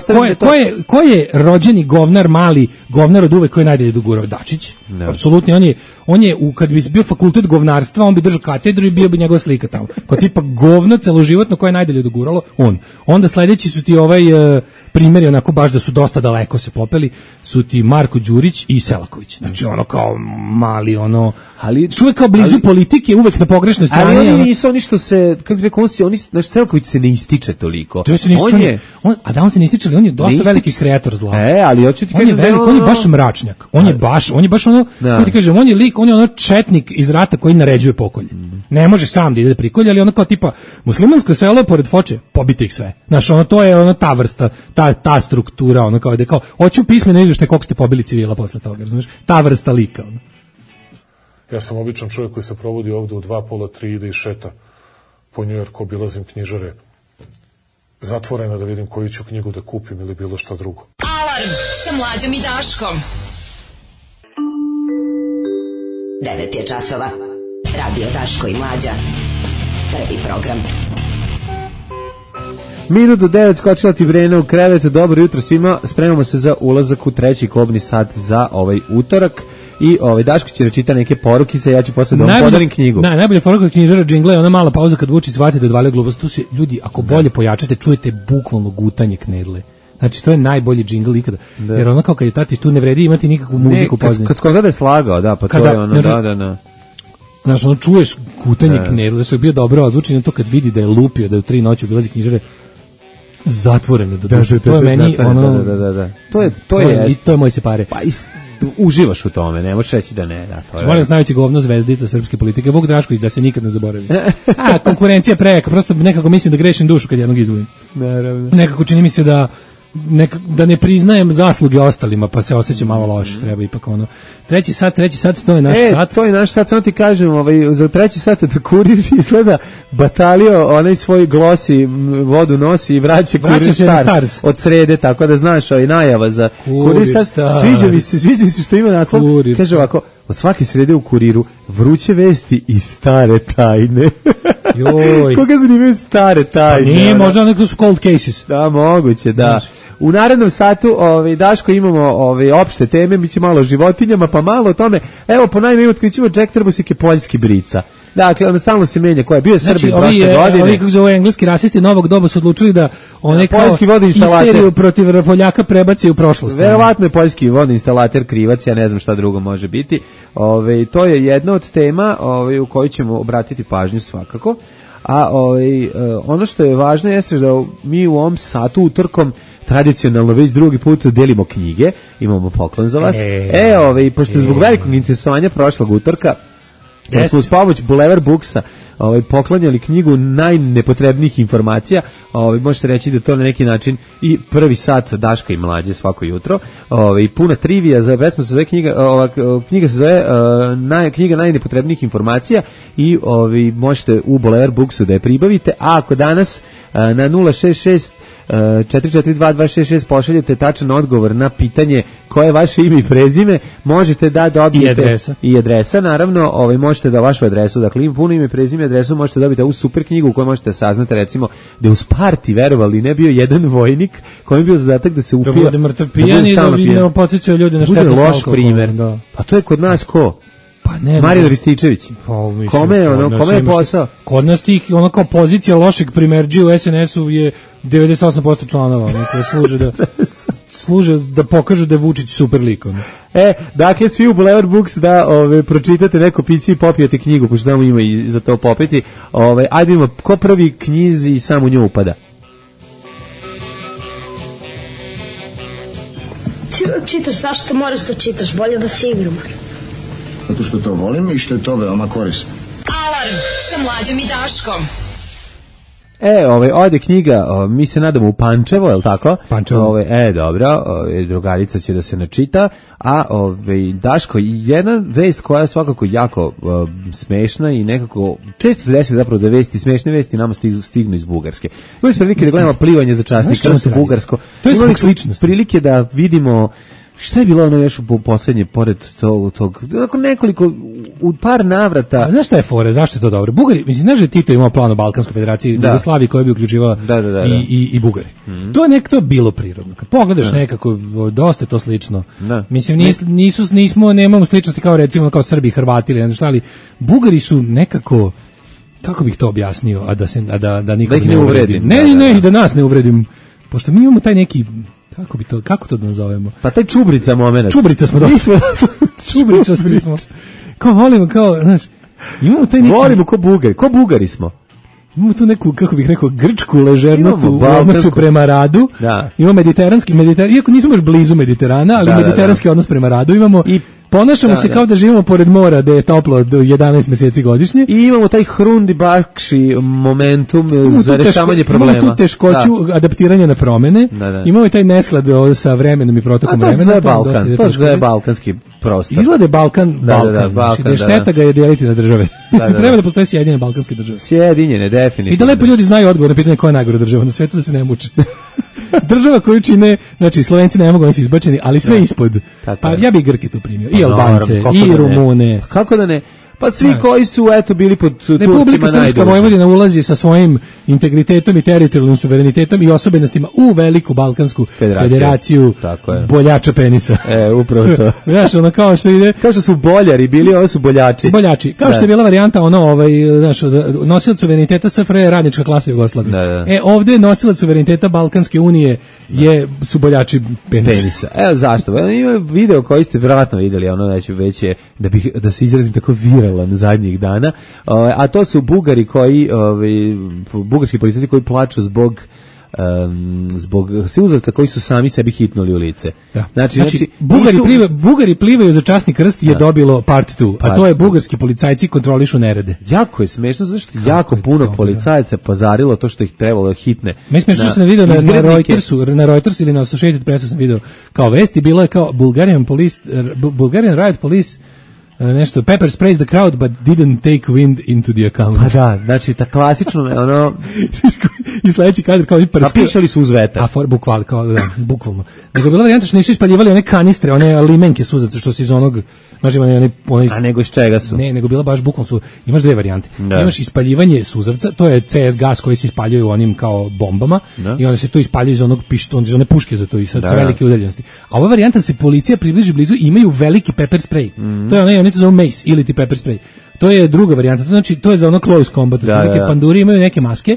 ko je, ko, je, ko je rođeni govnar, mali govnar od uvek koji je najdalje dogurao? Dačić. No. Apsolutno, on je, on je u, kad bi bio fakultet govnarstva, on bi držao katedru i bio bi njegova slika tamo. Kao tipa govno celoživotno koje je najdalje doguralo, on. Onda sledeći su ti ovaj uh, primjeri, onako baš da su dosta daleko se popeli, su ti Marko Đurić i Selaković. Znači ono kao mali, ono, ali čovjek kao blizu ali, politike, uvek na pogrešnoj strani. Ali oni nisu oni što se, kako rekao, on se, oni, znaš, Selaković se ne ističe toliko. To se ne ističe, on je, on, a da on se ne ističe, ali on je dosta veliki kreator zla. E, ali hoću ti kažem, on je velik, on je baš mračnjak. On je baš, on je baš ono, kako ti kažem, on je lik, on je ono četnik iz rata koji naređuje pokolje. Mm. Ne može sam da ide da prikolje, ali ono kao tipa muslimansko selo pored Foče, pobite ih sve. Znaš, ono to je ono ta vrsta, ta ta struktura, ono kao da kao hoću pismeno izveštaj koliko ste pobili civila posle toga, razumeš? Ta vrsta lika, ono. Ja sam običan čovjek koji se provodi ovde u dva pola, tri, ide i šeta po Njujorku, obilazim knjižare zatvorena da vidim koju ću knjigu da kupim ili bilo šta drugo. Alarm sa Mlađom i Daškom. devet je časova. Radio Daško i Mlađa. Prvi program. Minutu devet skočila ti Brena u krevet. Dobro jutro svima. Spremamo se za ulazak u treći kobni sat za ovaj utorak. I ovaj Daško će rečita neke porukice, ja ću posle da vam podarim knjigu. Da, najbolje poruka knjižara džingla je ona mala pauza kad Vučić shvati da odvalio glupost. Tu se ljudi, ako bolje pojačate, čujete bukvalno gutanje knedle. Znači to je najbolji džingl ikada. Da. Jer ono kao kad je tati tu ne vredi imati nikakvu muziku pozadnje. Kad skoro da je slagao, da, pa kada, to je ono, da, da, da. Znaš, ono čuješ gutanje da. knedle, što je bio dobro ozvučeno to kad vidi da je lupio, da je u tri noći obilazi knjižare zatvorene do duše. To je meni ono... Da, da, da, da. To je, to je, i to je moj se pare. Pa ist, uživaš u tome, ne možeš reći da ne. Da, to je. Molim vas, najveći govno zvezdica srpske politike, Vuk Drašković, da se nikad ne zaboravi. A, konkurencija prejaka, prosto nekako mislim da grešim dušu kad jednog izvolim. Naravno. Nekako čini mi se da Nek, da ne priznajem zasluge ostalima, pa se osjećam malo loše, treba ipak ono. Treći sat, treći sat, to je naš e, sat. to je naš sat, samo ti kažem, ovaj, za treći sat da kurir izgleda batalio, onaj svoj glosi, vodu nosi i vraća Kurir Stars, Stars od srede, tako da znaš, ovaj najava za Kurir, Kurir Stars. Stars. Sviđa mi se, sviđa mi se što ima naslov. Kurir kaže ovako, od svake srede u Kuriru vruće vesti i stare tajne. Joj. Koga zanimaju stare tajne? Pa nije, možda neko su cold cases. Da, moguće, da. Znaš. U narednom satu, ovaj, Daško, imamo ovaj, opšte teme, mi će malo o životinjama, pa malo o tome. Evo, po najme otkrićemo Jack Trbusik je poljski brica. Dakle, on stalno se menja koja je bio znači, Srbin prošle je, godine. Ovi kako zove engleski rasisti novog doba su odlučili da one kao histeriju protiv Poljaka prebaci u prošlost. Verovatno je poljski vodoinstalater krivac, ja ne znam šta drugo može biti. Ove, to je jedna od tema ove, u kojoj ćemo obratiti pažnju svakako. A ove, ono što je važno jeste da mi u ovom satu utorkom tradicionalno već drugi put delimo knjige, imamo poklon za vas. E, e ove, pošto je zbog velikog interesovanja prošlog utorka, da smo uz pomoć Boulevard Booksa ovaj, poklanjali knjigu najnepotrebnijih informacija. Ovaj, može se reći da to na neki način i prvi sat Daška i Mlađe svako jutro. Ovaj, puna trivija, za pesma se zove knjiga, ova, knjiga se zove uh, naj, knjiga najnepotrebnijih informacija i ovaj, možete u Boulevard Booksu da je pribavite, a ako danas uh, na nula šest šest četiri četiri dva dva šest šest pošaljete tačan odgovor na pitanje koje je vaše ime i prezime, možete da dobijete i adresa, i adresa naravno, ovaj, možete da vašu adresu, dakle im puno ime, prezime, adresu možete dobiti u super knjigu u kojoj možete saznati recimo da je u Sparti, verovali ne, bio jedan vojnik koji je bio zadatak da se upija, da bude mrtav pijan i da ne podsjećaju ljude na štetnost alkohola. Loš primer, da. A to je kod nas ko? Pa ne, Marijan Rističević. Pa, mislim, kome je ono, kome je posao? Kod nas tih, ono kao pozicija lošeg primerđija u es en esu je devedeset osam posto članova, ono, koji služe da služe da pokažu da je Vučić super lik. Ono. E, dakle, svi u Boulevard Books da ove, pročitate neko piće i popijete knjigu, pošto tamo ima i za to popiti. Ove, ajde ima, ko prvi knjizi i sam u nju upada? Ti uvijek čitaš, zašto moraš da čitaš, bolje da si igram. Zato što to volim i što je to veoma korisno. Alarm sa Mlađom i Daškom. E, ovaj, ode knjiga, o, mi se nadamo u Pančevo, je li tako? Pančevo. Ove, e, dobro, ove, drugarica će da se načita, a ove, Daško, jedna vest koja je svakako jako o, smešna i nekako, često se desi zapravo da vesti, smešne vesti nama stizu, stignu iz Bugarske. Imali smo prilike da gledamo plivanje za časnika sa Bugarsko. To je imali sličnost. Prilike da vidimo šta je bilo ono još u poslednje, pored tog, tog dakle nekoliko, u par navrata. A znaš šta je fore, zašto je to dobro? Bugari, mislim, znaš da Tito imao plan o Balkanskoj federaciji, da. Jugoslaviji koja bi uključivala da, da, da, da. I, i, i Bugari. Mm-hmm. To je nek, to je bilo prirodno. Kad pogledaš da. Nekako, dosta je to slično. Da. Mislim, nis, nisu, nismo, nemamo sličnosti kao recimo kao Srbi, Hrvati ili ne znam šta, ali Bugari su nekako, kako bih to objasnio, a da, se, a da, da nikog da ne uvredim. Ne, ne, ne, i da nas ne uvredim, pošto mi imamo taj neki, kako bi to, kako to da nazovemo? Pa taj čubrica momenat. Čubrica smo dosta. Čubričasti smo. Kao volimo, kao, znaš, imamo taj neki... Volimo ko Bugari, ko Bugari smo. Imamo tu neku, kako bih rekao, grčku ležernost u odnosu prema radu. Da. Imamo mediteranski, mediteran, iako nismo još blizu Mediterana, ali da, mediteranski da, da. Odnos prema radu imamo. I ponašamo da, se kao da živimo pored mora, da je toplo do jedanaest mjeseci godišnje. I imamo taj hrundi bakši momentum imamo za rešavanje problema. Imamo tu teškoću da. Adaptiranja na promene. Da, da. Imamo i taj nesklad sa vremenom i protokom vremena. A to je Balkan, to je balkanski prostor. Izgleda Balkan, da, Balkan. Da, da, Balkan, znači, da je šteta ga je deliti na države. Da, da, da. Treba da postoje sjedinjene balkanske države. Sjedinjene, definitivno. I da lepo ljudi znaju odgovor na pitanje koja je najgora država na svetu, da se ne muče. Država koju čine, znači Slovenci ne mogu, oni su izbačeni, ali sve da. Ispod. Tako pa je. Ja bih Grke tu primio, i Albance, i da Rumune. Kako da ne? Pa svi znači, koji su eto bili pod Turcima najduže. Republika Srpska Vojvodina ulazi sa svojim integritetom i teritorijalnim suverenitetom i osobenostima u veliku balkansku federaciju, federaciju boljača penisa. E, upravo to. Znaš, ono kao što ide... Kao što su boljari bili, ovo su boljači. Boljači. Kao da. Što je bila varijanta, ono, ovaj, znaš, nosilac suvereniteta S F R je radnička klasa Jugoslavije. Da, da. E, ovdje nosilac suvereniteta Balkanske unije je, su boljači penisa. penisa. Evo zašto? Evo, ima video koji ste vjerojatno vidjeli, ono, znači, već je, da, bih, da se izrazim tako viral zadnjih dana, a to su Bugari koji, ovaj, bugarski policajci koji plaču zbog um, zbog siuzavca koji su sami sebi hitnuli u lice. Da. Znači, znači, znači Bugari, nisu... pliva, Bugari plivaju za časni krst je da. Dobilo part dva, a to je bugarski policajci kontrolišu nerede. Jako je smešno, zašto jako puno dobro. Policajaca pazarilo to što ih trebalo hitne. Mi smešno što sam video na, na Reutersu, na Reutersu ili na Associated Pressu sam video kao vesti, bilo je kao Bulgarian police, Bulgarian riot police nešto, pepper sprays the crowd but didn't take wind into the account. Pa da, znači, ta klasično, ono... I sledeći kadar kao... Napišali su uz vetar. A, for, bukval, kao, da, bukvalno. Nego je bila varijanta što nisu ispaljivali one kanistre, one limenke suzaca, što se iz onog... Znači, one, one, a nego iz čega su? Ne, nego bila baš bukvalno su... Imaš dve varijante. Da. Imaš ispaljivanje suzavca, to je C S gas koji se ispaljuje u onim kao bombama, da. I onda se to ispaljuje iz onog pištona, iz one puške za to i sad da, sa velike udaljenosti. A ova varijanta se policija približi blizu i imaju veliki pepper spray. Mm. To je onaj, oni to zovu mace ili ti pepper spray. To je druga varijanta, to znači to je za ono close combat. Da, neke da. Panduri imaju neke maske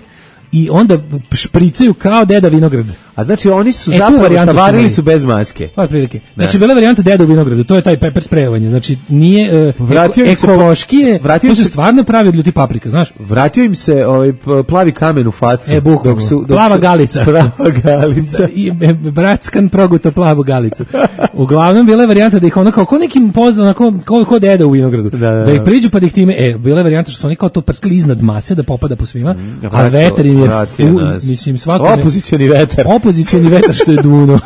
i onda špricaju kao deda vinograd. A znači oni su E, tu zapravo varijantu su štavarili imali. su bez maske. Pa prilike. Ne. Znači bila varijanta deda u vinogradu, to je taj pepper sprejevanje. Znači nije uh, Vratio im se po- ekološkije, vratio to im se se- stvarno pravi od ljuti paprika, znaš? Vratio im se ovaj p- plavi kamen u facu. E, bukvalno. dok su, dok Plava su- galica. Plava galica. I e, bratskan proguto plavu galicu. Uglavnom bila je varijanta da ih ono kao ko nekim pozvan, onako kao ko deda u vinogradu. Da, da, da. ih priđu pa da ih time, e, bila je varijanta što su oni kao to prskali iznad mase da popada po svima, a Vratio- vetar im je vratio fu, nas. mislim svako Opozicioni vetar. Opozicioni vetar što je duno.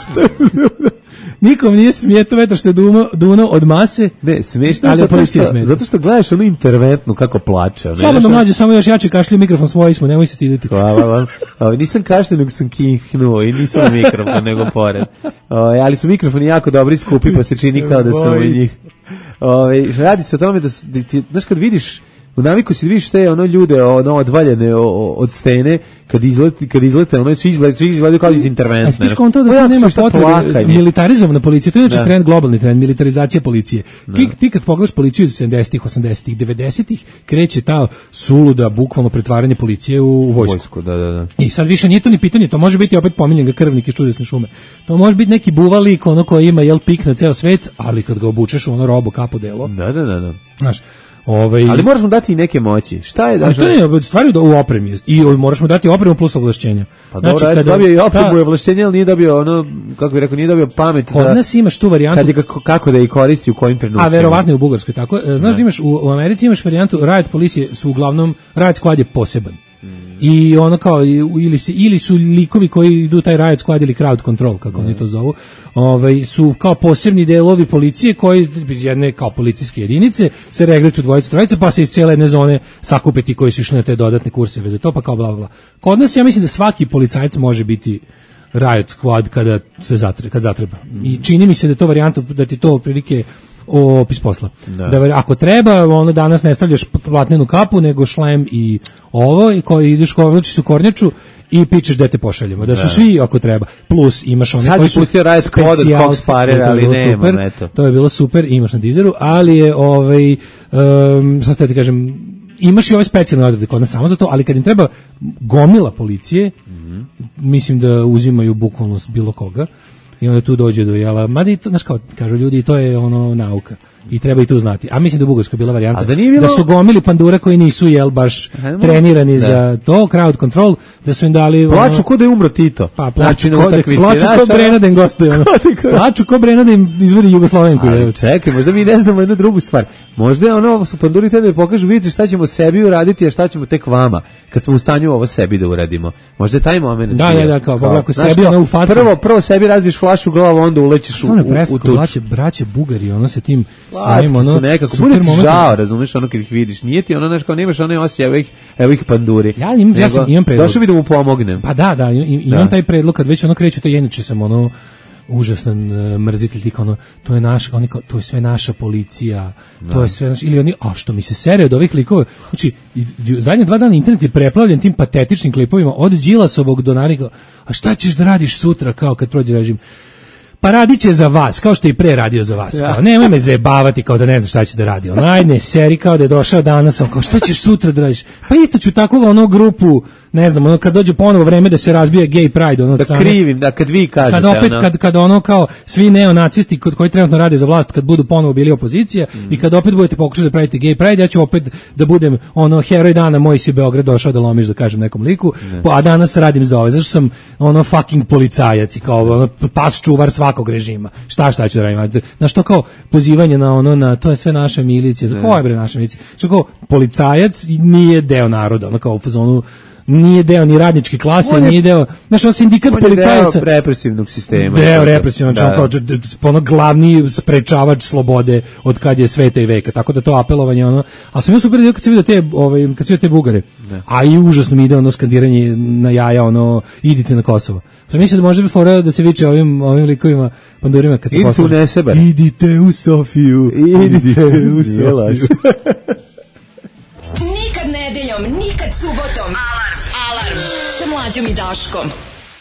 Nikom nije smijeto vetar što je duno, duno od mase. Ne, smiješno je ali zato policija što, smeta. zato što gledaš onu interventnu kako plače. ono, Slobodno znaš, mlađe, samo još jače kašlju mikrofon svoj smo, nemoj se stiditi. Hvala vam. Ovaj, nisam kašlio, nego sam kihnuo i nisam na mikrofon, nego pored. Ovaj, ali su mikrofoni jako dobri i skupi, pa se čini kao da sam u njih. Ovaj, radi se o tome da, su, da ti, znaš, kad vidiš, u naviku si vidiš te ono ljude ono odvaljene o- o- od stene, kad izlete, kad izlete, ono su izgledaju, svi izgledaju kao iz A interventne. ti skontao da O, to jako nema smiješno potrebe, plakanje. militarizovana policija, to je inače Da. trend, globalni trend, militarizacija policije. Ti, ti kad pogledaš policiju iz sedamdesetih, osamdesetih, devedesetih, kreće ta suluda, bukvalno pretvaranje policije u, u vojsku. Vojsku, da, da, da. I sad više nije to ni pitanje, to može biti opet pominjen ga krvnik iz čudesne šume. To može biti neki buvalik, ono koji ima jel pik na ceo svet, ali kad ga obučeš u ono robo kapo delo, Da, da, da, da. znaš, ovaj... Ali moraš mu dati i neke moći. Šta je da? Ali to ne, stvari da u opremi je. I moraš mu dati opremu plus ovlašćenja. Pa dobro, znači, kada- dobio i opremu ta- i ovlaštenje, ali nije dobio ono, kako bih rekao, nije dobio pamet. Kod da- nas imaš tu varijantu. Kad je kako, kako da ih koristi, u kojim trenucima. A verovatno i u Bugarskoj tako. E, Znaš da imaš u, u Americi imaš varijantu riot policije su uglavnom riot squad je poseban. I ono kao i- ili se ili su likovi koji idu taj riot squad ili crowd control kako oni to zovu. Ovaj su kao posebni delovi policije koji iz jedne kao policijske jedinice se regrutuju dvojica trojica pa se iz cele jedne zone sakupe ti koji su išli na te dodatne kurseve za to pa kao bla bla bla. Kod nas ja mislim da svaki policajac može biti riot squad kada se zatre, kad zatreba. I čini mi se da je to varijanta da ti to otprilike opis posla. Da. Da. ako treba, ono danas ne stavljaš platnenu kapu, nego šlem i ovo, i koji ideš kovlačiš su kornjaču i pičeš gde te pošaljemo. Da su Da. svi ako treba. Plus imaš one Sad koji bi su pustio Riot Squad od specijalci. Cox Parera, To je ali bilo nemam, super. eto. To je bilo super, imaš na Deezeru, ali je ovaj um, sad ste ti kažem imaš i ove specijalne odrede kod nas samo za to, ali kad im treba gomila policije, Mhm. mislim da uzimaju bukvalno s bilo koga i onda tu dođe do jela, mada i to, znaš kao, kažu ljudi, to je ono nauka i treba i tu znati. A mislim da u Bugarskoj bila varijanta A da nije bilo- da su gomili pandura koji nisu jel baš Ajmo. trenirani Da. za to, crowd control, da su im dali Plaču ono, ko da je umro Tito. pa Znači, plaču na ko, da, utakmici, plaču znaš, ko ono- Brena da im gostuje ono. Plaču ko Brena da im izvodi Jugoslovenku. Ali jel? čekaj, možda mi ne znamo jednu drugu stvar. Možda je ono, su panduri tebe pokažu, vidite šta ćemo sebi uraditi, a šta ćemo tek vama, kad smo u stanju ovo sebi da uradimo. Možda je taj moment. Da, bio. da, da, kao, ako znaš sebi kao, ono u facu. Prvo, prvo sebi razbiješ flašu u glavu, onda ulećeš u, Stvarno je u, u preslatko, tuč. braće, braće Bugari, ono sa tim Slatki svojim ono su nekako, super bude ti momentom. žao, razumeš, ono kad ih vidiš. Nije ti ono, znaš, kao nemaš one osjećaj, evo ih, evo ih panduri. Ja imam- ja Nego, sam- imam predlog. Došao bi da mu pomognem. Pa da, da, im- imam Da. taj predlog kad već ono kreću, to inače sam ono užasan uh, mrzitelj tih ono, to je naš, oni kao, to je sve naša policija, to je sve naš, ili oni, a što mi se sere od ovih klikova, znači, i- i- zadnje dva dana internet je preplavljen tim patetičnim klipovima, od Đilasovog do Narika, a šta ćeš da radiš sutra, kao kad prođe režim, pa radit će za vas, kao što je i pre radio za vas. Ja. Kao, nemoj me zajebavati kao da ne znaš šta će da radi. Ono, ajde, seri kao da je došao danas, on kao, šta ćeš sutra da radiš? Pa isto ću tako ono grupu, ne znam, ono kad dođe ponovo vreme da se razbije gay pride, ono, od Da strane- krivim, da kad vi kažete. kad opet ono, kad kad ono kao svi neonacisti kod koji trenutno rade za vlast kad budu ponovo bili opozicija Mm. i kad opet budete pokušali da pravite gay pride, ja ću opet da budem ono heroj dana, moj si Beograd došao da lomiš, da kažem nekom liku, po, a danas radim za ove, zašto sam ono fucking policajac i kao ono pas čuvar svakog režima. Šta šta ću da radim? Na što kao pozivanje na ono na to je sve naša milicija. Ko je bre naša milicija? Što kao policajac nije deo naroda, ono kao u fazonu nije deo ni radničke klase, On je- nije deo, znaš, on sindikat on je policajaca. deo represivnog sistema. Deo represivnog, Da, znači da. on kao d- d- ono glavni sprečavač slobode od kad je sveta i veka, tako da to apelovanje ono, a sam ja super vidio kad se vidio te, ovaj, kad se vidio te Bugare, a i užasno mi ide ono skandiranje na jaja, ono, idite na Kosovo. Pa mislim da možda bi fora da se viče ovim, ovim likovima, pandurima kad se Idite u posluže. Nesebar. Idite u Sofiju, Idite u Sofiju. Jelaš. Nikad nedeljom, nikad subotom. Alarm. Alarm. Sa mlađom i Daškom.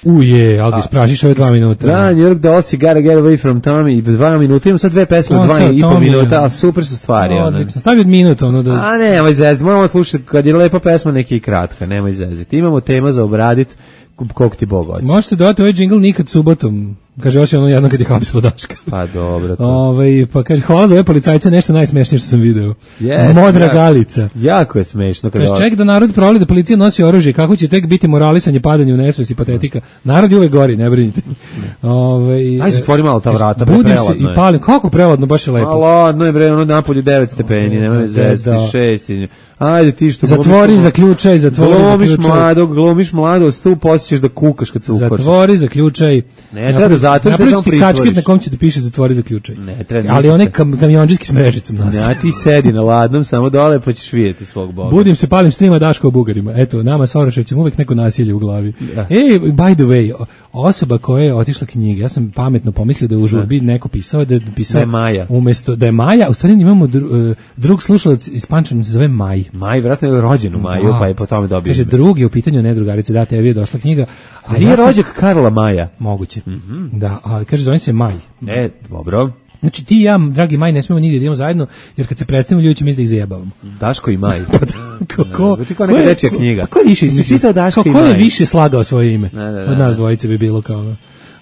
Uje, ali sprašiš ove dva minuta. Da, New York Dolls, Gotta Get Away From Tommy, dva minuta, imam sad dve pesme, dva i po minuta, ali super su stvari. Odlično, stavi od minuta. Ono da... A nemoj zezati, moramo slušati, kad je lepa pesma, neki i kratka, nemoj zezati. Imamo tema za obradit, koliko ti Bog hoće. Možete dodati ovaj džingl nikad subotom. Kaže, osim ono jedno kad je hapsilo Daška. Pa dobro. To. Ove, pa kaže, hvala za ove policajce, nešto najsmešnije što sam video. Yes, Modra jako, Galica. Jako je smešno. Kaže, ček da narod provali da policija nosi oružje, kako će tek biti moralisanje, padanje u nesvest i patetika. Narod je uvek gori, ne brinite. Ove, Aj, se tvori malo ta vrata, budim se i palim. Kako preladno, baš je lepo. Malo, no je bre, ono napolju devet stepeni, nema zezati, šest. Ajde ti što... Zatvori, zaključaj, zatvori, glomiš zaključaj. Mladog, glomiš mlado, stu posjećeš da kukaš kad se ukočeš. Zatvori, zaključaj. Ne, treba da zatvoriš, da samo pritvoriš. Kačket na kom će da piše zatvori, zaključaj. Ne, treba. Ali onaj kam, kamionđiski s mrežicom nas. Ja ti sedi na ladnom, samo dole pa ćeš vidjeti svog Boga. Budim se, palim strima Daško o Bugarima. Eto, nama sa Oraševcem uvek neko nasilje u glavi. Ja. Ej, by the way, osoba koja je otišla knjige, ja sam pametno pomislio da je u žurbi neko pisao da je pisao da je Maja. Umesto da je Maja, u stvari imamo dru, drug slušalac iz Pančeva se zove Maj. Maj, vjerojatno je rođen u Maju, pa je po tome dobio. Kaže, drugi je u pitanju, ne drugarice, da, tebi je došla knjiga. A nije ja rođak Karla Maja? Moguće. Mm-hmm. Da, ali kaže, zove se Maj. E, dobro. Znači ti i ja, dragi Maj, ne smemo nigdje da idemo zajedno, jer kad se predstavimo, ljudi će misli da ih zajebavamo. Daško i Maj. Ko, ko, znači kao neka dečija knjiga. Ko je više izmislio? Ko je više slagao svoje ime? Ne, ne, ne, od nas dvojice bi bilo kao...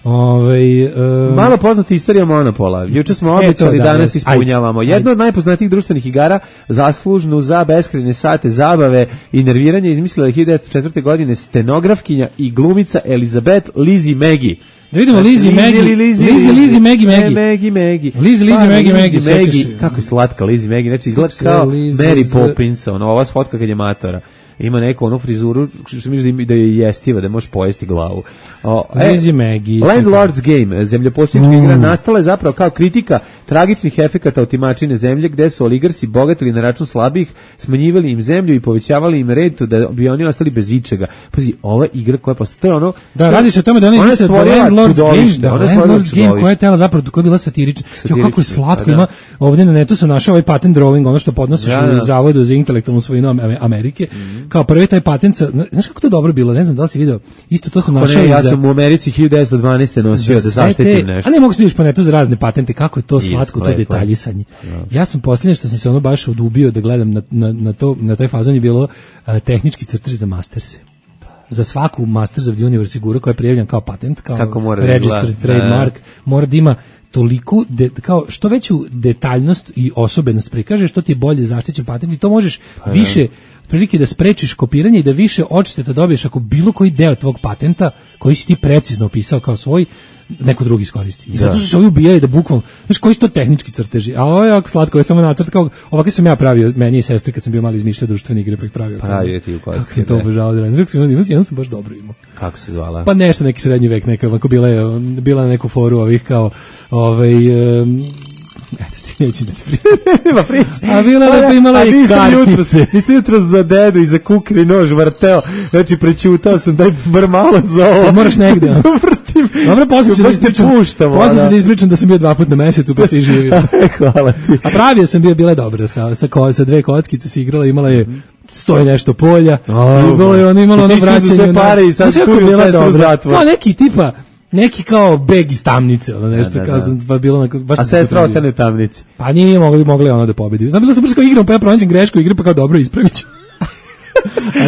Ove, um, malo poznata istorija Monopola. Juče smo obećali, e, da, danas ispunjavamo. Ajde, Jedno ajde. od najpoznatijih društvenih igara, zaslužnu za beskrajne sate zabave i nerviranja, izmislila je hiljadu devetsto četvrte. godine stenografkinja i glumica Elizabeth Lizzie Maggie. Da vidimo Lizzie Maggie, Lizzie, Lizzie Maggie, Maggie, Maggie, Maggie, Lizzie, Lizzie Maggie, Maggie, kako je slatka Lizzie Maggie, znači izgleda kao Mary Poppins, ono, ova fotka kad je matora. Ima neku onu frizuru što misli da je jestiva, da možeš pojesti glavu. O, e, Maggie, Landlord's Game, zemljoposjednička mm. igra, nastala je zapravo kao kritika tragičnih efekata otimačine zemlje, gde su oligarsi bogatili na račun slabih, smanjivali im zemlju i povećavali im rentu da bi oni ostali bez ičega. Pazi, ova igra koja postoji, to je ono... Da, radi se o tome da oni misle da Landlord's Game, da, Landlord's Game koja je tela zapravo, koja je bila satirična. Jo, kako je slatko, da, ima, ovdje na netu sam našao ovaj patent drawing, ono što podnosiš da, da. u Zavodu za intelektualnu svojinu Amerike, mm. kao prvi taj patent, znaš kako to dobro bilo, ne znam da li si video, isto to sam našao. Ne, ja sam u Americi hiljadu devetsto dvanaeste. nosio da zaštitim nešto. A ne mogu se vidiš po netu za razne patente, kako je to slatko, to detaljisanje. Ja. ja sam posljednje što sam se ono baš odubio da gledam na, na, na, to, na taj fazon je bilo uh, tehnički crtež za masterse. Za svaku Masters of the Universe figuru koja je prijavljena kao patent, kao registered trademark, mora da ima toliko, de, kao što veću detaljnost i osobenost prikaže, što ti je bolje zaštićen patent i to možeš pa, više prilike da sprečiš kopiranje i da više odšteta dobiješ ako bilo koji deo tvog patenta koji si ti precizno opisao kao svoj, neko drugi iskoristi. I zato su se ovi ubijali da bukvalno, znaš koji su to tehnički crteži, a ovo je jako slatko, ovo je samo nacrt, kao ovako sam ja pravio, meni i sestri kad sam bio mali izmišljao društvene igre pa ih pravio. Pravio ti u kocki. Kako sam to obožavao da radim, sam jednom sam baš dobro imao. Kako se zvala? Pa nešto neki srednji vek, neka, ovako bila je, bila na neku foru ovih kao, ovaj, um, eto ti neću da ti pričam. Nema priče. A bila je pa imala i kartice. Nisam jutro za dedu i za kukri nož vrteo, znači prećutao sam, daj bar malo za ovo. Moraš negde. Dobro, poslije ću da ispričam, poslije da ispričam da sam bio dva put na mesecu pa se i živio. Hvala ti. A pravio sam bio, bila je dobra, sa, sa, ko, sa dve kockice se igrala, imala je stoji nešto polja, oh, i bilo je ono, imalo ono vraćanje. Ti su sve pare i sad tuju sestru u zatvor. Kao neki tipa, neki kao beg iz tamnice, ono nešto, da, da, kao sam, pa bilo onako, baš. A sestra ostane u tamnici. Pa nije mogli, mogli ono da pobedi. Znam, bilo sam baš kao igram, pa ja pronađem grešku igre, pa kao dobro, ispravit ću.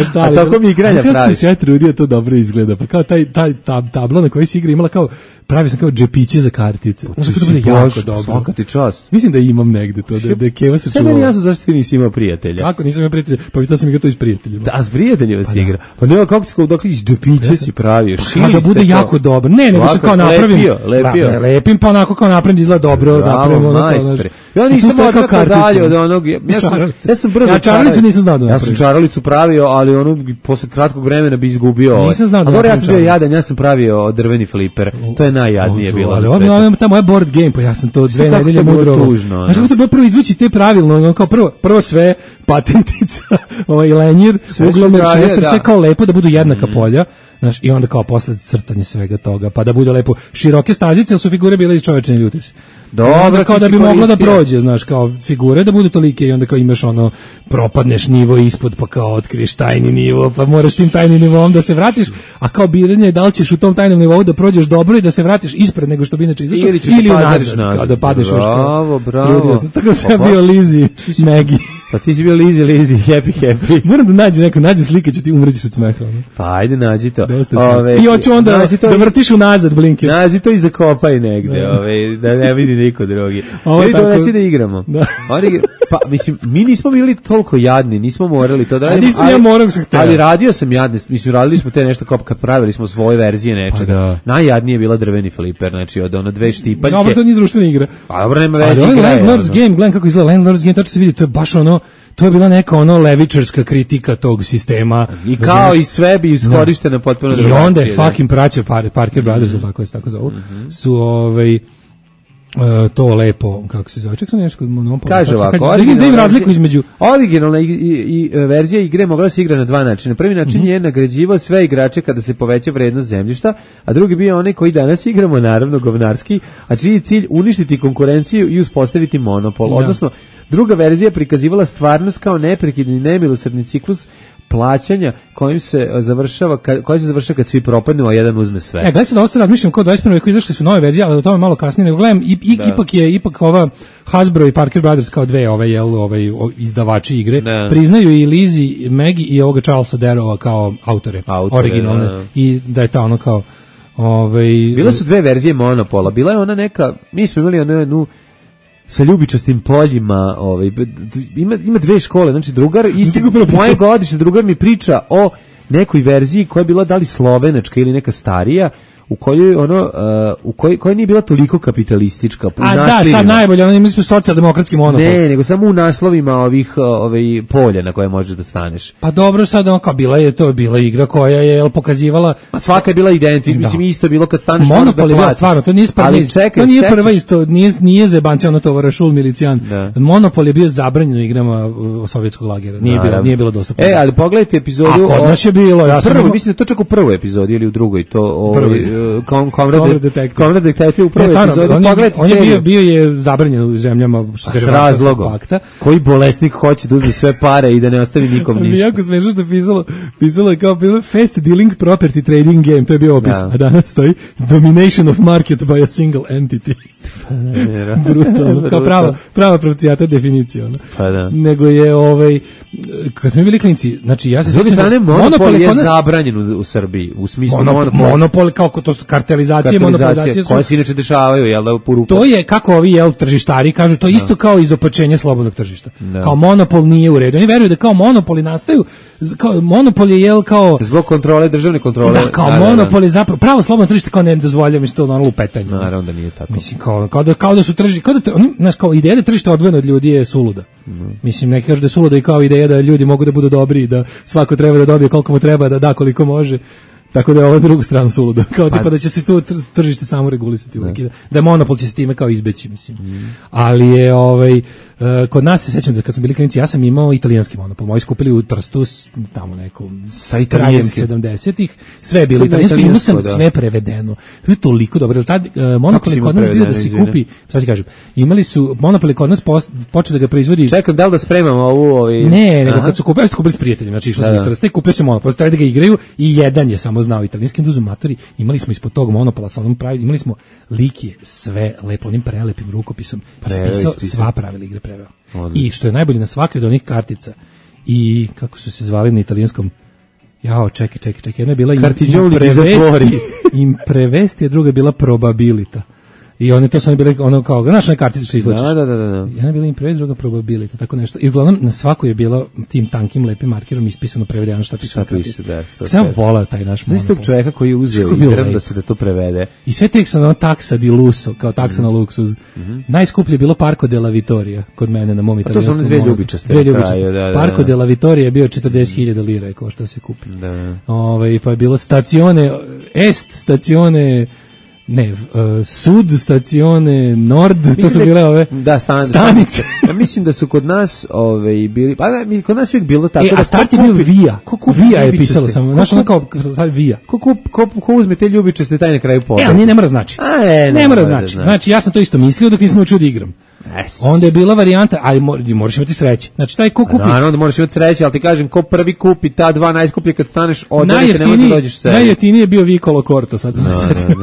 A šta ali? A tako mi igranja praviš. Kako se ja trudio, to dobro izgleda. Pa kao taj, taj tab, tabla na kojoj se igra imala kao, pravio sam kao džepiće za kartice. Znači to bude jako dobro. Svaka ti čast. Mislim da imam negde to, da, da je Keva se čuvala. Sve meni jasno zašto ti nisi imao prijatelja. Kako nisam imao prijatelja? Pa vidio sam igrao to i s prijateljima. Da, s prijateljima pa si igra. Pa nema kako si kao dok iz džepiće si pravio. Pa da bude jako dobro. Ne, nego se kao napravim. Lepio, lepio. Da, lepim pa onako kao napravim izgleda dobro, napravim ono kao. Ja nisam odakle dalje od onog. Ja sam ja sam brzo. Ja čaralicu nisam znao da napravim. Ja sam čaralicu pravio, ali ono posle kratkog vremena bi izgubio. Nisam znao da napravim. Ja sam bio jadan, ja sam pravio drveni fliper. To je najjadnije bilo. Ali ovo ta moja board game, pa ja sam to dve nedelje mudro. Znaš kako to bilo prvo izvući te pravilno, kao prvo, prvo sve patentica, ovaj lenjir, uglomer šester, sve kao lepo da budu jednaka polja. Znaš, i onda kao posle crtanje svega toga, pa da bude lepo široke stazice, ali su figure bile iz Čovečne ljuti se. Dobro, kao da bi mogla da prođe, znaš, kao figure da budu tolike i onda kao imaš ono, propadneš nivo ispod, pa kao otkriješ tajni nivo, pa moraš tim tajnim nivom da se vratiš, a kao biranje je da li ćeš u tom tajnom nivou da prođeš dobro i da se vratiš ispred nego što bi inače izašao, ili, ili unazad, kao da padneš još kao. Bravo, bravo. Tako sam ja bio Lizzy, Maggie. Pa ti si bio Lizzy, Lizzy, happy, happy. Moram da nađem neko, nađem slike, će ti umrećiš od smeha. Pa ajde, nađi to. Ove, I hoću onda da vrtiš unazad blinker. Nađi to i zakopaj negde, ove, da ne vidi niko drugi. Ili donesi da igramo. Da. Oni, pa, mislim, mi nismo bili toliko jadni, nismo morali to da radimo. A nisam ali, ja moram se htjela. Ali radio sam jadni, mislim, radili smo te nešto kao kad pravili smo svoje verzije nečega. Pa da. Najjadnije je bila drveni fliper, znači od ono dve štipaljke. No, to nije društvena igra. Pa dobro, nema veze igra. Landlord's Game, gledam kako izgleda Landlord's Game, tačno se vidi, to je baš ono, to je bila neka ono levičarska kritika tog sistema. I kao i sve bi iskorišteno potpuno drugačije. I onda je fucking praća Parker Brothers, mm-hmm. tako se tako zovu, mm-hmm. su ovaj Uh, to lepo, kako se zove, ček sam nešto Monopoly. Kaže ovako, da im razliku između originalna i, i, i verzija igre mogla se igra na dva načina. Prvi način mm-hmm. je nagrađivao sve igrače kada se poveća vrednost zemljišta, a drugi bio onaj koji danas igramo, naravno govnarski, a čiji je cilj uništiti konkurenciju i uspostaviti monopol. Da. Odnosno, druga verzija prikazivala stvarnost kao neprekidni nemilosrdni ciklus plaćanja kojim se završava koji se završava kad svi propadnu, a jedan uzme sve. E, gledaj se da ovo sad razmišljam kao dvadeset prvom veku izašle su nove verzije, ali o tome malo kasnije, nego gledam, i, i, ipak je ipak ova Hasbro i Parker Brothers kao dve ove, jel, ovaj, izdavači igre, da. Priznaju i Lizzy, Maggie i ovoga Charlesa Darrowa kao autore, autore originalne, da. I da je ta ono kao ovaj... Bilo su dve verzije Monopola, bila je ona neka, mi smo imali onu jednu sa ljubičastim poljima, ovaj ima ima dve škole, znači drugar isti moje godišnje drugar mi priča o nekoj verziji koja je bila da li slovenačka ili neka starija, u kojoj ono uh, u kojoj koja nije bila toliko kapitalistička. A da, sad najbolje, ono imali smo socijaldemokratski monopol. Ne, nego samo u naslovima ovih ovaj polja na koje možeš da staneš. Pa dobro, sad ono kao bila je to je bila igra koja je el pokazivala, a svaka je bila identična, mislim isto je bilo kad staneš možeš da platiš. Stvarno, to nije prva, to nije sećaš... prva isto, nije nije zebancija ono to Rašul Milicijan. Da. Monopol je bio zabranjen u igrama sovjetskog lagera. Nije bilo, nije bilo dostupno. E, ali pogledajte epizodu. A kod nas je bilo, ja sam prvo, mislim to čak u prvoj epizodi ili u drugoj, to ovaj Comrade Detective u prvoj epizodi. On je bio, bio je zabranjen u zemljama s razlogom. Pakta. Koji bolesnik hoće da uzme sve pare i da ne ostavi nikom ništa. Jako smešno što je pisalo, pisalo je kao bilo fast dealing property trading game, to je bio opis, ja. A danas stoji domination of market by a single entity. Brutalno, kao prava, prava pravcijata definicija. Ono. Pa da. Nego je, ovaj, kad smo bili klinici, znači ja se sjećam da monopol je nas... zabranjen u, u Srbiji, u smislu monopol. Monopol, monopol kao to su kartelizacije, monopolizacije koje se inače dešavaju, jel da, u to je kako ovi jel tržištari kažu, to je isto kao izopačenje slobodnog tržišta. Da. Kao monopol nije u redu. Oni veruju da kao monopoli nastaju, kao monopol je jel kao zbog kontrole, državne kontrole. Da, kao da, monopol je zapravo pravo slobodno tržište kao ne dozvoljava, mislim to ono lupetanje. Naravno da nije tako. Mislim kao kao da kao da su tržište, kao da oni, znaš, kao ideja da tržište odvojeno od ljudi je suluda. Mm. Mislim neki kažu da je suluda i kao ideja da ljudi mogu da budu dobri i da svako treba da dobije koliko mu treba, da da koliko može. Tako da je ovo drugu stranu suludo. Kao pa, tipa da će se tu tržište samo regulisati uvijek. Da. da monopol će se time kao izbeći, mislim. Mm. Ali je ovaj uh, kod nas se sećam da kad smo bili klinici, ja sam imao italijanski monopol. Moji skupili u Trstu tamo nekom sa italijanskim sedamdesetih. Sve je bilo italijansko, imao sam da. Sve prevedeno. To je toliko dobro. Tad uh, monopol je kod nas bio da se kupi, šta ti kažem. Imali su monopol kod nas počeo da ga proizvodi. Čekam, da li da spremamo ovu ovaj Ne, nego kad su kupili, kupili s prijateljima, znači išli su u Trstu i kupio se monopol, trebali da ga igraju i jedan je samo znao italijanski duzu matori, imali smo ispod tog monopola sa onom pravi, imali smo likije sve lepo onim prelepim rukopisom, ispisao sva pravila igre preveo. Odlično. I što je najbolje na svakoj od onih kartica i kako su se zvali na italijanskom, jao, čekaj, čekaj, čekaj, jedna je bila imprevesti, imprevesti, a druga je bila probabilita. I one to su bile ono kao, znaš, one kartice što izlačiš. Da, da, da, da. Jedna je bila imprevez, druga probability, tako nešto. I uglavnom na svakoj je bilo tim tankim lepim markerom ispisano prevedeno šta piše. Da, sam volao taj naš monopol. Znaš tog čovjeka koji je uzeo igram da se da to prevede. I sve tek sam ono taksa di luso, kao taksa mm. na luksuz. Mm-hmm. Najskuplje je bilo Parco della Vittoria kod mene na mom italijanskom. A to su one dve ljubičaste. Dve ljubičaste. Da, da, Parco della Vittoria je bio četrdeset hiljada lira, kao što se kupi. Da. Ove, pa je bilo stazione, est stazione Ne, uh, Sud, stacione, Nord, mislim to su bile ove da, stan, stanice. Ja mislim da su kod nas ove, bili, pa da, kod nas uvijek bilo tako. E, da a start je bio Vija. Vija je pisalo samo. Znaš, ono kao Vija. Ko, ko, ko, ko uzme te ljubičaste taj na kraju poda? E, ali ne mora znači. A, e, ne, ne mora znači. znači. Znači, ja sam to isto mislio dok nisam učio da igram. Yes. Onda je bila varijanta, ali moraš imati sreće. Znači, taj ko kupi... Naravno da moraš imati sreće, ali ti kažem, ko prvi kupi ta dva najskuplje kad staneš, odavite, ne možeš da dođeš sebi. Najjeftiniji je bio Vicolo Corto, sad sam se setio.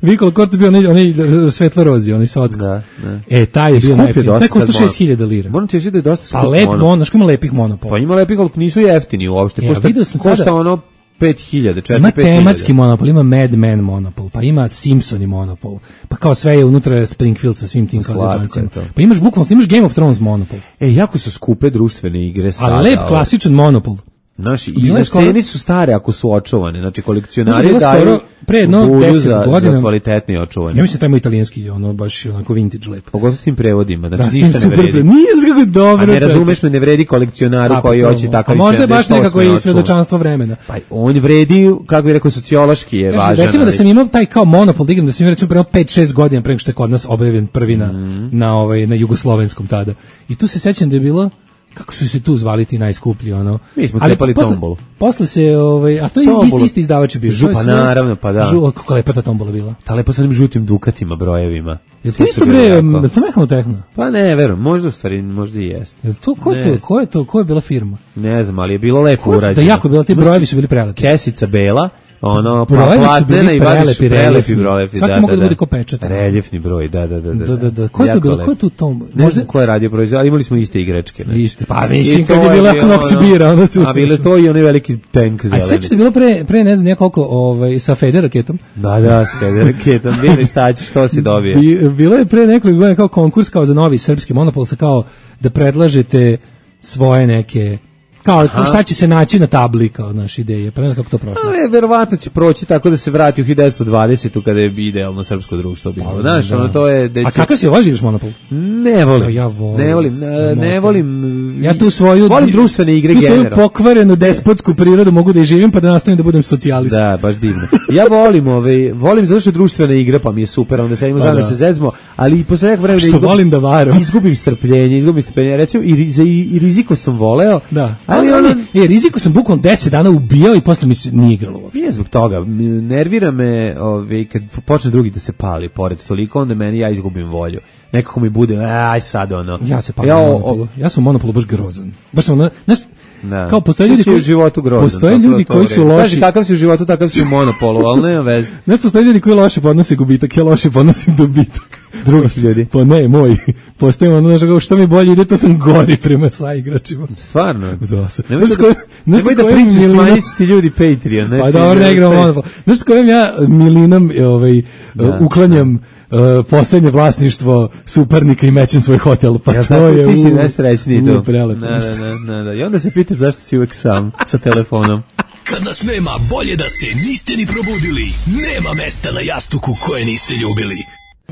Vicolo Corto je bio onaj, onaj svetlo-rozi, onaj socko. Da, da. E, taj je bio najjeftiniji. Taj košta šest hiljada lira. Moram ti reći da je dosta skup. Pa lep mono, znaš ko ima lepih monopola? Pa ima lepih, ali nisu jeftini uopšte. Ja, vidio sam košta sada... ono pet hiljada, četiri ima pet hiljada. tematski monopol, ima Mad Men monopol, pa ima Simpsoni monopol, pa kao sve je unutra Springfield sa svim tim kazabancima. Pa imaš bukvalno, imaš Game of Thrones monopol. E, jako su skupe društvene igre sada. A lep klasičan monopol. Naši i na ceni su stare ako su očuvane, znači kolekcionari daju pre jedno deset godina za kvalitetni očuvanje. Ja mislim da ima italijanski, ono baš onako vintage lep. Pogotovo s tim prevodima, znači da, ništa ne vredi. Nije kako dobro. A ne razumeš me, ne vredi kolekcionaru koji hoće takav. A možda je baš nekako i svedočanstvo vremena. Pa on vredi, kako bih rekao, sociološki je važan. Recimo da sam imao taj kao monopol, da igram, da sam imao recimo prema pet šest godina pre nego što je kod nas objavljen prvi na na ovaj na jugoslovenskom tada. I tu se sećam da je bilo kako su se tu zvali ti najskuplji, ono. Mi smo cepali tombolu. Posle se, ovaj, a to je isti, isti izdavač je bio. Žu, pa naravno, pa da. Žu, kako lepa ta tombola bila. Ta lepa sa onim žutim dukatima, brojevima. Je to isto bre, je to Mehanotehna? Pa ne, verujem, možda u stvari, možda i jeste. Je to, ko je to, ko je to, ko je bila firma? Ne znam, ali je bilo lepo urađeno. Da jako bilo, ti brojevi su bili prelepi. Kesica bela, ono, brojevi su bili prelepi, prelepi brojevi. Svaki mogu da bude ko pečat. Reljefni broj, da, da, da. Da, da, da. Ko je to bilo, ko je tu tombola? Ne znam ko je radio proizvod, ali imali smo iste igračke. Iste, pa mislim kad je bila Knox bira, onda su... A bilo to i onaj veliki tank zeleni. A sećate bilo pre, pre ne znam nekoliko ovaj, sa Fede raketom? Da, da, sa Fede raketom, bili šta ćeš, što si dobio. Bilo je pre nekoliko godina kao konkurs kao za novi srpski monopol, sa kao da predlažete svoje neke... Kao, kao šta će se naći na tabli kao naše ideje, pa ne znam kako to prošlo. A, verovatno će proći tako da se vrati u hiljadu devetsto dvadesetu kada je idealno srpsko društvo bilo. Znaš, ono to je... A kakav si voziš monopol? Ne volim. Ja volim. Ne volim, ne, ne volim. Ja tu svoju... Volim društvene igre generalno. Tu svoju pokvarenu despotsku prirodu mogu da je živim pa da nastavim da budem socijalista. Da, baš divno. Ja volim, ovaj, volim zato što je društvena igra pa mi je super, onda sedimo zajedno da se zezmo, ali i posle nekog vremena... Što volim da varam. Izgubim strpljenje, izgubim strpljenje. Recimo, i, i, i riziko sam voleo. Da. Ali ono, je riziko sam bukvalno deset dana ubijao i posle mi se nije igralo uopšte. Nije zbog toga, nervira me, ovaj kad počne drugi da se pali pored toliko, onda meni ja izgubim volju. Nekako mi bude, aj sad ono. Ja se palim ja, monopolu. Ja sam u monopolu baš grozan. Baš sam, znaš, da. Kao postoje ljudi koji u životu grozan. Postoje ljudi to, to koji su loši. Kaži kakav si u životu, takav si u monopolu, al nema veze. Ne, postoje ljudi koji loše podnose gubitak, ja loše podnosim dobitak. Drugi ljudi. Pa ne, moj. Postoje ono znači što mi bolje ide, to sam gori prema sa igračima. Stvarno. Da. Nemoj da, nemoj da pričaš smanjiti ljudi Patreon, ne. Pa dobro, ne igram monopol. Znaš s kojim ja milinom ovaj da, uklanjam Uh, poslednje vlasništvo suparnika i mećem svoj hotel, pa ja, to tako, je ti si najsrećniji to. Prelepo. Da, da, da, da. I onda se pitaš zašto si uvek sam sa telefonom. Kad nas nema, bolje da se niste ni probudili. Nema mesta na jastuku koje niste ljubili.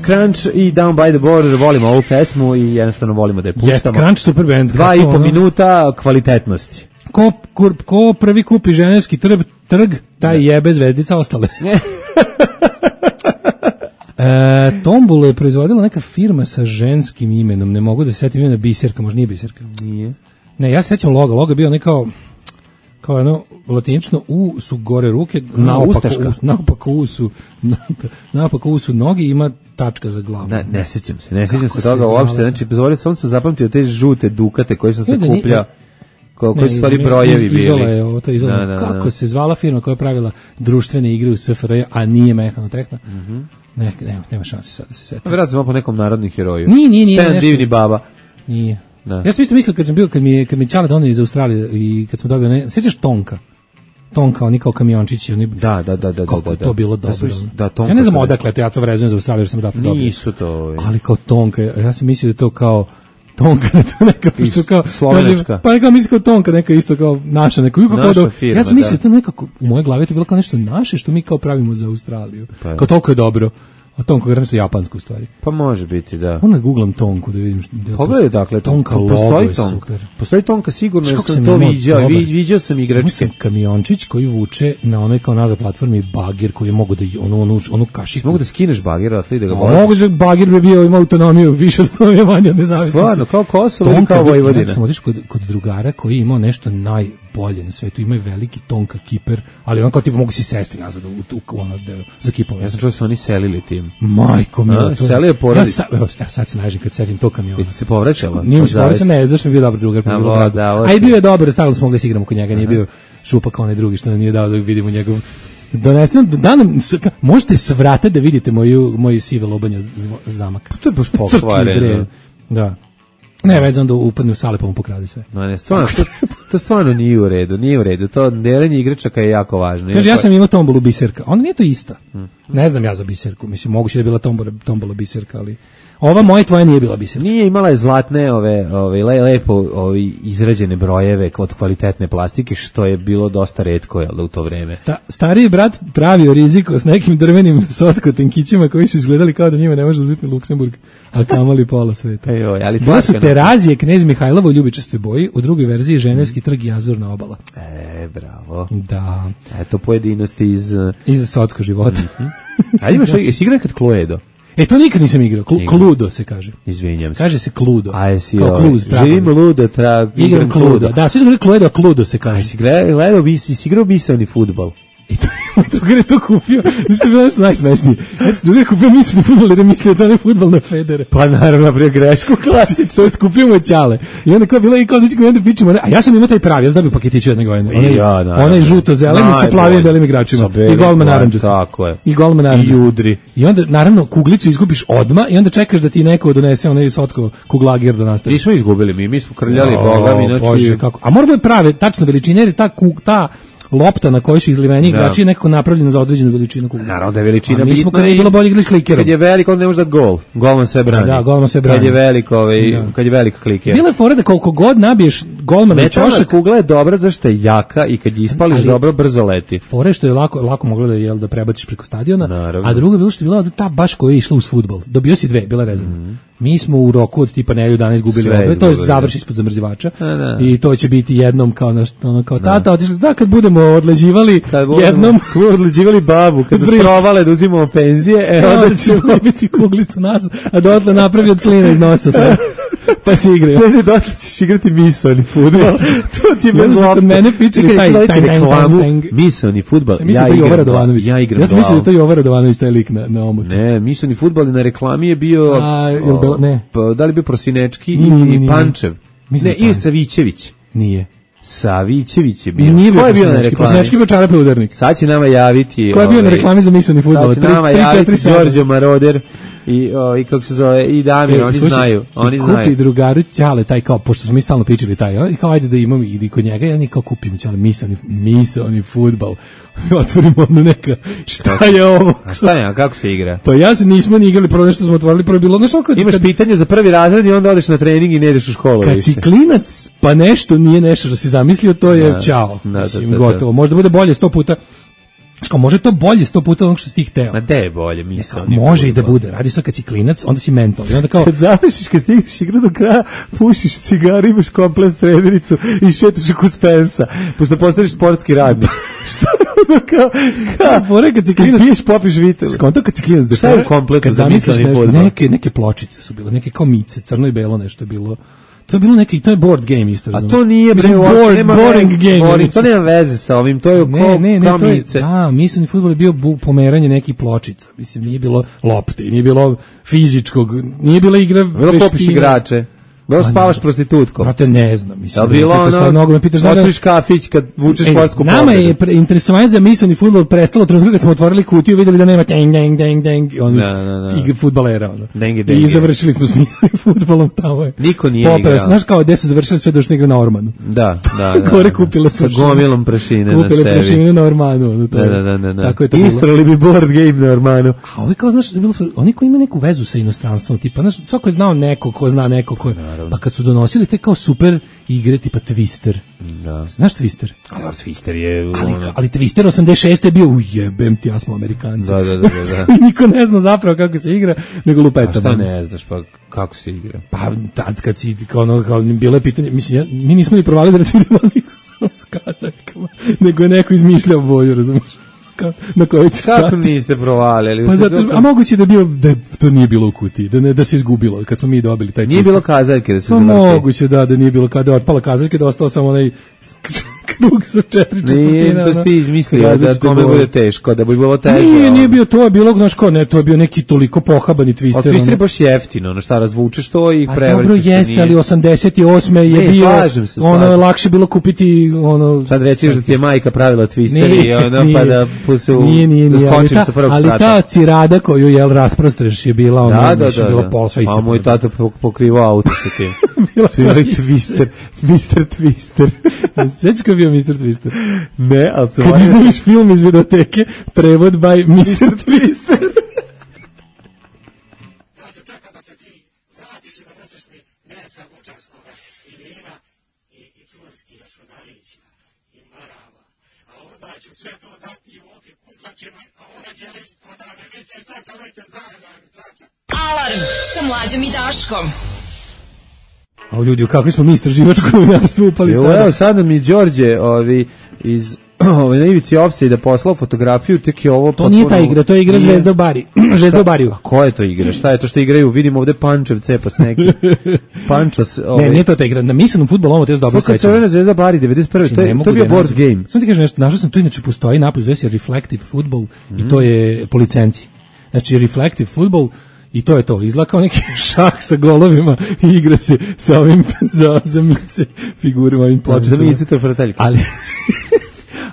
Crunch i Down by the Border, volimo ovu pesmu i jednostavno volimo da je puštamo. Yes, Crunch super band. Dva i po minuta kvalitetnosti. Ko, kur, ko prvi kupi ženevski trg, trg taj jebe zvezdica ostale. E, Tombulu je proizvodila neka firma sa ženskim imenom, ne mogu da se setim imena, Biserka, možda nije Biserka. Nije. Ne, ja se sećam loga, loga je bio nekao kao jedno latinično U su gore ruke, naopako U, naopako U su naopako U su noge, ima tačka za glavu. Ne, ne sećam se, ne sećam se toga uopšte, znači bezvore sam se zapamtio te žute dukate koje sam se kupljao. Koji su stvari brojevi bili. Izola je ovo, to je Izola. Da, da, kako da. Se zvala firma koja je pravila društvene igre u S F R J, a nije Mehanotehna? Mhm. Mm Ne, nema, nema šanse sad da se setim. Vjerojatno smo po nekom narodnom heroju. Nije, nije, nije. Stan divni baba. Nije. Da. Ja sam isto mislio kad sam bio, kad mi je, kad mi Čale donio iz Australije i kad smo dobio, ne, sjećaš Tonka? Tonka, oni kao kamiončići, oni... Da, da, da, da. Kako da, je da, to bilo dobro. Da, da, Tonka. Ja ne znam odakle, to ja to vrezujem za Australiju, jer sam odatle dobio. Nisu to... Ali kao Tonka, ja sam mislio da to kao... Tonka, da to neka što kao slovenačka. Pa neka mislim kao Tonka, neka isto kao naša, neka kako naša kao firma, ja sam mislio da to nekako u mojoj glavi to bilo kao nešto naše što mi kao pravimo za Australiju. Pa, kao toliko je dobro. A tonku je nešto japansko u stvari. Pa može biti, da. Onda googlam tonku da vidim. Da pogledaj, dakle, tonka postoji logo tonka. super. Postoji tonka, sigurno, jer sam, sam to imao viđao, dobar. vi, viđao sam igračke. Sam kamiončić koji vuče na onoj kao nazad platformi bagir koji je mogu da onu, onu, onu kašiku. Mogu da skineš bagir, ali da ga boliš. Mogu da bagir bi bio, ima autonomiju, više autonomije, manje od nezavisnosti. Stvarno, kao Kosovo ili kao Vojvodina. Ja sam otišao kod, kod drugara koji je imao nešto najbolje na svetu, imaju veliki tonka kiper, ali on kao tipa mogu si sesti nazad u tu ono za kipom. Ja sam čuo da su oni selili tim. Majko mi, to selio porodicu. Ja, sa, ja sad se nažim kad sedim to kamiona. Jeste se povraćala? Nije mi se povraćala, ne, zašto mi je bio dobar drugar. A, da, a i bio je dobar, stavili smo mogli da igramo kod njega, nije bio šupa kao onaj drugi što nam nije dao da vidimo njegov. Donesem, da nam, možete svrate da vidite moju, moju sive lobanja zamak. To je baš pokvareno. Da. Ne, vezano da upadne u sale pa mu pokrade sve. No, ne, stvarno, to, to stvarno nije u redu, nije u redu. To deljenje igračaka je jako važno. Kaže, ja sam imao tombolu biserka. Ona nije to ista. Hmm. Ne znam ja za biserku. Mislim, moguće da je bila tombola, tombola biserka, ali ova moja tvoja nije bila biserka. Nije, imala je zlatne, ove, ove lepo ove, izrađene brojeve od kvalitetne plastike, što je bilo dosta retko, jel da, u to vreme. Sta, stariji brat pravio riziko s nekim drvenim sotko-tenkićima koji su izgledali kao da njima ne može uzeti Luksemburg, a kamali pola sveta. Joj, ali bila su Terazije, Knez Mihajlovo u ljubičastoj boji, u drugoj verziji Ženevski trg i Azurna obala. E, bravo. Da. Eto pojedinosti iz... Iz sotsko života. Mm-hmm. A imaš, jesi igrao kad Cluedo? E, to nikad nisam igrao. Kl- Cluedo se kaže. Izvinjam se. Kaže se Cluedo. A jesi kao Clues, živim ludo, tra... igram Cluedo. Da, svi su gledali Cluedo, a Cluedo se kaže. A jesi gledao, jesi igrao misaoni fudbal? I to je drugar je to kupio. Nešto je bilo nešto najsmešnije. Znači, drugar je kupio misleni fudbal jer je mislio da je fudbal na Federe. Pa naravno, napravio grešku klasično. To jest kupio mu je ćale. I onda kao bilo i kao da ćemo onda pičemo. A ja sam imao taj pravi, ja sam dobio paketić jedne godine. Onaj, ja, onaj žuto-zeleni sa plavim belim igračima. I golman naranđasti. Tako je. I golman naranđasti. I udri. I onda, naravno, kuglicu izgubiš odma i onda čekaš da ti neko donese onaj sotko kuglagir da nastavi. Nismo izgubili mi, mi smo krljali Boga, mi noći. A moramo je prave, tačno veličine, jer ta, ta lopta na kojoj su izliveni igrači je nekako napravljena za određenu veličinu kuglice. Naravno da je veličina bitna. Mi smo kada je bilo bolje igrali s klikerom. Kad je veliko, on ne može dati gol. Golman sve brani. Da, golman sve brani. Kad je veliko, ovaj, da. Kad je veliko kliker. Bila je fora da koliko god nabiješ golmana na čošak. Metalna kugla je dobra zašto je jaka i kad je ispališ ali, dobro, brzo leti. Fore što je lako, lako moglo da, jel, da prebaciš preko stadiona, naravno. A drugo je bilo što je bila ta baš koja je išla uz fudbal. Dobio si dve, bila rezervna. Mm. Mi smo u roku od tipa nedelju dana izgubili obe, to je završi ispod zamrzivača i to će biti jednom kao naš, ono kao tata otišli, da kad budemo odleđivali kad budemo, jednom kad budemo odleđivali babu, kad sprovale da uzimamo penzije, e, onda ćeš dobiti kuglicu nazad, a dotle napravi od slina iz nosa sve. Pa si igraju. Ne, ne, dotle ćeš igrati misaoni fudbal. To ti bez lopta. Kod mene pičili taj reklamu misaoni fudbal. Ja igram, ja igram. Ja sam mislio da to je Jovan Radovanović taj lik na, na omotu. Ne, misaoni fudbal na reklami je bio... A, o, ne. Pa, da li bio Prosinečki i Pančev? Ne, i Savićević. Nije. Savićević je bio. Nije bio Prosinečki. Prosinečki bio čarapni udarnik. Sad će nama javiti... Ko je bio na reklami za misaoni fudbal? Sad će nama javiti Đorđe Maroder i o, i kako se zove i Damir, e, oni sluši, znaju, oni kupi znaju. Kupi drugaru ćale taj kao pošto smo mi stalno pričali taj, i kao ajde da imam i kod njega, ja ni kao kupimo ćale misaoni misaoni fudbal. Otvorimo ono neka. Šta je ovo? A šta je, a kako se igra? Pa ja se nismo ni igrali, prvo nešto smo otvorili, prvo bilo nešto kad imaš kad, pitanje za prvi razred i onda odeš na trening i ne ideš u školu. Kad si klinac, pa nešto nije nešto što si zamislio, to je ćao. Mislim, gotovo. Možda bude bolje sto puta. Što može to bolje sto puta onog što si ti hteo. Ma de je bolje, mislim. Može i da bude. Radi se kad si klinac, onda si mental. I onda kao kad završiš, kad stigneš igru do kraja, pušiš cigaru, imaš komplet trenericu i šetaš oko Spensa. Pošto postaneš sportski radnik. Šta ono kao? Kao, fore kad si klinac, piješ, popiš vitel. Skonto kad si klinac, da šta je u kompletu za misleni fudbal? Neke, neke pločice su bile, neke kao mice, crno i belo nešto je bilo. To je bilo neki, to je board game isto. A to nije bre, board, nema boring veze, game. Boring, to nema veze sa ovim, to je ne, ko, ne, ne, to je, mice. da, mislim, fudbal je bio bu, pomeranje nekih pločica. Mislim, nije bilo lopte, nije bilo fizičkog, nije bila igra bilo veština. Popiš igrače. Bilo spavaš prostitutkom. Brate, ne znam, mislim. Da bilo ono, mnogo me pitaš, otvoriš kafić kad vučeš sportsku nama pobjedu. Je pre, interesovanje za misaoni fudbal prestalo trenutku kad smo otvorili kutiju, videli da nema deng, deng, deng, deng, on igra fudbalera. Ono. Dengi, dengi. I završili smo s misaonim fudbalom tamo je. Niko nije Popera, igrao. Znaš kao gde su završili sve došli igra na Ormanu. Da, da, da. Gore kupile sa gomilom prašine na sebi. Kupile prašine na Ormanu. Ono, to da, da, da, da, da. Tako je to istrali bi board game na Ormanu. A ovi kao, znaš, bilo, oni koji imaju neku vezu sa inostranstvom, tipa, znaš, svako je znao neko ko zna neko ko naravno. Pa kad su donosili te kao super igre tipa Twister. Da. Znaš Twister? Ali Twister je... Ali, ono... ali Twister osamdeset šeste je bio, ujebem ti, ja smo Amerikanci. Da, da, da, da. Niko ne zna zapravo kako se igra, nego lupeta. A šta ne znaš, pa kako se igra? Pa tad kad si, kao ono, kao bilo je pitanje, mislim, ja, mi nismo ni provali da recimo idemo s kazaljkama, nego je neko izmišljao boju, razumiješ? Ka, na kojoj će stati. Kako niste provalili? Pa zato, a moguće da bio da to nije bilo u kutiji, da ne da se izgubilo kad smo mi dobili taj. Nije bilo kazaljke da se zavrti. Pa moguće da da nije bilo kada je otpala kazaljka, da ostao samo onaj krug sa četiri četvrtine. Nije, to ste izmislili da kome bude teško, da bi bilo teže. Nije, nije bio to, je bilo, znaš ko, ne, to je bio neki toliko pohabani Twister. Ali Twister je baš jeftino, ono šta, razvučeš to i prevrćeš. A dobro jeste, ali osamdeset osme je ne, bio, se, ono je lakše bilo kupiti, ono... Sad rećeš da ti je majka pravila Twister i ono, pa da pusu, nije, nije, da skočim ta, sa prvog ali sprata. Ali ta cirada koju, jel, rasprostreš je bila, ono, da, da, da, bila da. posva isto. A moj tata pokrivao auto sa tim. Bila sam Twister, mister Twister. Sveći ko je bio mister Twister? Ne, ali se... Kad iznaviš film iz videoteke, prevod by mister Twister. Alarm sa Mlađom i Daškom. A ljudi, u kakvi smo mi istraživačko novinarstvo upali sada? Evo, sada mi Đorđe ovi, iz ovaj, na ivici offside poslao fotografiju, tek je ovo... To nije ta igra, to je igra Zvezda u Bari. Zvezda u Bariju. A ko je to igra? Šta je to što igraju? Vidim ovde Pančev cepas neki. Pančos... Ovaj. Ne, nije to ta igra. Na misanom fudbalu ovo te je dobro sećam. Crvena Zvezda Bari, devedeset prve. To je, to je bio board game. Samo ti kažem nešto, našao sam tu, inače postoji napolju, zove se Reflective Football mm. i to je po licenciji. Znači, Reflective Football i to je to, izlakao neki šah sa golovima i igra se sa ovim za, za mice figurima, ovim pločicama. Za mice to je frateljka. Ali,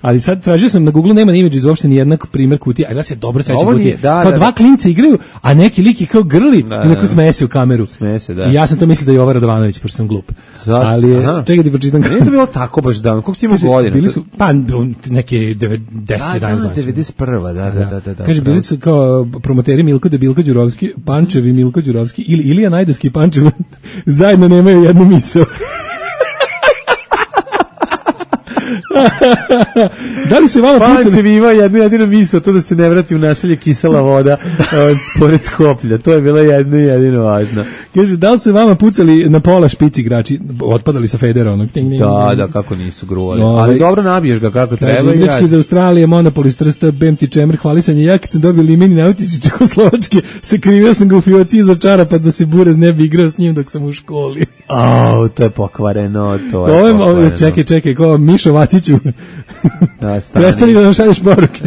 ali sad tražio sam na Google, nema ni imidž uopšte ni jednak primjer kutije, a da se dobro sećam kutije. Da, kao da, dva da. Klinca igraju, a neki lik je kao grli da, i neko smeje se u kameru. Smeje se, da. I ja sam to mislio da je Jovan Radovanović, pošto sam glup. Zašto? Ali je, čekaj ti pročitam. Nije to bilo tako baš davno, koliko ste imali godina? Bili su, pa neke deset jedanaest godina. devedeset prva, da, da, da. da, da kaže, bili su kao promoteri Milko Debilko Đurovski, Pančev i Milko Đurovski, ili Ilija Najdovski i Pančev, zajedno nemaju jednu misao. Da li se vama pucali? Pančev ima jednu jedinu misao, to da se ne vrati u naselje kisela voda pored Skoplja. To je bilo jedno i jedino važno. Kaže, da li se vama pucali na pola špici igrači? Otpadali sa federa onog. Da, da, kako nisu gruvali. No, ali dobro nabiješ ga kako treba. Kaže, igrački iz Australije, Monopol iz Trsta, B M T Čemer, hvalisanje. Ja kad sam dobio limen i nautis iz Čehoslovačke, se krivio sam ga u fioci iza čarapa da se Burez ne bi igrao s njim dok sam u školi. Au, to je pokvareno, to je Ove, pokvareno. Čekaj, čekaj, ko Mišo Vaciću. Da, stani. Prestani da nam šalješ poruke.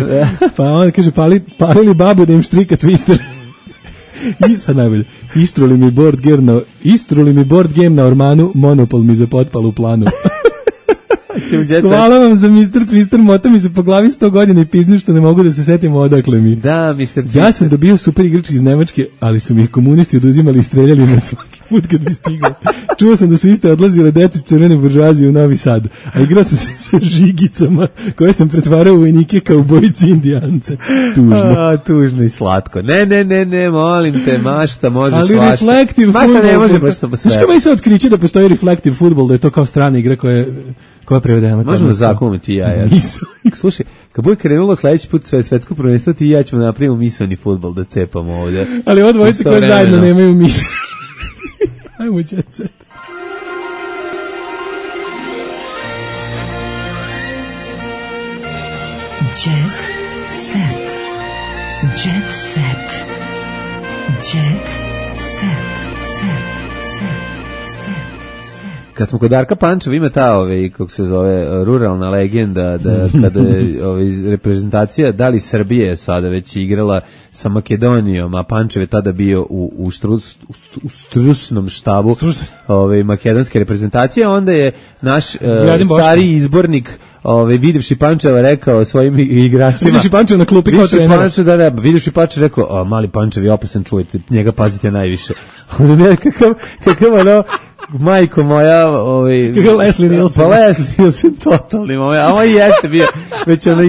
Pa on kaže, pali, palili babu da im štrika Twister. I sad najbolje. Istruli mi board game na, istruli mi board game na Ormanu, Monopol mi za potpal u planu. Hvala vam za mister Twister, mota mi se po glavi sto godina i piznim što ne mogu da se setim odakle mi. Da, mister Twister. Ja sam dobio super igrački iz Nemačke, ali su mi komunisti oduzimali i streljali na svaki put kad bi stigao. Čuo sam da su iste odlazile deci crvene buržuazije u Novi Sad, a igrao sam se sa žigicama koje sam pretvarao u vojnike kao ubojici Indijance. Tužno. A, tužno i slatko. Ne, ne, ne, ne, molim te, mašta može ali svašta. Reflective mašta football ne može posta... baš samo sve. Znaš kako mi se otkriće da postoji reflective football, da je to kao strana igra koja je, koja je prevedena? Možemo da zakuvamo ti i ja. ja. Slušaj, kad bude krenulo sledeći put sve svetsko prvenstvo, ti i ja ćemo napravimo misaoni fudbal da cepamo ovde. Ali ovo dvojice koje zajedno nemaju misao. Ajmo jet set. Jet set. Jet set. Jet set. Kad smo kod Darka Pančeva ima ta, ove, kako se zove, ruralna legenda da kada je ove, reprezentacija da li Srbije sada već igrala sa Makedonijom, a Pančev je tada bio u, u, štrus, u stručnom štabu ove, makedonske reprezentacije, onda je naš uh, stari izbornik Ove, vidivši Pančeva rekao svojim igračima. Vidivši Pančeva na klupi kao trener. Pančev, da, da, vidivši Pančev rekao, a, mali Pančev je opasan, čujete, njega pazite najviše. Ono ne, kakav, kakav ono, majko moja, ovaj, kakav Leslie Nielsen. Pa Leslie Nielsen, totalni moment, a ovo jeste bio, već ono,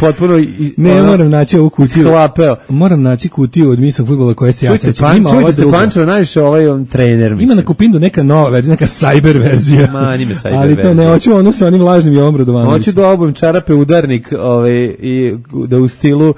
potpuno i, ne, ono, moram naći ovu kutiju. Sklapeo. Moram naći kutiju od misnog fudbala koja se ja sećam. Ima ova se Pančevo najviše ovaj on trener, mislim. Ima na Kupindu neka nova verzija, neka cyber verzija. Ma, nime cyber ali to ne, hoću ono sa onim lažnim Jovom Radovanovićem. Hoću da obujem čarape udarnik ovaj, i da u stilu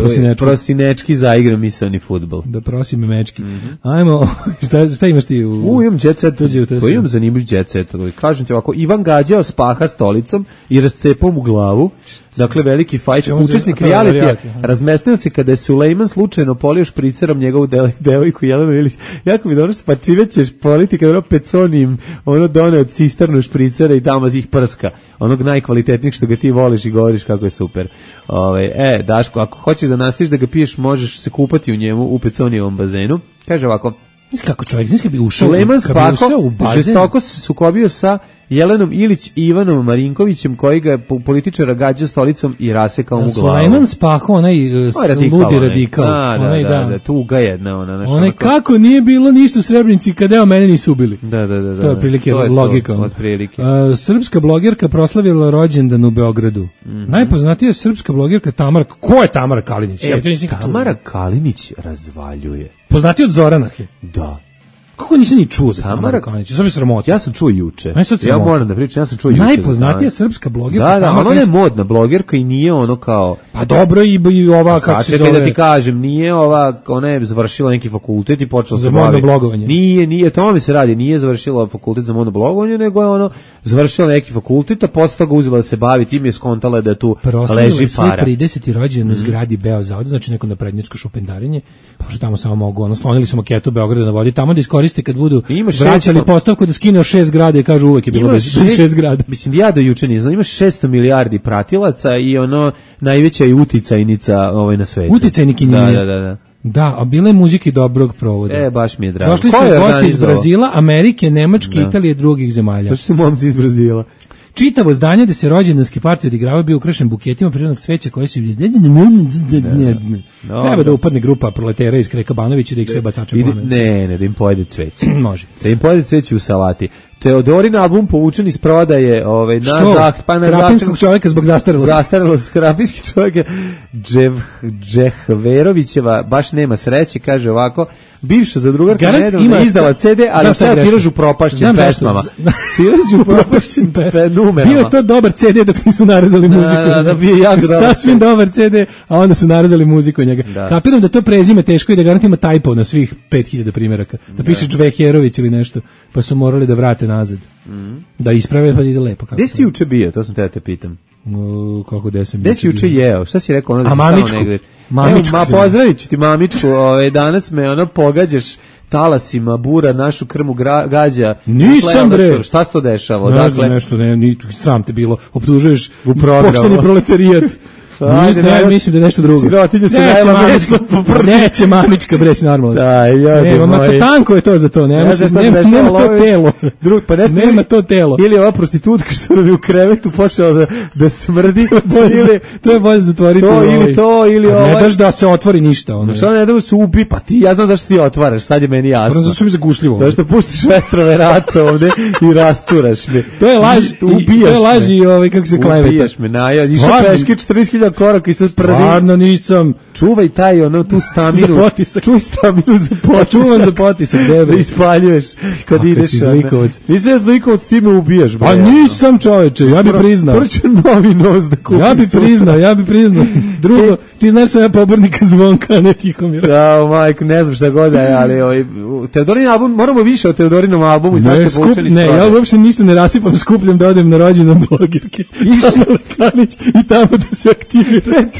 Prosinečki. Prosinečki zaigram misaoni fudbal. Da prosim mečki. Mm -hmm. Ajmo, šta, šta imaš ti u... U, imam jet set, to imam zanimljiv jet set. Kažem ti ovako, Ivan gađao spaha stolicom i rascepao mu glavu. Dakle, veliki fajt, učesnik realitija, razmestio se kada je Sulejman slučajno polio špricerom njegovu devojku Jelenu Ilić. Jako mi dobro što pa čime ćeš politi kada ono peconim, ono done od cisternu špricera i tamo ih prska. Onog najkvalitetnijeg što ga ti voliš i govoriš kako je super. Ove, e, Daško, ako hoćeš da nastaviš da ga piješ, možeš se kupati u njemu u peconijevom bazenu. Kaže ovako, znaš kako čovjek, znaš kad bi ušao, Sulejman Spako u bazen, žestoko se sukobio sa Jelenom Ilić i Ivanom Marinkovićem, koji ga je političara gađao stolicom i rasekao mu glavu. Sulejman Spako, onaj uh, radikal, ludi radikal. Da, da, onaj, da, da, da, tuga jedna. Ona, naš, onaj, kako nije bilo ništa u Srebrenici kad evo mene nisu ubili. Da, da, da. To je prilike to je logika. To, prilike. Uh, srpska blogerka proslavila rođendan u Beogradu. Mm -hmm. Najpoznatija je srpska blogerka Tamara. Ko je Tamara Kalinić? E, ja Tamara Kalinić razvaljuje. Poznati od Zoranahe. Da. Kako nisam ni čuo za Tamara Kalinić? Sve sramota. Ja sam čuo juče. Ja moram da pričam, ja sam čuo juče. Najpoznatija srpska blogerka. Da, da, ona je modna blogerka i nije ono kao... Pa dobro i, i ova, kako se zove... da ti kažem, nije ova, ona je završila neki fakultet i počela se baviti... Za modno blogovanje. Nije, nije, to mi se radi, nije završila fakultet za modno blogovanje, nego je ono, završila neki fakultet, a posle toga uzela da se bavi, tim je skontala da tu proslavila leži para. Proslavila je trideseti rođendan u zgradi Beozavoda, znači neko naprednjačko šupendarenje, pošto tamo samo mogu, ono, slonili su maketu Beograda na vodi, tamo da iskoriste kad budu vraćali postavku da skine šest zgrada i kažu uvek je bilo bez šest, šest zgrada. Mislim, ja do juče ne znam, imaš šesto milijardi pratilaca i ono najveća je uticajnica ovaj, na svetu. Uticajnik i nije. Da, da, da, da. Da, a bile muzike dobrog provoda. E, baš mi je drago. Došli su gosti iz Brazila, Amerike, Nemačke, da. Italije i drugih zemalja. Došli su momci iz Brazila. Čitavo zdanje da se rođendanski partij odigravaju bio ukrašen buketima prirodnog cveća koji su... Treba da upadne grupa proletera iz Kreka Banovića da ih sve bacače plamen. Ne, ne, da im pojede cveće. Može. Da im pojede cveće u salati. Teodorin album povučen iz prodaje ovaj, na zaht, pa na Krapinskog čovjeka zbog zastarelosti. Zastarelost Krapinski čovjek Džev, Džehverovićeva baš nema sreće, kaže ovako, bivša zadrugarka nedavno izdala ce de, ali šta je tiraž upropašćen pesmama. Tiraž upropašćen numerama. Bio je to dobar ce de dok nisu narezali muziku. Da, da, bio jako dobar. Sasvim dobar ce de, a onda su narezali muziku od njega. Da. Kapiram da to prezime teško i da garant ima tajpo na svih pet hiljada primjeraka. Da piše Džveherović ili nešto, pa su morali da vrate nazad. Mm. Da isprave pa ide lepo. Gde si ti juče bio? To sam te da te pitam. Uh, kako gde sam Gde si juče jeo? Šta si rekao? Ono da a mamičku. Mamičku. Ma pozdravit ću ti mamičku. Ove, danas me ono pogađaš talasima, bura, našu krmu gra, gađa. Nisam bre. Šta se to dešava? Ne znam nešto, ne, ni, sram te bilo. Optužuješ pošteni proletarijat. Ajde, ne, mislim da je nešto drugo. Sirotinja se najela meso. Neće mamička breći normalno. Da, ja nema, ma tanko je to za to. Nema, ja nema, nema to telo. Drug, pa nešto nema to telo. Ili ova prostitutka što nam je u krevetu počela da, da smrdi. Bolje, to je bolje zatvoriti. To ovaj. Ili to, ili ovo. Ne daš da se otvori ništa. Ono. Šta ne da se ubi, pa ti, ja znam zašto ti otvaraš, sad je meni jasno. Zato što mi zagušljivo. Zato što puštiš vetrove rata ovde i rasturaš me. To je laž, ubijaš. To je laž i ovaj, kako se kleveta. Ubijaš me, naja. Išao peške četrnaest hiljada koraka i sad stvarno nisam. Čuvaj taj ono tu staminu. Čuvaj staminu za potisak. Čuvam za potisak, debra. Ispaljuješ kad kako ideš. Si zlikovac. Nisam zlikovac, ti me ubijaš. A nisam čoveče, ja bih priznao. Prvo ću novi nos da kupim. Ja bih priznao, ja bih priznao. Drugo, ti znaš sam ja pobornika Zvonka, ne Tihomira. Da, majko, ne znam šta god je, ali ovaj, Teodorin album, moramo više o Teodorinom albumu. Ne, skup, ne, ja uopšte ništa ne rasipam, skupljam da odem na rođendan blogerke. I tamo da se aktivira.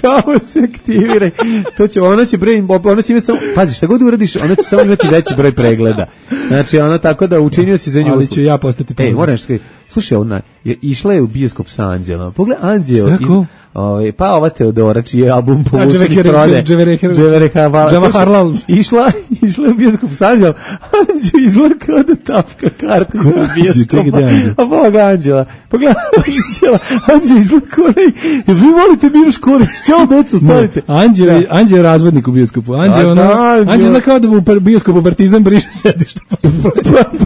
Tamo se aktiviraj. To će, ona će broj, ona će imati samo, pazi, šta god uradiš, ona će samo imati veći broj pregleda. Znači, ona tako da učinio si za nju. Ali ću ja postati poznat. Ej, moram što kažem, slušaj, ona je išla je u bioskop sa Anđelom. Pogledaj, Anđel, iz, ovaj, pa ova Teodora, čiji je album povučen iz prode. Dževereharlal. Išla, išla u bioskop s Anđelom, Anđel izgleda kao da tapka kartu za bioskopa. A Boga Anđela, pogledaj Anđela, Anđel izgleda kao onaj, vi volite Miloš Korić, čao deco, stavite. Anđel, Anđel je razvodnik u bioskopu, Anđel, ono, Anđel zna kao da u bioskopu Partizan briše sedište.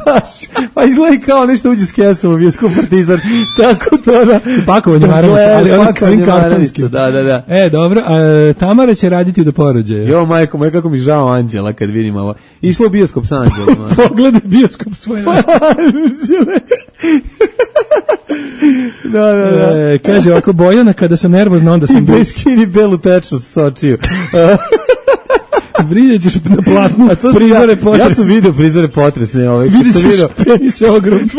Baš, pa izgleda kao nešto uđe s kesom u bioskop Partizan, tako to da... Sa pakovanjem maramica, ali onim kartonskim. Da, da, da. E, dobro, a Tamara će raditi do porođaja. Jo, majko, moja, kako mi žao Anđela kad vidim ovo. Išlo u bioskop sa Anđelom. Pogledaj bioskop svoje Anđele. Da, da, da. E, kaže ovako, Bojana, kada sam nervozna, onda sam... I bez skini belu tečnost s očiju. Vidjet ćeš na platnu prizore potresne. Ja sam vidio prizore potresne. Ovaj, vidjet ćeš penis je ogrom.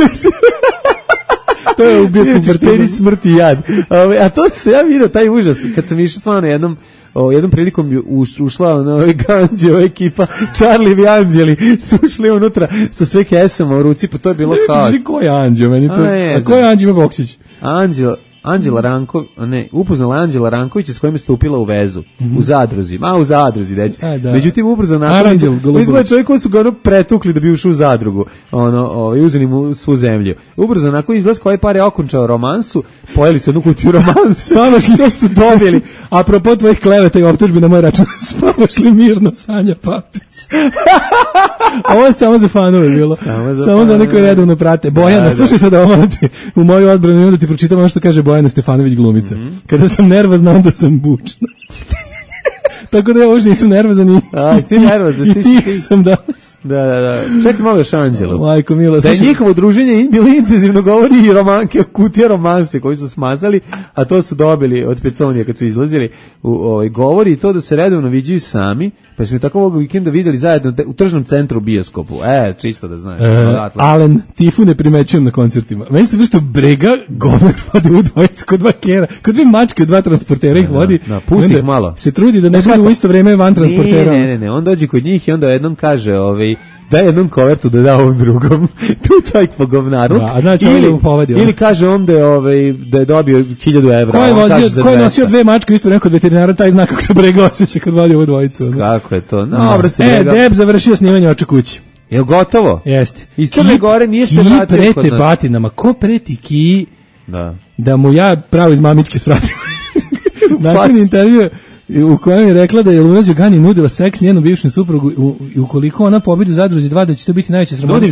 To je u bioskopu Partizan. Penis smrti jad. Ove, a to se ja vidio, taj užas, kad sam išao stvarno jednom, o, jednom prilikom uš, ušla ona ovaj Ganđe, ova ekipa, Charlie i Anđeli su ušli unutra sa sve kesama u ruci, pa to je bilo kao... Ne, ko je Anđeo? Meni to... A, a ko je Anđeo Boksić? Anđel... Anđela Ranko, ne, upoznala Anđela Rankovića s kojim je stupila u vezu, mm-hmm. u zadruzi, ma u zadruzi, deći. Da. Međutim, ubrzo nakon, izgleda čovjek koji su ga ono pretukli da bi ušao u zadrugu, ono, ovaj, uzeli mu svu zemlju. Ubrzo nakon izlaz koji par je okončao romansu, pojeli su jednu kutiju romansu, spavaš li su dobili. Apropo tvojih kleveta i optužbi na moj račun, spavaš li mirno, Sanja Papić? Ovo je samo za fanove bilo. Samo za, samo za one koji redovno prate. Bojana, da, slušaj sad ovo, u moju odbranu imam da ti pročitam ono što kaže Bojana Stefanović glumica. Mm-hmm. Kada sam nervozna, onda sam bučna. Tako da ja uopšte nisam nervozan i, A, ti nervozan, i tih sam danas. Da, da, da. Čekaj malo još Anđelu. Majko mila. Da je njihovo druženje bilo intenzivno, govori i romanke, kutija romanse koji su smazali, a to su dobili od Peconija kad su izlazili. U, ovaj, govori i to da se redovno viđaju sami, pa smo tako ovog vikenda videli zajedno u tržnom centru u bioskopu. E, čisto da znaš. E, Alen, Tifu ne primećujem na koncertima. Meni se vrsto brega gomer vodi u dvojicu kod dva kera, kod dve mačke, dva transportera ih vodi. Da, pusti ih malo. Se trudi da ne bude u isto vrijeme van transportera. Ne, ne, ne, on dođe kod njih i onda jednom kaže, ovaj, daj jednom kovertu da da ovom drugom. Tu taj pogovnaru. Da, a znači ili, mu povedi, ili kaže on da je, ovaj, da je dobio hiljadu evra. Ko je, vozio, ko je nosio dve mačke isto neko od veterinara, taj zna kako se brega osjeća kad vodi ovu dvojicu. Ono. Kako je to? No, no. Se e, Deb završio snimanje Oče kući. Je gotovo? Jeste. Iz Crne Gore nije se vratio kod nas. Ki prete batinama. Ko preti Ki da, da mu ja pravo iz mamičke svratim? Nakon intervjua u kojem je rekla da je Luna Đugani nudila seks njenom bivšem suprugu i ukoliko ona pobedi u Zadruzi dva da će to biti najveća sramota.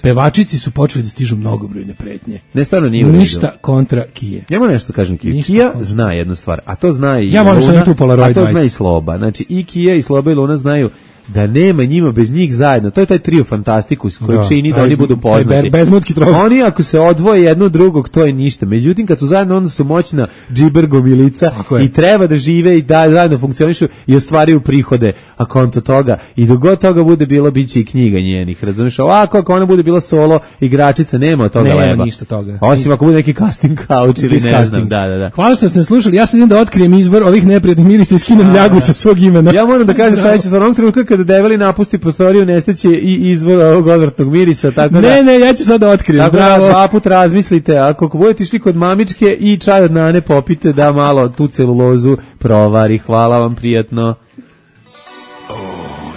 Pevačici su počeli da stižu mnogobrojne pretnje. Ne, stvarno nije ništa kontra Kije. Ja moram nešto kažem Kije. Kija zna jednu stvar, a to zna i ja Luna, tu Polaroid a to zna i Sloba. Znači i Kija i Sloba i Luna znaju da nema njima bez njih zajedno. To je taj trio Fantastikus koji da, čini da oni budu poznati. Bezmutski trog. Oni ako se odvoje jedno od drugog, to je ništa. Međutim, kad su zajedno, onda su moćna džiber gomilica i treba da žive i da zajedno funkcionišu i ostvaruju prihode. A konto toga, i dok god toga bude bilo, bit će i knjiga njenih. Razumiješ? Ovako, ako ona bude bila solo igračica, nema od toga nema leba. Nema ništa toga. Osim ako bude neki casting couch ili ne casting. Znam. Da, da, da. Hvala što ste slušali. Ja sad idem da otkrijem izvor ovih neprijatnih mirisa i skinem ljagu sa svog imena. Ja moram da kažem sledeće, sa onog trenutka kada Develi napusti prostoriju, nestaće i izvor ovog odvrtnog mirisa, tako da... Ne, ne, ja ću sad da otkrijem, tako bravo. Da dva put razmislite, ako budete išli kod mamičke i čaj od nane popite, da malo tu celulozu provari. Hvala vam, prijatno. Oh,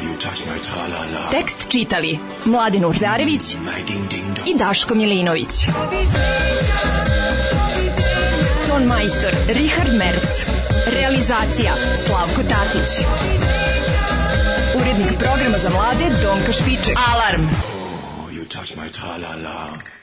you touch my tra-la-la. Tekst čitali Mladin Urdarević i Daško Milinović. Ton majstor Richard Merc. Realizacija Slavko Tatić. Urednik programa za mlade Donka Špiček. Alarm! Oh, you touch my tra-la-la.